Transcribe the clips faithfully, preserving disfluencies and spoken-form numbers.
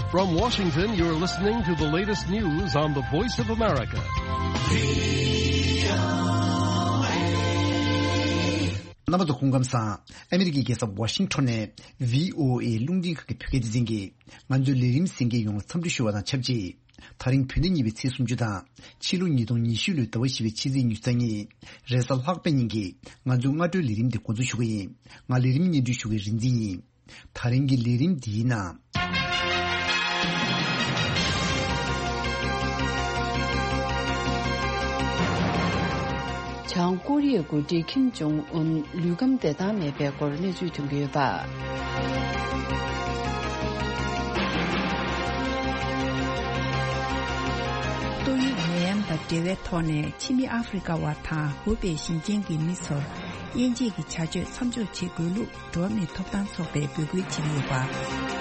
From Washington, you're listening to the latest news on the Voice of America. རྣམ་པ་ཚོ་སྐུ་ཁམས་བཟང་། ཨ་མི་རི་ཀའི་རྒྱལ་ས་ཝ་ཤིང་ཊོན་ནས་བྷི་ཨོ་ཨེ་རླུང་འཕྲིན་ཁང་གི་བོད་སྐད་སྡེ་ཚན་གྱིས་ང་ཚོའི་ལས་རིམ་གསན་མཁན་ཡོངས་ལ་འཚམས་འདྲི་ཞུ་བ་དང་ཆབས་ཅིག་དེ་རིང་བོད་ཟླ་གཉིས་པའི་ཚེས་སུམ་ཅུ་དང་ཕྱི་ལོ་ཉིས་སྟོང་ཉི་ཤུ་ལོའི་ཟླ་བ་བཞི་པའི་ཕྱི་ཚེས་ཉི་ཤུ་རྩ་གཉིས་རེས་གཟའ་ལྷག་པའི་ཉིན་གྱི་ང་ཚོའི་སྔ་དྲོའི་ལས་རིམ་འདི་འགོ་འཛུགས་ཞུ་གི་ཡིན། ང་ལས་རིམ་སྙན་སྒྲོན་ཞུ་མཁན་རིག་འཛིན་ཡིན། དེ་རིང་གི་ལས་རིམ་འདིའི་ནང་། བྱང་ཀོ་རི་ཡའི་འགོ་ཁྲིད་ཁིམ་ཇོང་ཨུན་ལུས་ཁམས་བདེ་ཐང་མེད་པའི་སྐོར་གནས་ཚུལ་ཐོན་གྱི་ཡོད་པ། ཏོག་དབྱིབས་ནད་ཡམས་དང་འབྲེལ་བའི་ཐོག་ནས་ཕྱི་མི་ཨ་ཧྥེ་རི་ཀ་བ་དང་ཧུའུ་པེ་ཞིང་ཆེན་གྱི་མི་ཚོར་དབྱེ་འབྱེད་ཀྱི་བྱ་སྤྱོད་མཚམས་འཇོག་བྱེད་དགོས་ལུགས། འགྲོ་བ་མིའི་ཐོབ་ཐང་ཚོགས་པས་འབོད་སྐུལ་བྱེད་ཀྱི་ཡོད་པ།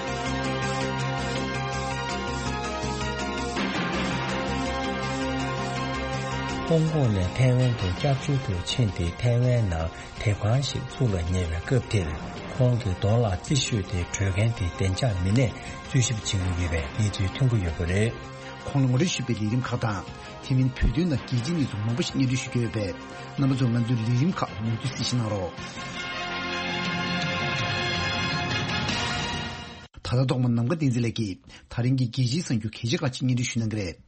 ཧོང་ཀོང་ནས་ཐའེ་ཝན་དུ་སྐྱབས་བཅོལ་དུ་ཕྱིན་ཏེ། ཐའེ་ཝན་ནང་དེབ་ཁང་ཞིག་བཙུགས་ལ་ཉེ་བའི་སྐབས་དེར། ཁོང་གི་གདོང་ལ་རྩིས་ཤོག་དེ་འབྲོས་མཁན་དེ་བདེ་འཇགས་མི་སྣས་རྩོད་ཞིབ་བྱེད་ཀྱི་ཡོད་པའི་གནས་ཚུལ་ཐོན་གྱི་ཡོད་པ་རེད། ཁོང་ལ་ངོ་སྤྲོད་ཞུས་པའི་ལས་རིམ་ཁག་དང་། དེ་མིན་བོད་དོན་དང་རྒྱལ་སྤྱིའི་གནས་ཚུལ་མང་པོ་ཞིག་སྙན་སྒྲོན་ཞུ་རྒྱུ་ཡོད་པས། རྣམ་པ་ཚོས་ང་ཚོའི་ལས་རིམ་ཁག་མུ་མཐུད་གཟིགས་ཞིབ་གནང་རོགས། ད་ལྟ་ཐོག་མར་ནམ་མཁའ་བསྟན་འཛིན་ལགས་ཀྱིས་དེ་རིང་གི་རྒྱལ་སྤྱིའི་གསར་འགྱུར་གལ་ཆེ་ཁག་ཅིག་སྙན་སྒྲོན་ཞུ་གནང་གི་རེད།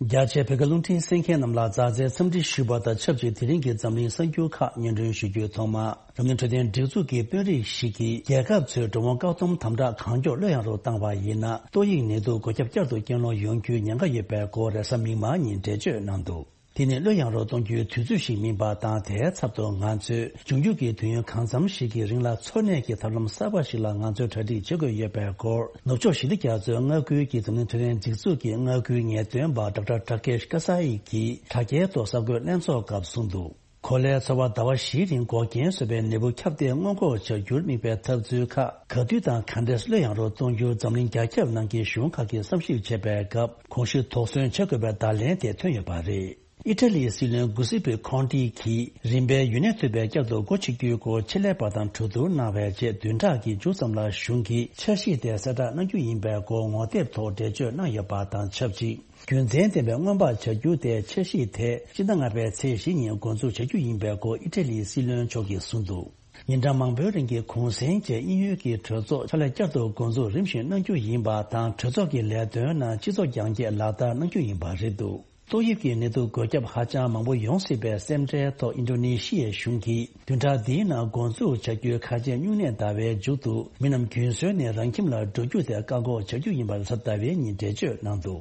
རྒྱ་ཆེའི་བོད་སྐད་རླུང་འཕྲིན་གསན་མཁན་རྣམས་ལ་མཛའ་བརྩེའི་འཚམས་འདྲི་ཞུ་བ་དང་ཆབས་ཅིག་དེ་རིང་གི་འཛམ་གླིང་གསར་འགྱུར་ཁག་སྙན་སྒྲོན་ཞུ་རྒྱུའི་ཐོག་མར། འཛམ་གླིང་འཕྲོད་བསྟེན་སྒྲིག་འཛུགས་ཀྱི་དཔོན་རིགས་ཤིག་གིས། རྒྱལ་ཁབ་ཚོས་འགྲོ་འོང་བཀག་སྡོམ་དམ་དྲག་གང་མགྱོགས་ལྷོད་ཡངས་རུ་བཏང་བ་ཡིན་ན། ཏོག་དབྱིབས་ནད་དུག་འགོས་ཁྱབ་བསྐྱར་དུ་རྐྱེན་སློང་ཡོང་རྒྱུའི་ཉེན་ཁ་ཡོད་པའི་སྐོར་རེས་གཟའ་མིག་དམར་ཉིན་འགྲེལ་བརྗོད་གནང་འདུག་དེ་ནི་ལྷོད་ཡངས་རུ་གཏོང་རྒྱུའི་དུས་ཚོད་ཞིག་མིན་པ་དང་། དེའི་ཚབ་ཏུ་ང་ཚོས་འབྱུང་འགྱུར་གྱི་དུས་ཡུན་གང་འཚམ་ཞིག་གི་རིང་ལ་འཚོ་གནས་ཀྱི་ཐབས་ལམ་གསར་པ་ཞིག་ལ་ང་ཚོས་གྲ་སྒྲིག་བྱེད་དགོས་ཡོད་པའི་སྐོར། ནུབ་ཕྱོགས་ཞི་བདེ་རྒྱ་མཚོའི་མངའ་ཁུལ་གྱི་འཛམ་གླིང་འཕྲོད་བསྟེན་སྒྲིག་འཛུགས་ཀྱི་མངའ་ཁུལ་ངེས་སྟོན་པ་ཌོག་ཊར་ཊ་ཀེཤ་ཀ་ས་ཡི་གིས་དྲ་རྒྱའི་ཐོག་གསར་འགོད་ལྷན་ཚོགས་སྐབས་གསུངས་འདུག་གོ་ལའི་ཚོར་བ་ཟླ་བ་བཞིའི་རིང་འགོག་རྐྱེན་བཟོས་པའི་ནད་འབུ་ཁྱབ་གདལ་སྔོན་འགོག་བྱ་རྒྱུར་དམིགས་པའི་འཐབ་རྩོད་ཁག་ག་དུས་དང་ག་འདྲས་ལྷོད་ཡངས་རུ་གཏོང་རྒྱུར་འཛམ་གླིང་རྒྱ་ཁྱབ་ནང་གི་གཞུང་ཁག་གིས་བསམ་ཞིབ་བྱེད་པའི་སྐབས། གོང་ཞུས་དོགས་ཟོན་བྱེད་དགོས་པའི་བརྡ་ལན་དེ་ཐོན་ཡོད་པ་རེད། ཨི་ཊ་ལིའི་སྲིད་བློན་གུ་སི་པེ་ཁོན་ཏི་གིས་རིམ་པས་ཡུན་གནས་ཐུབ་པའི་བསྐྱར་དུ་སྒོ་ཕྱེ་རྒྱུའི་སྐོར་ཆེད་ལས་པ་དང་གྲོས་བསྡུར་གནང་བའི་རྗེས། བདུན་ཕྲག་གི་མཇུག་ཙམ་ལ་གཞུང་གིས་འཆར་གཞི་དེ་གསལ་བསྒྲགས་གནང་རྒྱུ་ཡིན་པའི་སྐོར་ངོ་དེབ་ཐོག་འགྲེལ་བརྗོད་གནང་ཡོད་པ་དང་ཆབས་ཅིག་རྒྱུ་མཚན་ལྡན་པའི་སྔོན་དཔག་བྱ་རྒྱུ་དེ་འཆར་གཞི་དེ་སྤྱི་ཟླ་ལྔ་པའི་ཚེས་བཞི་ཉིན་འགོ་འཛུགས་བྱ་རྒྱུ་ཡིན་པའི་སྐོར་ཨི་ཊ་ལིའི་སྲིད་བློན་མཆོག་གིས་གསུངས་འདུག་ཉིན་གྲངས་མང་པོའི་རིང་གི་གུང་གསེང་རྗེས་དབྱིན་ཡུལ་གྱི་གྲོས་ཚོགས་ཕྱག་ལས་བསྐྱར་དུ་འགོ་འཛུགས་རིམ་བཞིན་གནང་རྒྱུ་ཡིན་པ་དང་། གྲོས་ཚོགས་ཀྱི་ལས་དོན་རྣམས་སྤྱི་ཚོགས་རྒྱང་བཀྱེད་ལག་བསྟར་གནང་རྒྱུ་ཡིན་པ་རེད་འདུག་ཏོག་དབྱིབས་ཀྱི་ནད་དུག་འགོས་ཁྱབ་ཧ་ཅང་མང་པོ་ཡོང་སྲིད་པའི་སེམས་ཁྲལ་ཐོག་ཨིན་ཌོ་ནེ་ཤི་ཡའི་གཞུང་གིས་བདུན་ཕྲག་འདིའི་ནང་འགོ་འཛུགས་བྱ་རྒྱུའི་ཁ་ཆེམས་སྨྱུང་གནས་ཟླ་བའི་མཇུག་ཏུ། མི་རྣམས་རྒྱུན་སྲོལ་ནས་རང་ཁྱིམ་ལ་འགྲོ་རྒྱུ་དེ་བཀག་འགོག་བྱ་རྒྱུ་ཡིན་པ་རེས་གཟའ་ཟླ་བའི་ཉིན་འགྲེལ་བརྗོད་གནང་འདུག་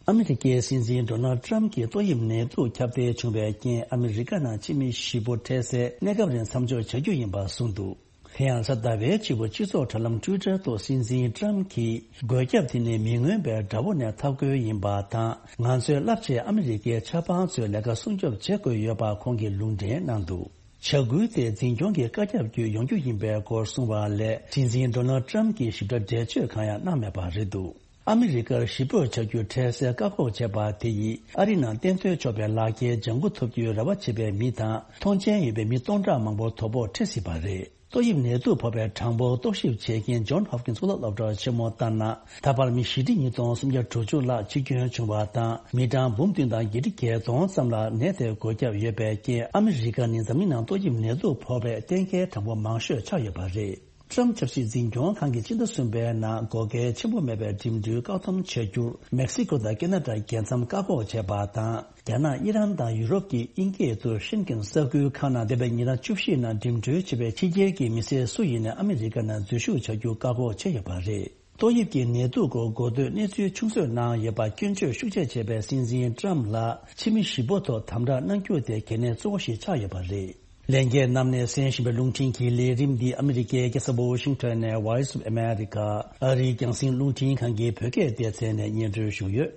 ཨ་མི་རི་ཀའི་སྲིད་འཛིན་ཌོ་ནལ་ཊམ་གྱིས་ཏོག་དབྱིབས་ནད་དུག་ཁྱབ་གདལ་བྱུང་བའི་རྐྱེན། ཨ་མི་རི་ཀ་ནང་ཕྱི་མི་བཞི་པོ་འཕྲལ་སེལ་གནས་སྐབས་རིང་མཚམས་འཇོག་བྱ་རྒྱུ་ཡིན་པ་གསུངས་འདུག་དེ་ཡང་རེས་གཟའ་ཟླ་བའི་སྤྱི་བོར་སྤྱི་ཚོགས་དྲ་ལམ་ཊུའི་ཊར་ཐོག་སྲིད་འཛིན་ཊམ་གྱིས། འགོས་ཁྱབ་དེ་ནི་མི་མངོན་པའི་དགྲ་བོ་ནས་འཐབ་དགོས་ཡིན་པ་དང་། ང་ཚོས་རླབས་ཆེའི་ཨ་མི་རི་ཀའི་ཆབ་འབངས་ཚོའི་ལས་ཀ་སྲུང་སྐྱོབ་བྱེད་དགོས་ཡོད་པ་ཁོང་གིས་ལུང་འདྲེན་གནང་འདུག་བྱ་འགུལ་དེ་འཛིན་སྐྱོང་གི་བཀའ་ཁྱབ་བརྒྱུད་ཡོང་རྒྱུ་ཡིན་པའི་སྐོར་གསུངས་པ་ལས། སྲིད་འཛིན་ཌོ་ནལ་ཊམ་གྱིས་ཞིབ་ཕྲ་འགྲེལ་བརྗོད་གང་ཡང་གནང་མེད་པ་རེད་འདུག་ཨ་མི་རི་ཀར་གཞིས་སྤོས་བྱ་རྒྱུ་འཕྲལ་སེལ་བཀག་འགོག་བྱས་པ་དེ་ཡིས། ཨ་རི་ནང་གཏན་མཐུན་ཆོག་པའི་ལག་འཁྱེར་ལྗང་གུ་ཐོབ་རྒྱུའི་རེ་བ་བྱེད་པའི་མི་དང་། མཐོང་མཆན་ཡོད་པའི་མི་སྟོང་ཕྲག་མང་པོ་དོ་ཕོག་འཕྲད་སྲིད་པ་རེད། ཏོག་དབྱིབས་ནད་དུག་ཕོག་པའི་གྲངས་འབོར་རྟོག་ཞིབ་བྱེད་མཁན་ཇོན་ཧོབ་ཀིན་སི་གློག་སློབ་གྲྭ་ཆེན་མོ་ལྟར་ན། ད་བར་མི་བཞི་ཁྲི་ཉིས་སྟོང་སུམ་བརྒྱ་དྲུག་ཅུ་ལྷག་འཆི་སྐྱོན་བྱུང་བ་དང་། མི་གྲངས་འབུམ་བདུན་དང་བརྒྱད་ཁྲི་བརྒྱད་སྟོང་ཙམ་ལ་ནད་དེ་འགོས་ཁྱབ་ཡོད་པའི་རྐྱེན། ཨ་མི་རི་ཀ་ནི་འཛམ་གླིང་ནང་ཏོག་དབྱིབས་ནད་དུག་ཕོག་པའི་གཏན་འཁེལ་གྲངས་འབོར་མང་ཤོས་ཆགས་ཡོད་པ་རེད། ཊམ་ཆབ་སྲིད་འཛིན་སྐྱོང་ཁང་གིས་ཕྱི་ཟླ་གསུམ་པའི་ནང་སྒོ་ཁའི་ཆེན་པོ་མེད་པའི་འགྲིམ་འགྲུལ་བཀག་སྡོམ་བྱ་རྒྱུར། མེག་སི་ཀོ་དང་ཁེ་ན་ཌ་རྒྱལ་མཚམས་བཀག་འགོག་བྱས་པ་དང་། རྒྱ་ནག་ཨི་རན་དང་ཡུ་རོབ་ཀྱི་དབྱིན་སྐད་དུ་ཤེན་ཀེན་ས་ཁུལ་ཁག་ནང་འདས་པའི་ཉིན་གྲངས་བཅུ་བཞི་ནང་འགྲིམ་འགྲུལ་བྱེད་པའི་ཕྱི་རྒྱལ་གྱི་མི་སེར་སུ་ཡིན་ནའང་ཨ་མི་རི་ཀ་ནང་འཛུལ་ཞུགས་བྱ་རྒྱུ་བཀག་འགོག་བྱས་ཡོད་པ་རེད། ཏོག་དབྱིབས་ཀྱི་ནད་དུག་སྐོར་འགོ་སྟོད་གནས་ཚུལ་ཆུང་བཟོས་གནང་ཡོད་པ་སྐྱོན་བརྗོད་ཤུགས་ཆེ་བྱས་པའི་སྲིད་འཛིན་ཊམ་ལ་ཕྱི་མི་བཞི་པོ་ཐོག་དམ་དྲག་གནང་རྒྱུ་དེ་གལ་གནད་གཙོ་བོ་ཞིག་ཆགས་ཡོད་པ་རེད། ལྷན་རྒྱས་རྣམས་ནས་གསན་བཞིན་པའི་རླུང་འཕྲིན་གྱི་ལས་རིམ་འདི་ཨ་མི་རི་ཀའི་རྒྱལ་ས་ཝ་ཤིང་ཊོན་ནས་Voice of America ཨ་རིའི་རྒྱང་སྲིང་རླུང་འཕྲིན་ཁང་གི་བོད་སྐད་སྡེ་ཚན་ནས་སྙན་སྒྲོན་ཞུས་ཡོད།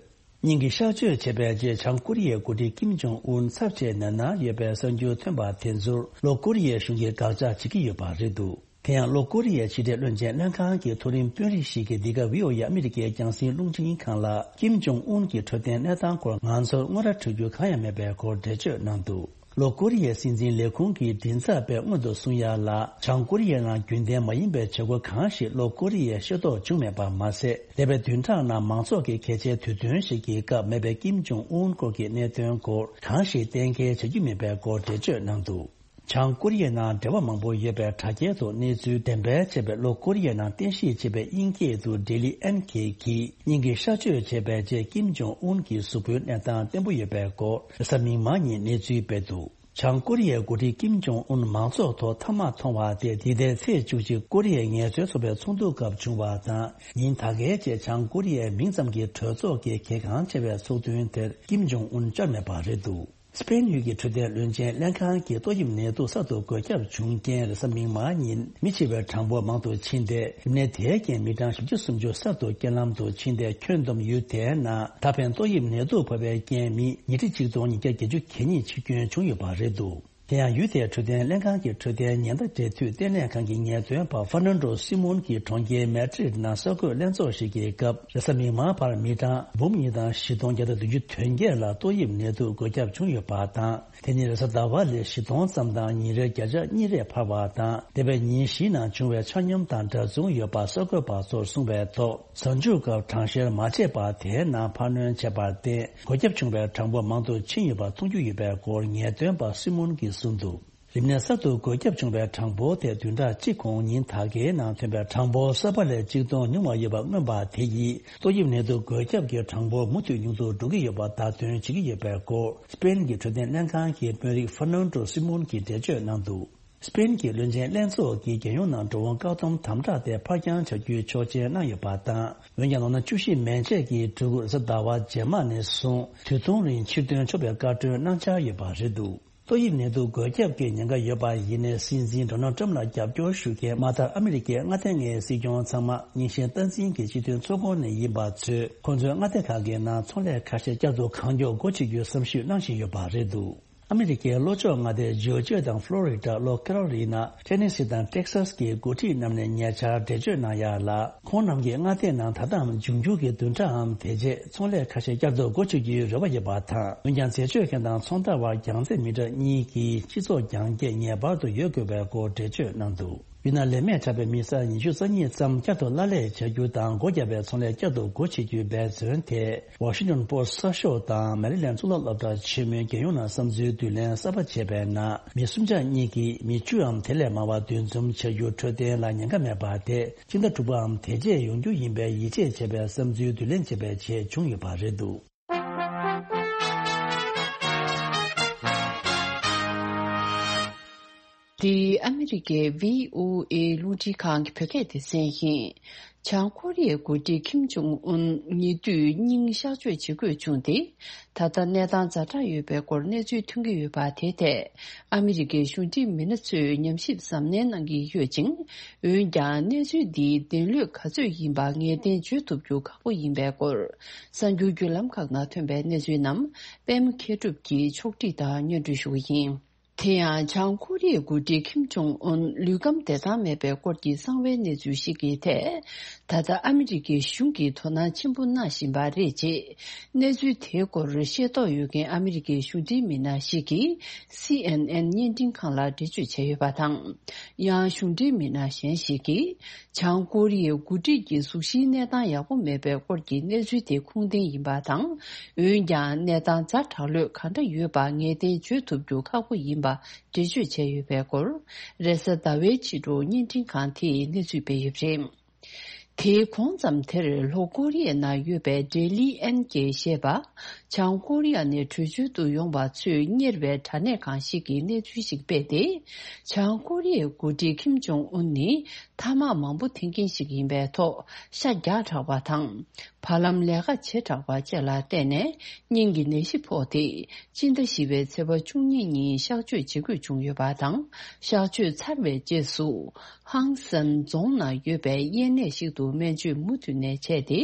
སྙིང་གི་གཤག་བཅོས་བྱས་པའི་རྗེས་བྱང་ཀོ་རི་ཡའི་འགོ་ཁྲིད་ཀིམ་ཇོང་ཨུན་ཚབས་ཆེའི་ནད་མནར་ཡོད་པའི་གསར་འགྱུར་ཐོན་པ་དེ་ཚོར་ལྷོ་ཀོ་རི་ཡའི་གཞུང་གིས་དགག་བྱ་བྱེད་ཀྱི་ཡོད་པ་རེད་འདུག་དེ་ཡང་ལྷོ་ཀོ་རི་ཡའི་ཕྱི་འབྲེལ་བློན་ཆེན་ལྷན་ཁང་གི་མཐོ་རིམ་དཔོན་རིགས་ཤིག་གིས་འདི་ག་བྷི་ཨོ་ཨེ་ཨ་མི་རི་ཀའི་རྒྱང་སྲིང་རླུང་འཕྲིན་ཁང་ལ་ཀིམ་ཇོང་ཨུན་གྱི་འཕྲོད་བསྟེན་གནས་སྟངས་སྐོར་ང་ཚོར་དངོས་ར་འཕྲོད་རྒྱུ་གང་ཡང་མེད་པའི་སྐོར་འགྲེལ་བརྗོད་གནང་འདུག་ལྷོ་ཀོ་རི་ཡའི་སྲིད་འཛིན་ལས་ཁུངས་ཀྱི་མགྲིན་ཚབ་པས་སྔོན་དུ་གསུངས་ཡ་ལ། བྱང་ཀོ་རི་ཡའི་ནང་རྒྱུན་ལྡན་མ་ཡིན་པའི་བྱེད་སྒོ་གང་ཞིག་ལྷོ་ཀོ་རི་ཡས་ཤེས་རྟོགས་བྱུང་མེད་པ་མ་ཟད། འདས་པའི་བདུན་ཕྲག་ནང་མང་ཚོགས་ཀྱི་གལ་ཆེའི་དུས་སྟོན་ཞིག་གི་སྐབས་མེད་པའི་ཀིམ་ཇོང་ཨུན་སྐོར་གྱི་གནད་དོན་སྐོར་གང་ཞིག་གཏན་འཁེལ་བྱེད་རྒྱུ་མིན་པའི་སྐོར་འགྲེལ་བརྗོད་གནང་འདུག། བྱང་ཀོ་རི་ཡའི་ནང་འབྲེལ་བ་མང་པོ་ཡོད་པའི་དྲ་རྒྱའི་ཐོག་གནས་ཚུལ་འགྲེམས་སྤེལ་བྱས་པའི་ལྷོ་ཀོ་རི་ཡའི་ནང་རྟེན་གཞི་བྱས་པའི་དབྱིན་སྐད་དུ་ཌེ་ལི་ཨེན་ཁེ་གིས་སྙིང་གི་གཤགས་བཅོས་བྱས་པའི་རྗེས་ཀིམ་ཇོང་ཨུན་གྱི་གཟུགས་པོའི་གནས་སྟངས་བརྟན་པོ་ཡོད་པའི་སྐོར་རེས་གཟའ་མིག་དམར་ཉིན་གནས་ཚུལ་སྤེལ་འདུག། བྱང་ཀོ་རི་ཡའི་འགོ་ཁྲིད་ཀིམ་ཇོང་ཨུན་མང་ཚོགས་ཐོག་མཐའ་མ་མཐོང་བ་དེ་འདི་ཟླའི་ཚེས་བཅུ་གཅིག་ཀོ་རི་ཡའི་ངལ་རྩོལ་ཚོགས་པའི་ཚོགས་འདུ་སྐབས་བྱུང་བ་དང་། ཉིན་ད་གའི་རྗེས་བྱང་ཀོ་རི་ཡའི་མིང་ཙམ་གྱི་གྲོས་ཚོགས་ཀྱི་གལ་འགངས་ཆེ་བའི་ཚོགས་ཐུན་དེར་ཀིམ་ཇོང་ཨུན་བཅར་མེད་པ་རེད་འདུག། སི་པེན་ཡུལ་གྱི་འཕྲོད་བསྟེན་བློན་ཆེན་ལྷན་ཁང་གིས་ཏོག་དབྱིབས་ནད་དུག་གསར་དུ་འགོས་ཁྱབ་བྱུང་རྐྱེན། རེས་གཟའ་མིག་དམར་ཉིན་མི་འཆི་བའི་གྲངས་འབོར་མང་དུ་ཕྱིན་ཏེ། རིམས་ནད་དེའི་རྐྱེན་མི་གྲངས་བཞི་བཅུ་སུམ་ཅུ་གསར་དུ་རྐྱེན་ལམ་དུ་ཕྱིན་ཏེ། ཁྱོན་བསྡོམས་ཡུལ་དེའི་ནང་ད་ཕན་ཏོག་དབྱིབས་ནད་དུག་ཕོག་པའི་རྐྱེན་མི་ཉིས་ཁྲི་ཆིག་སྟོང་ཉིས་བརྒྱ་བརྒྱད་ཅུ་གྱ་གཉིས་འཆི་སྐྱོན་བྱུང་ཡོད་པ་རེད་འདུག། དེ་ཡང་ཡུལ་དེའི་འཕྲོད་བསྟེན་ལྷན་ཁང་གི་འཕྲོད་བསྟེན་ཉེན་བརྡ་འབྲེལ་མཐུད་ལྟེ་གནས་ཁང་གི་ངེས་སྟོན་པ་ཧྥར་ནན་ཌོ་སི་མོན་གྱིས་གྲོང་ཁྱེར་མེ་ཌྲིད་ནང་གསར་འགོད་ལྷན་ཚོགས་ཤིག་གི་སྐབས། རེས་གཟའ་མིག་དམར་བར་མི་གྲངས་འབུམ་གཉིས་དང་བཞི་སྟོང་བརྒྱ་དང་བདུན་ཅུ་དོན་བརྒྱད་ལ་ཏོག་དབྱིབས་ནད་དུག་འགོས་ཁྱབ་བྱུང་ཡོད་པ་དང་། དེ་ནི་རེས་གཟའ་ཟླ་བ་ལས་བཞི་སྟོང་ཙམ་དང་ཉིན་རེར་བརྒྱ་ཆ་གཉིས་རེ་འཕར་བ་དང་། འདས་པའི་ཉིན་བཞིའི་ནང་བྱུང་བའི་ཆ་སྙོམས་དང་འདྲ་མཚུངས་ཡོད་པ་གསར་འགོད་པ་ཚོར་གསུངས་པའི་ཐོག། གཟའ་མཇུག་སྐབས་གྲངས་བཤེར་མ་བྱས་པར་དེའི་ནང་འཕར་སྣོན་བྱས་པར་བརྟེན། འགོས་ཁྱབ་བྱུང་བའི་གྲངས་འབོར་མང་དུ་ཕྱིན་ཡོད་པ་མཐོང་རྒྱུ་ཡོད་པའི་སྐོར་ངེས་སྟོན་པ་སི་མོན་གྱིས་གསུངས་འདུག། རིམས་ནད་གསར་དུ་འགོས་ཁྱབ་བྱུང་བའི་གྲངས་འབོར་དེ་བདུན་ཕྲག་གཅིག་གོང་ཉིན་ད་གའི་ནང་ཐོན་པའི་གྲངས་འབོར་གསར་པ་ལས་གཅིག་སྟོང་ཉུང་བ་ཡོད་པ་མངོན་པ་དེ་ཡིས། ཏོག་དབྱིབས་ནད་དུག་འགོས་ཁྱབ་ཀྱི་གྲངས་འབོར་མུ་མཐུད་ཉུང་དུ་འགྲོ་གི་ཡོད་པ་བརྡ་སྟོན་བྱེད་ཀྱི་ཡོད་པའི་སྐོར། སི་པེན་གྱི་འཕྲོད་བསྟེན་ལྷན་ཁང་གི་དཔོན་རིགས་ཧྥར་ནན་ཌོ་སི་མོན་གྱིས་འགྲེལ་བརྗོད་གནང་འདུག། སི་པེན་གྱི་བློན་ཆེན་ལྷན་ཚོགས་ཀྱིས་རྒྱལ་ཡོངས་ནང་འགྲོ་འོང་བཀག་སྡོམ་དམ་དྲག་དེ་ཕར་འགྱངས་བྱ་རྒྱུའི་ཆོག་མཆན་གནང་ཡོད་པ་དང་། འོན་ཀྱང་ལོ་ན་བཅུ་བཞི་མན་ཆད་ཀྱི་ཕྲུ་གུ་རེས་གཟའ་ཟླ་བ་རྗེས་མ་ནས་བཟུང་དུས་ཐུང་རིང་ཕྱིར་ཐོན་ཆོག་པའི་བཀའ་འཁྲོལ་གནང་འཆར་ཡོད་པ་རེད་འདུག། ཏོག་དབྱིབས་ནད་དུག་འགོས་ཁྱབ་ཀྱི་ཉེན་ཁ་ཡོད་པ་ཡིན་ནའི། སྲིད་འཛིན་ཌོ་ནལ་ཊམ་ལ་རྒྱབ་སྐྱོར་ཞུ་མཁན་མ་མཐར་ཨ་མི་རི་ཀའི་མངའ་སྡེ་ལྔའི་སྲིད་སྐྱོང་ཚང་མ་རྙིང་ཞེན་སྟངས་འཛིན་གྱི་སྤྱི་མཐུན་ཚོགས་ཁོངས་ནས་ཡིན་པ་ཚོས། ཁོང་ཚོའི་མངའ་སྡེ་ཁག་གི་ནང་ཚོང་ལས་ཁ་ཤས་བསྐྱར་དུ་གང་མགྱོགས་སྒོ་ཕྱེ་རྒྱུའི་བསམ་ཞིབ་གནང་བཞིན་ཡོད་པ་རེད་འདུག། ཨ་མི་རི་ཀའི་ལྷོ་ཕྱོགས་མངའ་སྡེ་ཇོར་ཇི་ཡ་དང་ཕློ་རི་ཌ། ལྷོ་ཁེ་རོ་ལི་ན། ཊེ་ནེ་སི་དང་ཊེག་སཱས་ཀྱི་འགོ་ཁྲིད་རྣམས་ནས་ཉེ་ཆར་འགྲེལ་བརྗོད་གནང་ཡ་ལ། ཁོང་རྣམས་ཀྱི་མངའ་སྡེ་ནང་ད་ལྟའང་འབྱུང་འགྱུར་གྱི་བདུན་ཕྲག་འམ་དེ་རྗེས་ཚོང་ལས་ཁ་ཤས་བསྐྱར་དུ་སྒོ་ཕྱེ་རྒྱུའི་རེ་བ་ཡོད་པ་དང་། འོན་ཀྱང་འཛད་སྤྱོད་མཁན་དང་ཚོང་བདག་བར་རྒྱང་རྩེ་མི་ཊར་གཉིས་ཀྱི་སྤྱི་ཚོགས་རྒྱང་སྐྱེད་ངེས་པར་དུ་ཡོད་དགོས་པའི་སྐོར་འགྲེལ་བརྗོད་གནང་འདུག། ཡུལ་ནང་ལས་མེད་དྲགས་པའི་མི་སེར་ཉི་ཤུ་རྩ་གཉིས་ཙམ་བསྐྱར་དུ་གླ་ལས་བྱ་རྒྱུ་དང་སྒོ་བརྒྱབ་པའི་ཚོང་ལས་བསྐྱར་དུ་སྒོ་ཕྱེ་རྒྱུའི་འབད་བརྩོན་དེ། ཝ་ཤིང་ཊོན་པོ་སི་གསར་ཤོག་དང་མེ་རི་ལན་གཙུག་ལག་སློབ་གྲྭ་ཆེན་མོའི་རྒྱལ་ཡོངས་ནང་བསམ་ཚུལ་བསྡུ་ལེན་གསར་པ་བྱས་པའི་ནང་། མི་སུམ་ཆ་གཉིས་ཀྱིས་མི་བཅུའམ་དེ་ལས་མང་བ་འདུ་འཛོམས་བྱ་རྒྱུ་འཕྲོད་བསྟེན་ལ་ཉེན་ཁ་མེད་པ་དེ། སྤྱི་ཟླ་དྲུག་པའམ་དེ་རྗེས་ཡོང་རྒྱུ་ཡིན་པའི་ཡིད་ཆེས་བྱས་པའི་བསམ་ཚུལ་བསྡུ་ལེན་བྱས་པའི་རྗེས་བྱུང་ཡོད་པ་རེད་འདུག། འདི་ཨ་མི་རི་ཀའི་བྷི་ཨོ་ཨེ་རླུང་འཕྲིན་ཁང་གི་བོད་སྐད་སྡེ་ཚན་ཡིན། བྱང་ཀོ་རི་ཡའི་འགོ་ཁྲིད་ཁིམ་ཇོང་ཨུན་ཉེ་དུས་སྙིང་གཤགས་བཅོས་བྱེད་དགོས་བྱུང་སྟེ། ད་ལྟ་གནས་སྟངས་ཛ་དྲག་ཡོད་པའི་སྐོར་གནས་ཚུལ་ཐོན་གྱི་ཡོད་པ་དེ་ཐད། ཨ་མི་རི་ཀའི་གཞུང་འབྲེལ་མི་སྣ་ཚོས་ཉམས་ཞིབ་གཟབ་ནན་གནང་གི་ཡོད་ཅིང་། འོན་ཀྱང་གནས་ཚུལ་འདིའི་བདེན་ལུགས་ག་ཚོད་ཡིན་པ་ངེས་གཏན་བརྗོད་ཐུབ་རྒྱུ་ཁག་པོ་ཡིན་པའི་སྐོར། གསར་འགྱུར་བརྒྱུད་ལམ་ཁག་ནང་ཐོན་པའི་གནས་ཚུལ་རྣམས་པད་མ་མཁས་གྲུབ་ཀྱིས་ཕྱོགས་སྒྲིག་དང་སྙན་སྒྲོན་ཞུ་གི་ཡིན། དེ་ཡང་བྱང་ཀོ་རི་ཡའི་འགོ་ཁྲིད་ཁིམ་ཇོང་ཨུན་ལུས་ཁམས་བདེ་ཐང་མེད་པའི་སྐོར་གྱི་གསང་བའི་གནས་ཚུལ་ཞིག་གི་ཐད། ད་ལྟ་ཨ་མི་རི་ཀའི་གཞུང་གིས་དོ་སྣང་ཆེན་པོ་གནང་བཞིན་པ་རེད་ཅེས། གནས་ཚུལ་དེའི་སྐོར་ཤེས་རྟོགས་ཡོད་མཁན་ཨ་མི་རི་ཀའི་གཞུང་འབྲེལ་མི་སྣ་ཞིག་གིས་སི་ཨེན་ཨེན་བརྙན་འཕྲིན་ཁང་ལ་འགྲེལ་བརྗོད་བྱས་ཡོད་པ་དང་། ཡང་གཞུང་འབྲེལ་མི་སྣ་གཞན་ཞིག་གིས། བྱང་ཀོ་རི་ཡའི་འགོ་ཁྲིད་ཀྱི་གཟུགས་གཞིའི་གནས་སྟངས་ཡག་པོ་མེད་པའི་སྐོར་གྱི་གནས་ཚུལ་དེ་ཁུངས་ལྡན་ཡིན་པ་དང་། འོན་ཀྱང་གནས་སྟངས་ཛ་དྲག་ལོས་གང་འདྲ་ཡོད་པ་ངེས་གཏན་བརྗོད་ཐུབ་རྒྱུ་ཁག་པོ་ཡིན་པ་འགྲེལ་བརྗོད་བྱས་ཡོད་པའི་སྐོར། རེས་གཟའ་ཟླ་བའི་ཕྱི་དྲོ་བརྙན་འཕྲིན་ཁང་དེས་གནས་ཚུལ་སྤེལ་ཡོད་པ་རེད། དེའི་གོང་ཙམ་དེར་ལྷོ་ཀོ་རི་ཡའི་ནང་ཡོད་པའི་ཌེ་ལི་ཨན་གྱིས་བཤད་པ། བྱང་ཀོ་རི་ཡ་ནས་བྲོས་བྱོལ་དུ་ཡོང་བ་ཚོས་གཉེར་བའི་དྲ་གནས་ཁང་ཞིག་གིས་གནས་ཚུལ་ཞིག་སྤེལ་ཏེ། བྱང་ཀོ་རི་ཡའི་འགོ་ཁྲིད་ཁིམ་ཇོང་ཨུན་ནི་ཐ་མག་མང་པོ་འཐེན་མཁན་ཞིག་ཡིན་པའི་ཐོག་ཤ་རྒྱགས་དྲགས་པ་དང་། བར་ལམ་ལས་ཀ་བྱེད་དྲགས་པ་བཅས་ལ་བརྟེན་ནས་སྙིང་གི་ནད་གཞི་ཕོག་སྟེ། སྤྱི་ཟླ་བཞི་པའི་ཚེས་པ་བཅུ་གཉིས་ཉིན་གཤགས་བཅོས་བྱེད་དགོས་བྱུང་ཡོད་པ་དང་། གཤགས་བཅོས་ཚར་བའི་རྗེས་སུ། ཧང་སན་རྫོང་ནང་ཡོད་པའི་གཡས་གནས་ཤིག་ཏུ་སྨན་བཅོས་མུ་མཐུད་ནས་བྱས་ཏེ།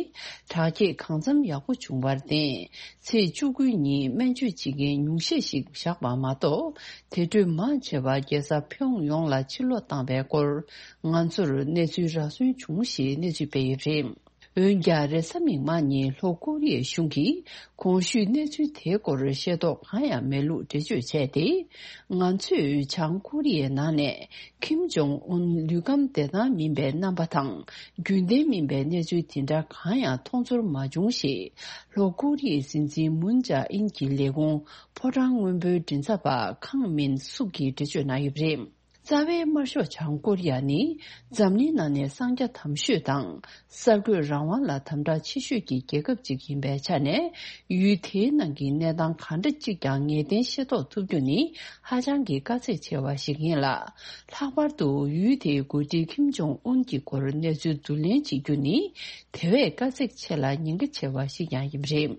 དྲག་སྐྱེད་གང་འཚམ་ཡག་པོ་བྱུང་བར་བརྟེན། ཚེས་བཅུ་དགུ་ཉིན་སྨན་བཅོས་བྱེད་མཁན་ཉུང་ཤས་ཤིག་བཞག་པ་མ་གཏོགས། དེ་འཕྲོས་མང་ཆེ་བ་རྒྱལ་ས་ཕིའུ་ཡོང་ལ་ཕྱིར་ལོག་བཏང་བའི་སྐོར། ང་ཚོར་གནས་ཚུལ་རག་སོན་བྱུང་ཞེས་གནས་ཚུལ་སྤེལ་ཡོད་པ་རེད། འོན་ཀྱང་རེས་གཟའ་མིག་དམར་ཉིན་ལྷོ་ཀོ་རི་ཡའི་གཞུང་གིས་གོང་ཞུས་གནས་ཚུལ་དེའི་སྐོར་ཤེས་རྟོགས་གང་ཡང་མེད་ལུགས་འགྲེལ་བརྗོད་བྱས་ཏེ། ང་ཚོས་བྱང་ཀོ་རི་ཡའི་ནང་ནས་ཁིམ་ཇོང་ཨུན་ལུས་ཁམས་བདེ་ཐང་མིན་པའི་རྣམ་པ་དང་རྒྱུན་ལྡན་མིན་པའི་གནས་ཚུལ་དེ་འདྲ་གང་ཡང་མཐོང་ཚོར་མ་བྱུང་ཞེས་ལྷོ་ཀོ་རི་ཡའི་སྲིད་འཛིན་མུན་ཇཱ་ཨིན་གྱི་ལས་ཁུངས་ཕོ་བྲང་སྔོན་པོའི་མགྲིན་ཚབ་པ་ཁང་མིན་སུག་གིས་འགྲེལ་བརྗོད་གནང་ཡོད་པ་རེད། རྩ་བའི་དམར་ཤོག་བྱང་ཀོ་རི་ཡ་ནི་འཛམ་གླིང་ནང་ནས་གསང་རྒྱ་དམ་ཤོས་དང་གསར་འགོད་རང་དབང་ལ་དམ་དྲག་ཆེ་ཤོས་ཀྱི་རྒྱལ་ཁབ་ཅིག་ཡིན་པའི་ཆ་ནས། ཡུལ་དེའི་ནང་གི་གནས་སྟངས་གང་འདྲ་ཅིག་ཀྱང་ངེས་གཏན་ཤེས་རྟོགས་ཐུབ་རྒྱུ་ནི་ཧ་ཅང་གི་དཀའ་ཚེགས་ཆེ་བ་ཞིག་ཡིན་ལ། ལྷག་པར་དུ་ཡུལ་དེའི་འགོ་ཁྲིད་ཁིམ་ཇོང་ཨུན་གྱི་སྐོར་གནས་ཚུལ་བསྡུ་ལེན་བྱེད་རྒྱུ་ནི་དེ་བས་དཀའ་ཚེགས་ཆེ་ལ་ཉེན་ཁ་ཆེ་བ་ཞིག་ཀྱང་ཡིན་པ་རེད།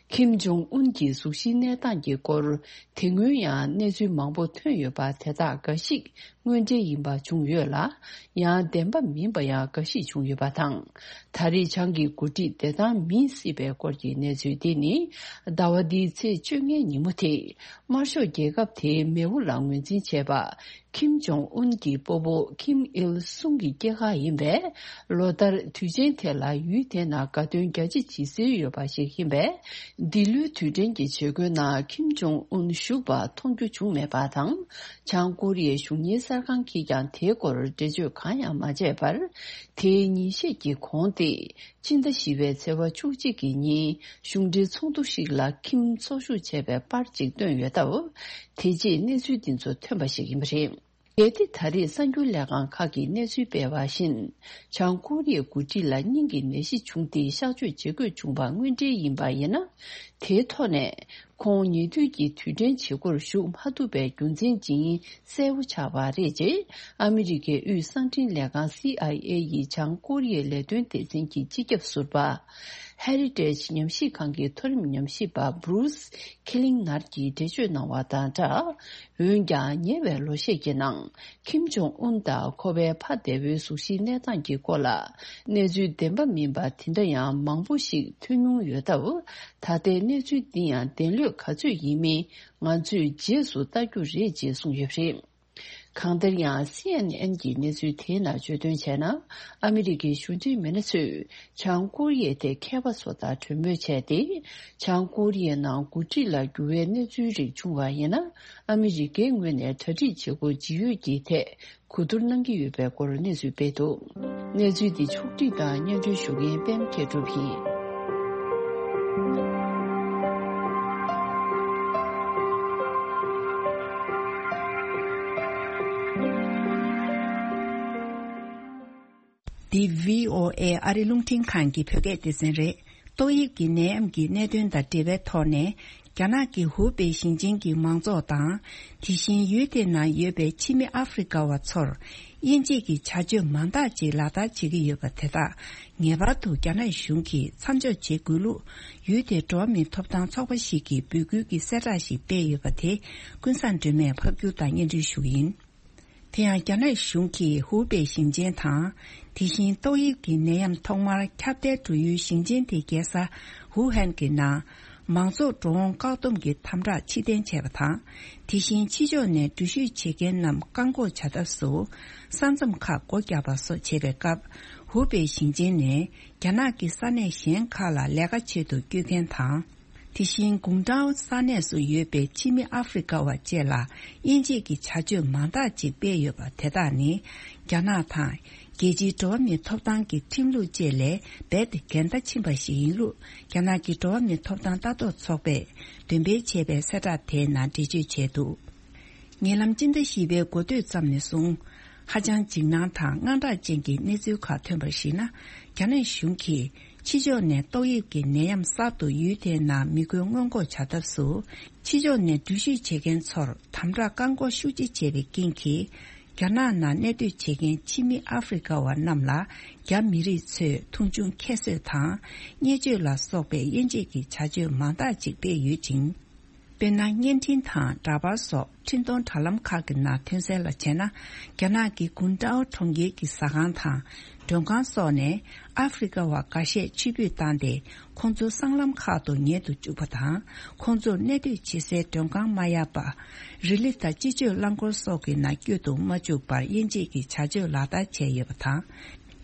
ཁིམ་ཇོང་ཨུན་གྱི་གཟུགས་གཞིའི་གནས་སྟངས་ཀྱི་སྐོར་དེ་སྔོན་ཡང་གནས་ཚུལ་མང་པོ་ཐོན་ཡོད་པ་དེ་དག་འགའ་ཞིག་དངོས་འབྲེལ་ཡིན་པ་བྱུང་ཡོད་ལ། ཡང་བདེན་པ་མིན་པ་ཡང་འགའ་ཞིག་བྱུང་ཡོད་པ་དང་། ད་རེས་བྱང་གི་འགོ་ཁྲིད་བདེ་ཐང་མིན་སྲིད་པའི་སྐོར་གྱི་གནས་ཚུལ་འདི་ནི་ཟླ་བ་འདིའི་ཚེས་བཅོ་ལྔའི་ཉིན་མོ་དེ་དམར་ཤོག་རྒྱལ་ཁབ་དེའི་མེས་པོ་ལ་ངོས་འཛིན་བྱས་པ། ཁིམ་ཇོང་ཨུན་གྱི་སྤོ་བོ་ཁིམ་ཨིལ་སུང་གི་སྐྱེས་སྐར་ཡིན་པས། ལོ་ལྟར་དུས་ཆེན་དེ་ལ་ཡུལ་དེ་ནང་དགའ་སྟོན་རྒྱ་ཆེ་བྱེད་སྲོལ་ཡོད་པ་ཞིག་ཡིན་པས། འདི་ལོའི་དུས་དྲན་གྱི་བྱེད་སྒོའི་ནང་ཁིམ་ཇོང་ཨུན་ཞུགས་པ་མཐོང་རྒྱུ་བྱུང་མེད་པ་དང་། བྱང་ཀོ་རི་ཡའི་གཞུང་གཉེར་གསར་ཁང་གིས་ཀྱང་དེའི་སྐོར་འགྲེལ་བརྗོད་གང་ཡང་མ་བྱས་པར། དེའི་ཉིན་ཤས་ཀྱི་གོང་སྟེ། སྤྱི་ཟླ་བཞི་པའི་ཚེས་པ་བཅུ་གཅིག་གི་ཉིན་གཞུང་འབྲེལ་ཚོགས་འདུ་ཞིག་ལ་ཁིམ་ཚོགས་ཞུགས་བྱས་པའི་པར་ཅིག་བཏོན་ཡོད་སྟབས། དེ་རྗེས་གནས་ཚུལ་འདི་ཚོ་ཐོན་པ་ཞིག་ཡིན་པ་རེད། གལ་ཏེ་ད་རེས་གསར་འགྱུར་ལས་ཁང་ཁག་གིས་གནས་ཚུལ་སྤེལ་བ་བཞིན། བྱང་ཀོ་རི་ཡའི་འགོ་ཁྲིད་ལ་སྙིང་གི་ནད་གཞི་བྱུང་སྟེ་གཤགས་བཅོས་བྱེད་དགོས་བྱུང་བ་དངོས་འབྲེལ་ཡིན་པ་ཡིན་ན། དེའི་ཐོག་ནས་ཁོང་ཉེ་དུས་ཀྱི་དུས་དྲན་བྱེད་སྒོར་ཞུགས་མ་ཐུབ་པའི་རྒྱུ་མཚན་ཇི་ཡིན་གསལ་པོ་ཆགས་པ་རེད་ཅེས་ཨ་མི་རི་ཀའི་དབུས་གསང་འཕྲིན་ལས་ཁང་སི་ཨའི་ཨེ་ཡི་བྱང་ཀོ་རི་ཡའི་ལས་དོན་སྡེ་ཚན་གྱི་སྤྱི་ཁྱབ་ཟུར་པ། Heritage ཉམས་ཞིབ་ཁང་གི་མཐོ་རིམ་ཉམས་ཞིབ་པ་Bruce Killinger གྱིས་འགྲེལ་བརྗོད་གནང་བ་དང་སྦྲགས། འོན་ཀྱང་ཉེ་བའི་ལོ་ཤས་ཀྱི་ནང་ཁིམ་ཇོང་ཨུན་དང་ཁོ་པའི་ཕ་འདས་པོའི་གཟུགས་གཞིའི་གནས་སྟངས་ཀྱི་སྐོར་ལ་གནས་ཚུལ་བདེན་པ་མིན་པ་དེ་འདྲ་ཡང་མང་པོ་ཞིག་ཐོན་མྱོང་ཡོད་སྟབས། ད་ལྟའི་གནས་ཚུལ་འདི་ཡང་བདེན་ལོས་ག་ཚོད་ཡིན་མིན་ང་ཚོས་རྗེས་སུ་ལྟ་རྒྱུ་རེད་ཅེས་གསུངས་ཡོད་པ་རེད། གང་ལྟར་ཡང་སི་ཨེན་ཨེན་གྱི་གནས་ཚུལ་དེའི་ནང་བརྗོད་དོན་བྱས་ན། ཨ་མི་རི་ཀའི་གཞུང་འབྲེལ་མི་སྣ་ཚོས་བྱང་ཀོ་རི་ཡའི་ཐད་མཁས་པ་ཚོ་དང་གྲོས་མོལ་བྱས་ཏེ། བྱང་ཀོ་རི་ཡའི་ནང་འགོ་ཁྲིད་ལ་འགྱུར་བའི་གནས་ཚུལ་རིགས་བྱུང་བ་ཡིན་ན། ཨ་མི་རི་ཀའི་ངོས་ནས་གྲ་སྒྲིག་བྱེད་སྒོ་ཇི་ཡོད་ཀྱི་ཐད་གོ་བསྡུར་གནང་གི་ཡོད་པའི་སྐོར་གནས་ཚུལ་སྤེལ་འདུག། གནས་ཚུལ་འདི་ཕྱོགས་བསྒྲིགས་དང་སྙན་སྒྲོན་ཞུ་མཁན་པད་མ་མཁས་གྲུབ་ཡིན། འདི་བྷི་ཨོ་ཨེ་ཨ་རི་རླུང་འཕྲིན་ཁང་གི་བོད་སྐད་སྡེ་ཚན་རེད། ཏོག་དབྱིབས་ཀྱི་ནད་ཡམས་ཀྱི་གནད་དོན་དང་འབྲེལ་བའི་ཐོག་ནས། རྒྱ་ནག་གི་ཧུའུ་པེ་ཞིང་ཆེན་གྱི་མང་ཚོགས་དང་། དེ་བཞིན་ཡུལ་དེ་ནང་ཡོད་པའི་ཕྱི་མི་ཨ་ཧྥེ་རི་ཀ་བ་ཚོར། དབྱེ་འབྱེད་ཀྱི་བྱ་སྤྱོད་མང་དག་ཅིག་ལག་བསྟར་བྱེད་ཀྱི་ཡོད་པ་དེ་དག་ངེས་པར་དུ་རྒྱ་ནག་གཞུང་གིས་མཚམས་འཇོག་བྱེད་དགོས་ལུགས། ཡུལ་དེའི་འགྲོ་བ་མིའི་ཐོབ་ཐང་ཚོགས་པ་ཞིག་གིས་འབོད་སྐུལ་གྱི་གསལ་བསྒྲགས་ཤིག་སྤེལ་ཡོད་པ་དེ། ཀུན་བཟང་སྒྲོལ་མས་ཕབ་སྒྱུར་དང་སྙན་སྒྲོན་ཞུ་གི་ཡིན། དེ་ཡང་རྒྱ་ནག་གཞུང་གིས་ཧུའུ་པེ་ཞིང་ཆེན་དང་། དེ་བཞིན་ཏོག་དབྱིབས་ཀྱི་ནད་ཡམས་ཐོག་མར་ཁྱབ་གདལ་འགྲོ་ཡུལ་ཞིང་ཆེན་དེའི་རྒྱལ་ས་ཝུ་ཧན་གྱི་ནང་། མང་ཚོགས་འགྲོ་འོང་བཀག་སྡོམ་གྱི་དམ་དྲག་ཕྱིར་འཐེན་བྱས་པ་དང་། དེ་བཞིན་ཕྱི་ཕྱོགས་ནས་འགྲུལ་བཞུད་བྱེད་མཁན་རྣམས་བཀག་འགོག་བྱ་ཐབས་སུ། ས་མཚམས་ཁག་སྒོ་བརྒྱབ་པ་སོགས་བྱས་པའི་སྐབས། ཧུའུ་པེ་ཞིང་ཆེན་ནས་རྒྱ་ནག་གི་ས་གནས་གཞན་ཁག་ལ་ལས་ཀ་ཆེད་དུ་བསྐྱོད་མཁན་དང་། དེ་བཞིན་གུང་ཀྲའོ་ས་གནས་སུ་ཡོད་པའི་ཕྱི་མི་ཨ་ཧྥེ་རི་ཀ་བ་བཅས་ལ་དབྱེ་འབྱེད་ཀྱི་བྱ་སྤྱོད་མང་དག་ཅིག་སྤེལ་ཡོད་པ་དེ་དག་ནི། རྒྱ་ནག་དང་རྒྱལ་སྤྱིའི་འགྲོ་བ་མིའི་ཐོབ་ཐང་གི་ཁྲིམས་ལུགས་བཅས་ལས་རྦད་དེ་འགལ་ཟླ་ཕྱིན་པ་ཞིག་ཡིན་ལུགས། རྒྱ་ནག་གི་འགྲོ་བ་མིའི་ཐོབ་ཐང་ལྟ་རྟོག་ཚོགས་པས་འདོན་སྤེལ་བྱས་པའི་གསལ་བསྒྲགས་དེའི་ནང་འགྲེལ་བརྗོད་བྱས་འདུག། ཉེ་ལམ་སྤྱི་ཟླ་བཞི་པའི་འགོ་སྟོད་ཙམ་ནས་བཟུང་། ཧ་ཅང་འཇིགས་སྣང་དང་དངངས་སྐྲག་ཅན་གྱི་གནས་ཚུལ་ཁག་ཐོན་པར་གཞིགས་ན། རྒྱ་ནག་གཞུང་གིས་ཕྱི་ཕྱོགས་ནས་ཏོག་དབྱིབས་ཀྱི་ནད་ཡམས་གསར་དུ་ཡུལ་དེའི་ནང་མི་འགོས་སྔོན་འགོག་བྱ་ཐབས་སུ། ཕྱི་ཕྱོགས་ནས་འགྲུལ་བཞུད་བྱེད་མཁན་ཚོར་དམ་དྲག་བཀག་འགོག་ཤུགས་ཆེ་བྱས་པའི་རྐྱེན་གྱིས། རྒྱ་ནག་ནང་གནས་སྡོད་བྱེད་མཁན་ཕྱི་མི་ཨ་ཧྥེ་རི་ཀ་བ་རྣམས་ལ། རྒྱ་མི་རིགས་ཚོས་མཐོང་ཆུང་ཁྱད་གསོད་དང་། བརྙས་བཅོས་ལ་སོགས་པའི་དབྱེ་འབྱེད་ཀྱི་བྱ་སྤྱོད་མང་དག་ཅིག་སྤེལ་ཡོད་ཅིང་། དཔེར་ན། བརྙན་འཕྲིན་དང་འདྲ་པར་སོགས་འཕྲིན་གཏོང་དྲ་ལམ་ཁག་གི་ནང་ཐོན་གསལ་ལ་བྱས་ན། རྒྱ་ནག་གི་གུང་ཀྲའོ་གྲོང་ཁྱེར་གྱི་ཟ་ཁང་དང་མགྲོན་ཁང་སོགས་ནས་ཨ་ཧྥེ་རི་ཀ་བ་འགའ་ཤས་ཕྱིར་འབུད་བཏང་སྟེ། ཁོང་ཚོ་སྲང་ལམ་ཁག་ཏུ་ཉལ་དུ་བཅུག་པ་དང་། ཁོང་ཚོར་གནས་སྡོད་བྱེད་སའི་མགྲོན་ཁང་མ་ཡར་པ། རི་ལི་དང་སྤྱི་སྤྱོད་རླངས་འཁོར་སོགས་ཀྱི་ནང་བསྐྱོད་དུ་མ་བཅུག་པར་དབྱེ་འབྱེད་ཀྱི་བྱ་སྤྱོད་ལག་བསྟར་བྱས་ཡོད་པ་དང་།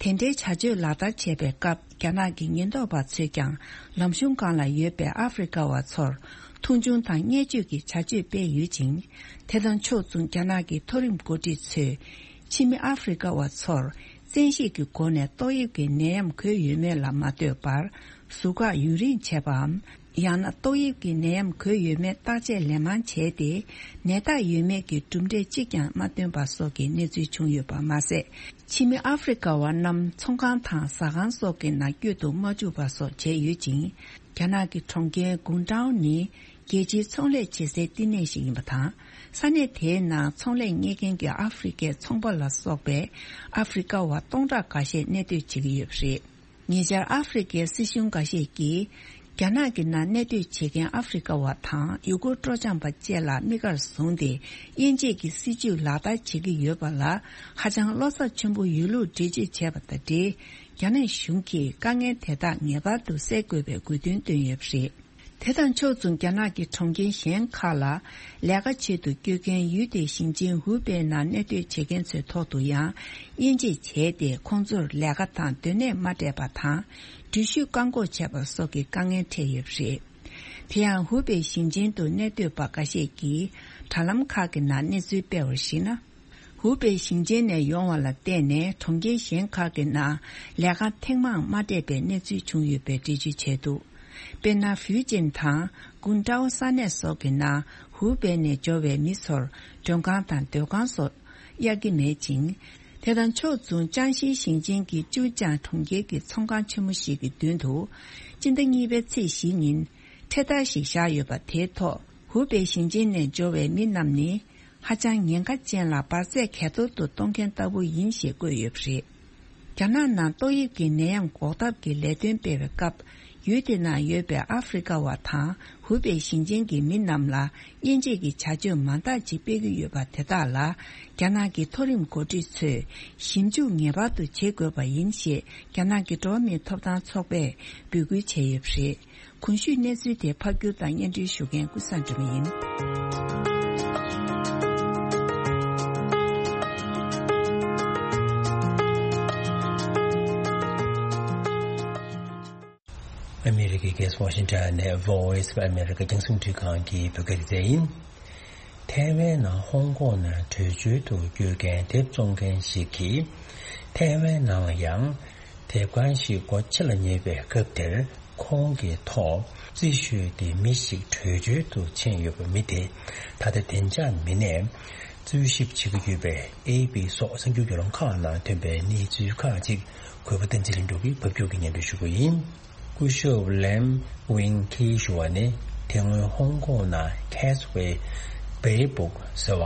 དེ་འདྲའི་བྱ་སྤྱོད་ལག་བསྟར་བྱས་པའི་སྐབས། རྒྱ་ནག་གི་ཉེན་རྟོག་པ་ཚོས་ཀྱང་ལམ་གཞུང་སྒང་ལ་ཡོད་པའི་ཨ་ཧྥེ་རི་ཀ་བ་ཚོར་མཐོང་ཆུང་དང་བརྙས་བཅོས་ཀྱི་བྱ་སྤྱོད་སྤེལ་ཡོད་ཅིང་། དེ་དང་ཕྱོགས་མཚུངས། རྒྱ་ནག་གི་མཐོ་རིམ་འགོ་ཁྲིད་ཚོས་ཕྱི་མི་ཨ་ཧྥེ་རི་ཀ་བ་ཚོར་བཙན་ཤེད་ཀྱི་སྒོ་ནས་ཏོག་དབྱིབས་ཀྱི་ནད་ཡམས་འགོས་ཡོད་མེད་ལ་མ་ལྟོས་པར། ཟུར་བཀག་ཡུན་རིང་བྱས་པའམ། ཡང་ན་ཏོག་དབྱིབས་ཀྱི་ནད་ཡམས་འགོས་ཡོད་མེད་བརྟག་དཔྱད་ལན་མང་བྱས་ཏེ། ནད་རྟགས་ཡོད་མེད་ཀྱི་གྲུབ་འབྲས་གཅིག་ཀྱང་མ་ཐོན་པ་སོགས་ཀྱི་གནས་ཚུལ་བྱུང་ཡོད་པ་མ་ཟད། ཕྱི་མི་ཨ་ཧྥེ་རི་ཀ་བ་རྣམས་ཚོང་ཁང་དང་ཟ་ཁང་སོགས་ཀྱི་ནང་བསྐྱོད་དུ་མ་བཅུག་པ་སོགས་བྱས་ཡོད་ཅིང་། རྒྱ་ནག་གི་གྲོང་ཁྱེར་གུང་ཀྲའོ་ནི་རྒྱལ་སྤྱིའི་ཚོང་ལས་བྱེད་སའི་བསྟི་གནས་ཤིག་ཡིན་པ་དང་། ས་གནས་དེའི་ནང་ཚོང་ལས་གཉེར་མཁན་གྱི་ཨ་ཧྥེ་རི་ཀའི་ཚོང་པ་ལ་སོགས་པའི་ཨ་ཧྥེ་རི་ཀ་བ་སྟོང་ཕྲག་འགའ་ཤས་གནས་སྡོད་བྱེད་ཀྱི་ཡོད་པ་རེད། ཉེ་ཆར་ཨ་ཧྥེ་རི་ཀའི་སྲིད་གཞུང་འགའ་ཤས་ཀྱིས། རྒྱ་ནག་གི་ནང་གནས་སྡོད་བྱེད་མཁན་ཨ་ཧྥེ་རི་ཀ་བ་དང་ཡུ་གུར་སྤྲོ་འཆམ་པ་བཅས་ལ་དམིགས་བཀར་བཟུང་སྟེ། དབྱེ་འབྱེད་ཀྱི་སྲིད་བྱུས་ལག་བསྟར་བྱེད་ཀྱི་ཡོད་པ་ལ། ཧ་ཅང་བློ་འཚབ་ཆེན་པོ་ཡོད་ལུགས་འགྲེལ་བརྗོད་བྱས་པ་དང་འབྲེལ། རྒྱ་ནག་གཞུང་གིས་དཀའ་ངལ་དེ་དག་ངེས་པར་དུ་སེལ་དགོས་པའི་དགོས་འདུན་བཏོན་ཡོད་པ་རེད། དེ་དང་ཕྱོགས་མཚུངས། རྒྱ་ནག་གི་གྲོང་ཁྱེར་གཞན་ཁག་ལ་ལས་ཀ་བྱེད་དུ་བསྐྱོད་མཁན་ཡུལ་དེའི་ཞིང་ཆེན་ཧུའུ་པེ་ནང་གནས་སྡོད་བྱེད་མཁན་ཚོའི་ཐོག་ཏུ་ཡང་དབྱེ་འབྱེད་བྱས་ཏེ། ཁོང་ཚོར་ལས་ཀ་དང་སྡོད་གནས་མ་སྤྲད་པ་དང་། འགྲུལ་བཞུད་བཀག་འགོག་བྱས་པ་སོགས་ཀྱི་དཀའ་ངལ་འཕྲད་ཡོད་པ་རེད། དེ་ཡང་ཧུའུ་པེ་ཞིང་ཆེན་དུ་གནས་སྡོད་པ་འགའ་ཤས་ཀྱིས་དྲ་ལམ་ཁག་གི་ནང་གནས་ཚུལ་སྤེལ་བར་གཞིགས་ན། ཧུའུ་པེ་ཞིང་ཆེན་ནས་ཡོང་བ་ལ་བརྟེན་ནས། གྲོང་ཁྱེར་གཞན་ཁག་གི་ནང་ལས་ཀ་ཐེངས་མང་མ་སྤྲད་པའི་གནས་ཚུལ་བྱུང་ཡོད་པའི་འགྲེལ་བརྗོད་བྱས་འདུག་དཔེར་ན། ཧྥུའུ་ཅན་དང་ཀུང་ཀྲའོ་ས་གནས་སོགས་ཀྱི་ནང་ཧུའུ་པེ་ནས་འབྱོར་བའི་མི་ཚོར་མགྲོན་ཁང་དང་སྡོད་ཁང་སོགས་གཡར་གྱི་མེད་ཅིང་། དེ་དང་ཕྱོགས་མཚུངས། ཅང་ཞི་ཞིང་ཆེན་གྱི་ཅུའུ་ཅང་གྲོང་ཁྱེར་གྱི་ཚོང་ཁང་ཆེན་མོ་ཞིག་གི་མདུན་དུ། སྤྱི་ཟླ་གཉིས་པའི་ཚེས་བཞི་ཉིན་འཕྲེད་དར་ཞིག་བཞག་ཡོད་པ་དེའི་ཐོག་ཧུའུ་པེ་ཞིང་ཆེན་ནས་འབྱོར་བའི་མི་རྣམས་ནི། ཧ་ཅང་ཉེན་ཁ་ཅན་ལ་འབར་རྫས་གས་གཏོར་དུ་གཏོང་མཁན་ལྟ་བུ་ཡིན་ཞེས་བཀོད་ཡོད་པ་རེད། རྒྱ་ནག་ནང་ཏོག་དབྱིབས་ཀྱི་ནད་ཡམས་འགོག་ཐབས་ཀྱི་ལས་དོན་སྤེལ་བའི་སྐབས། ཡུལ་དེ་ནང་ཡོད་པའི་ཨ་ཧྥེ་རི་ཀ་བ་དང་ཧུའུ་པེ་ཞིང་ཆེན་གྱི་མི་རྣམས་ལ་དབྱེ་འབྱེད་ཀྱི་བྱ་སྤྱོད་མང་དག་ཅིག་སྤེལ་གྱི་ཡོད་པ་དེ་དག་ལ། རྒྱ་ནག་གི་མཐོ་རིམ་འགོ་ཁྲིད་ཚོས་ཞིབ་འཇུག་ངེས་པར་དུ་བྱེད་དགོས་པ་ཡིན་ཞེས་རྒྱ་ནག་གི་འགྲོ་བ་མིའི་ཐོབ་ཐང་ཚོགས་པས་འབོད་སྐུལ་བྱས་ཡོད་པ་རེད། གོང་ཞུས་གནས་ཚུལ་དེ་ཕབ་སྒྱུར་དང་སྙན་སྒྲོན་ཞུ་མཁན་ཀུན་བཟང་སྒྲོལ་མ་ཡིན། ཨ་མེ་རི་ཀའི་རྒྱལ་ས་ཝ་ཤིང་ཊོན་ནས་Voice of America རྒྱང་སྲིང་འཕྲིན་ཁང་གི་བོད་སྐད་སྡེ་ཚན་ཡིན། ཐའེ་ཝན་ནང་ཧོང་ཀོང་ནས་བྲོས་བྱོལ་དུ་བསྐྱོད་མཁན་དེབ་བཙོང་མཁན་ཞིག་གིས། ཐའེ་ཝན་ནང་ལ་ཡང་དེབ་ཁང་ཞིག་སྒོ་ཕྱེ་ལ་ཉེ་བའི་སྐབས་དེར། ཁོང་གི་ཐོག་རྩིས་ཞུས་ཏེ་མི་ཞིག་བྲོས་བྱོལ་དུ་ཕྱིན་ཡོད་པ། མི་དེ་ད་ལྟ་བདེ་འཇགས་མི་སྣས་རྩོད་ཞིབ་བྱེད་ཀྱི་ཡོད་པས། ཨེ་པི་སོགས་གསར་འགྱུར་བརྒྱུད་ལམ་ཁག་ནང་ཐོན་པའི་གནས་ཚུལ་ཁག་ཅིག་གུས་པ་བསྟན་འཛིན་ལྷུན་གྲུབ་ཀྱིས་ཕབ་སྒྱུར་གྱིས་སྙན་སྒྲོན་ཞུ་གི་ཡིན། སྐུ་ཞབས་ལེམ་ཝིང་ཁི་ཞུ་བ་ནི། དེ་སྔོན་ཧོང་ཀོང་ནང་Cathay Bay Books ཟེར་བ་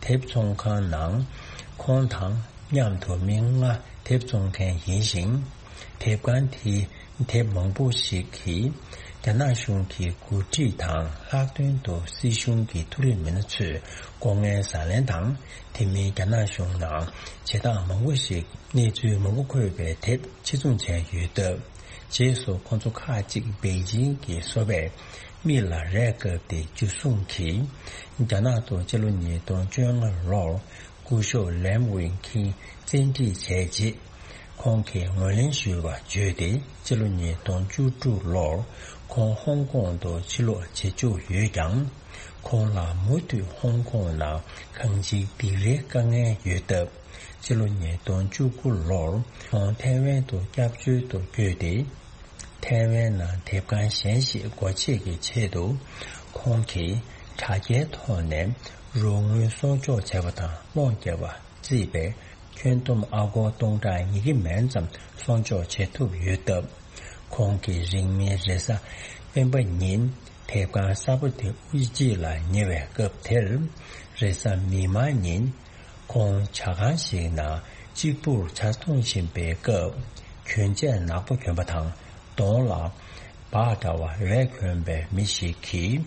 དེབ་ཚོང་ཁང་ནང་ཁོང་དང་མཉམ་དུ་མི་ལྔ་དེབ་བཙོང་མཁན་ཡིན་ཞིང་། དེབ་ཁང་དེའི་དེབ་མང་པོ་ཞིག་གིས་རྒྱ་ནག་གཞུང་གི་འགོ་ཁྲིད་དང་། ལྷག་དོན་དུ་སྲིད་གཞུང་གི་མཐོ་རིམ་མི་སྣ་ཚོས་ལྐོག་རྔན་ཟ་ལེན་དང་། དེ་མིན་རྒྱ་ནག་གཞུང་ནང་བྱེད་སྟངས་མང་པོ་ཞིག་གནས་ཚུལ་མང་པོ་འཁོད་པའི་དེབ་ཕྱིར་ཚོང་བྱས་ཡོད་སྟབས། རྗེས་སུ་ཁོང་ཚོ་ཁག་ཅིག་པེ་ཅིང་གི་སོ་པས་མི་ལ་རས་བཀབ་སྟེ་འཇུ་བཟུང་གིས། རྒྱ་ནག་ཏུ་སྤྱི་ལོ་ཉིས་སྟོང་བཅོ་ལྔ་ལོར་སྐུ་ཞབས་ལེམ་ཝིང་ཁི་བཙན་ཁྲིད་བྱས་རྗེས། ཁོང་གིས་ངོས་ལེན་ཞུས་པ་བརྗོད་དེ། སྤྱི་ལོ་ཉིས་སྟོང་བཅུ་དྲུག་ལོར་ཁོང་ཧོང་ཀོང་དུ་ཕྱིར་ལོག་བྱེད་བཅུག་ཡོད་ཀྱང་། ཁོང་ལ་མུ་མཐུད་ཧོང་ཀོང་ནང་གང་ཅིའི་སྡིགས་རའི་དཀའ་ངལ་ཡོད་སྟབས། སྤྱི་ལོ་ཉིས་སྟོང་བཅུ་དགུ་ལོར་ཁོང་ཐའེ་ཝན་དུ་སྐྱབས་བཅོལ་དུ་བསྐྱོད་དེ། ཐའེ་ཝན་ནང་དེབ་ཁང་གཞན་ཞིག་སྒོ་ཕྱེ་གི་ཆེད་དུ། ཁོང་གིས་དྲ་རྒྱའི་ཐོག་ནས་རོགས་དངུལ་གསོག་འཇོག་བྱས་པ་དང་སློང་བརྒྱབ་པ་བརྩིས་པའི་ཁྱོན་བསྡོམས་ཨ་སྒོར་སྟོང་ཕྲག་ཉིས་བརྒྱ་མན་ཙམ་གསོག་འཇོག་བྱེད་ཐུབ་ཡོད་སྟབས། ཁོང་གིས་རིང་མིན་རེས་གཟའ་སྤེན་པ་ཉིན་དེབ་ཁང་གསར་པ་དེ་དབུ་འབྱེད་ལ་ཉེ་བའི་སྐབས་དེར། རེས་གཟའ་མིག་དམར་ཉིན་ཁོང་ཇ་ཁང་ཞིག་ནང་གཅིག་པུར་ཇ་འཐུང་བཞིན་པའི་སྐབས། གྱོན་ཆས་ནག་པོ་གྱོན་པ་དང་གདོང་ལ་སྦག་འདྲ་བ་འོད་གྱོན་པའི་མི་ཞིག་གིས་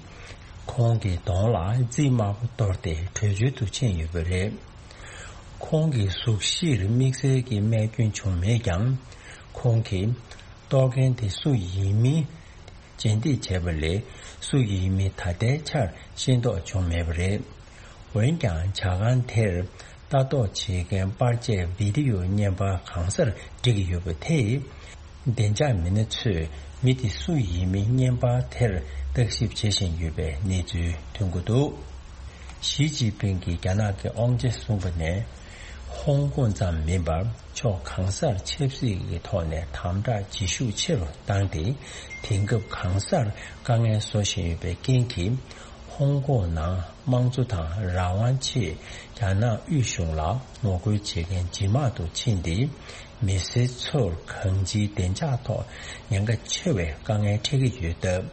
ཁོང་གི་གདོང་ལ་རྩིས་དམར་པོ་གཏོར་ཏེ་བྲོས་བྱོལ་དུ་ཕྱིན་ཡོད་པ་རེད། ཁོང་གི་གཟུགས་གཞིར་དམིགས་བསལ་གྱི་རྨས་སྐྱོན་བྱུང་མེད་ཀྱང་། ཁོང་གིས་གཏོར་མཁན་དེ་སུ་ཡིན་མིན་རྗེས་འདེད་བྱས་པ་ལས། སུ་ཡིན་མིན་ད་ལྟའི་ཆར་ཤེས་རྟོགས་བྱུང་མེད་པ་རེད། འོན་ཀྱང་ཇ་ཁང་དེར་ལྟ་ ལྟ་རྟོག་བྱེད་མཁན་པར་ཆས་བི་ཌི་ཡོ་བརྙན་པར་གང་སར་སྒྲིག་གི་ཡོད་པ་དེས། བདེ་འཇགས་མི་སྣ་ཚོས་མི་དེ་སུ་ཡིན་མིན་བརྙན་པར་དེར་བརྟག་ཞིབ་བྱེད་བཞིན་ཡོད་པའི་གནས་ཚུལ་ཐོན་གྱི་འདུག། ཞི་ཅིན་ཕིང་གིས་རྒྱ་ནག་གི་དབང་ཆ་བཟུང་པ་ནས། ཧོང་ཀོང་ཙམ་མིན་པར་ཕྱོགས་གང་སར་ཆབ་སྲིད་ཀྱི་ཐོག་ནས་དམ་དྲག་བྱེད་ཤུགས་ཆེ་རུ་བཏང་སྟེ། དེང་སྐབས་གང་སར་དཀའ་ངལ་བཟོ་བཞིན་ཡོད་པའི་རྐྱེན་གྱིས། ཧོང་ཀོང་ནང་དམངས་གཙོ་དང་རང་དབང་ཆེད་རྒྱ་ནག་དབུས་གཞུང་ལ་ངོ་རྒོལ་བྱེད་མཁན་ཇེ་མང་དུ་ཕྱིན་ཏེ། མི་སེར་ཚོར་གང་ཅིའི་བདེ་འཇགས་ཐོག་ཉེན་ཁ་ཆེ་བའི་དཀའ་ངལ་འཕྲད་ཀྱི་ཡོད་སྟབས།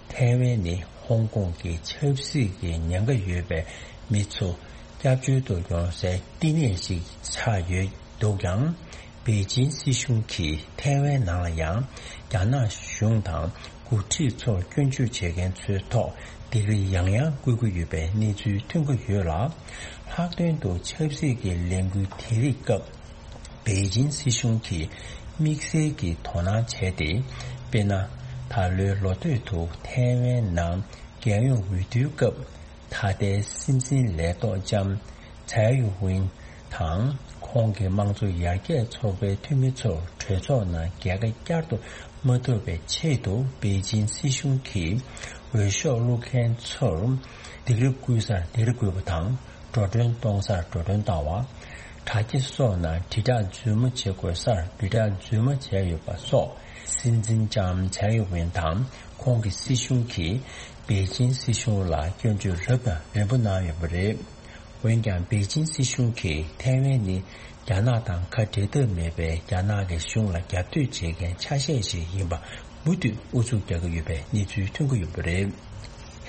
ཐའེ་ཝན་ནི་ཧོང་ཀོང་གི་ཆབ་སྲིད་ཀྱི་ཉེན་ཁ་ཡོད་པའི་མི་ཚོ་སྐྱབས་བཅོལ་དུ་ཡོང་སའི་བསྟི་གནས་ཤིག་ཆགས་ཡོད་འདུག་ཀྱང་། པེ་ཅིན་སྲིད་གཞུང་གིས་ཐའེ་ཝན་ནང་ལ་ཡང་རྒྱ་ནག་གཞུང་དང་འགོ་ཁྲིད་ཚོར་སྐྱོན་བརྗོད་བྱེད་མཁན་ཚོའི་ཐོག་སྡིགས་ར་ཡང་ཡང་བསྐུལ་གྱི་ཡོད་པའི་གནས་ཚུལ་ཐོན་གྱི་ཡོད་ལ། ལྷག་དོན་དུ་ཆབ་སྲིད་ཀྱི་ལས་འགུལ་དེ་རིགས་སྐབས། པེ་ཅིན་སྲིད་གཞུང་གིས་དམིགས་བསལ་གྱི་དོ་སྣང་བྱས་ཏེ། དཔེར་ན། ད་ལོའི་ལོ་སྟོད་དུ་ཐའེ་ཝན་ནང་རྒྱལ་ཡོངས་འོས་བསྡུའི་སྐབས། ད་ལྟའི་སྲིད་འཛིན་ལས་ཐོག་ལྕམ་ཚའེ་ཡུ་ཝིན་དང་། ཁོང་གི་དམངས་གཙོ་ཡར་རྒྱས་ཚོགས་པའི་འཐུས་མི་ཚོར་གྲོས་ཚོགས་ནང་རྒྱལ་ཁ་བསྐྱར་དུ་མ་ཐོབ་པའི་ཆེད་དུ། པེ་ཅིན་སྲིད་གཞུང་གིས་འོས་ཤོག་བླུག་མཁན་ཚོར་སྡིགས་ར་བསྐུལ་སར་སྡིགས་ར་བསྐུལ་བ་དང་། འགྲོ་གྲོན་གཏོང་སར་འགྲོ་གྲོན་བཏང་བ། དྲ་རྒྱ་སོགས་ནང་དྲིལ་བསྒྲགས་རྫུན་མ་བྱེད་དགོས་སར་དྲིལ་བསྒྲགས་རྫུན་མ་བྱས་ཡོད་པ་སོགས། སྲིད་འཛིན་ལྕམ་ཚའེ་ཡུ་ཝེན་དང་ཁོང་གི་སྲིད་གཞུང་གིས་པེ་ཅིན་སྲིད་གཞུང་ལ་སྐྱོན་བརྗོད་རབ་དང་རིམ་པ་གནང་ཡོད་པ་རེད། འོན་ཀྱང་། པེ་ཅིན་སྲིད་གཞུང་གིས་ཐའེ་ཝན་ནི་རྒྱ་ནག་དང་ཁ་འབྲལ་ཐབས་མེད་པའི་རྒྱ་ནག་གི་གཞུང་ལ་རྒྱབ་གཏོད་བྱེད་མཁན་ཆ་ཤས་ཤིག་ཡིན་པ། མུ་མཐུད་ཨུ་ཚུགས་རྒྱག་གི་ཡོད་པའི་གནས་ཚུལ་ཐོན་གྱི་ཡོད་པ་རེད།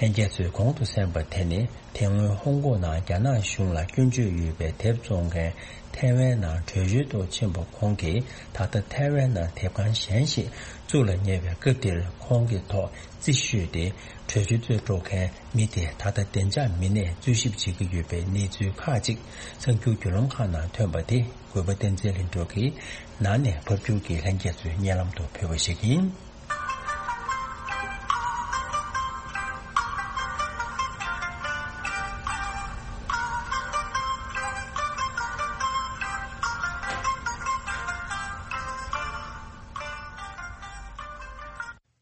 ལྷན་རྒྱས་ཚོས་གོང་དུ་གསན་པ་དེ་ནི། དེ་སྔོན་ཧོང་ཀོང་ནང་རྒྱ་ནག་གཞུང་ལ་སྐྱོན་བརྗོད་ཡོད་པའི་དེབ་བཙོང་མཁན་ཐའེ་ཝན་ནང་བྲོས་བྱོལ་དུ་ཕྱིན་པ་ཁོང་གིས། ད་ལྟ་ཐའེ་ཝན་ནང་དེབ་ཁང་གཞན་ཞིག་བཙུགས་ལ་ཉེ་བའི་སྐབས་འདིར། ཁོང་གི་ཐོག་རྩིས་ཤོད་དེ། བྲོས་བྱོལ་དུ་འགྲོ་མཁན་མི་དེ། ད་ལྟ་བདེ་འཇགས་མི་སྣས་འཚོལ་ཞིབ་བྱེད་ཀྱི་ཡོད་པའི་གནས་ཚུལ་ཁག་ཅིག་གསར་འགྱུར་བརྒྱུད་ལམ་ཁག་ནང་ཐོན་པ་དེ། གུས་པ་བསྟན་འཛིན་ལྷུན་གྲུབ་ཀྱིས་ནང་ནས་ཕབ་སྒྱུར་གྱིས་ལྷན་རྒྱས་ཚོའི་སྙན་ལམ་དུ་ཕུལ་བ་ཞིག་ཡིན།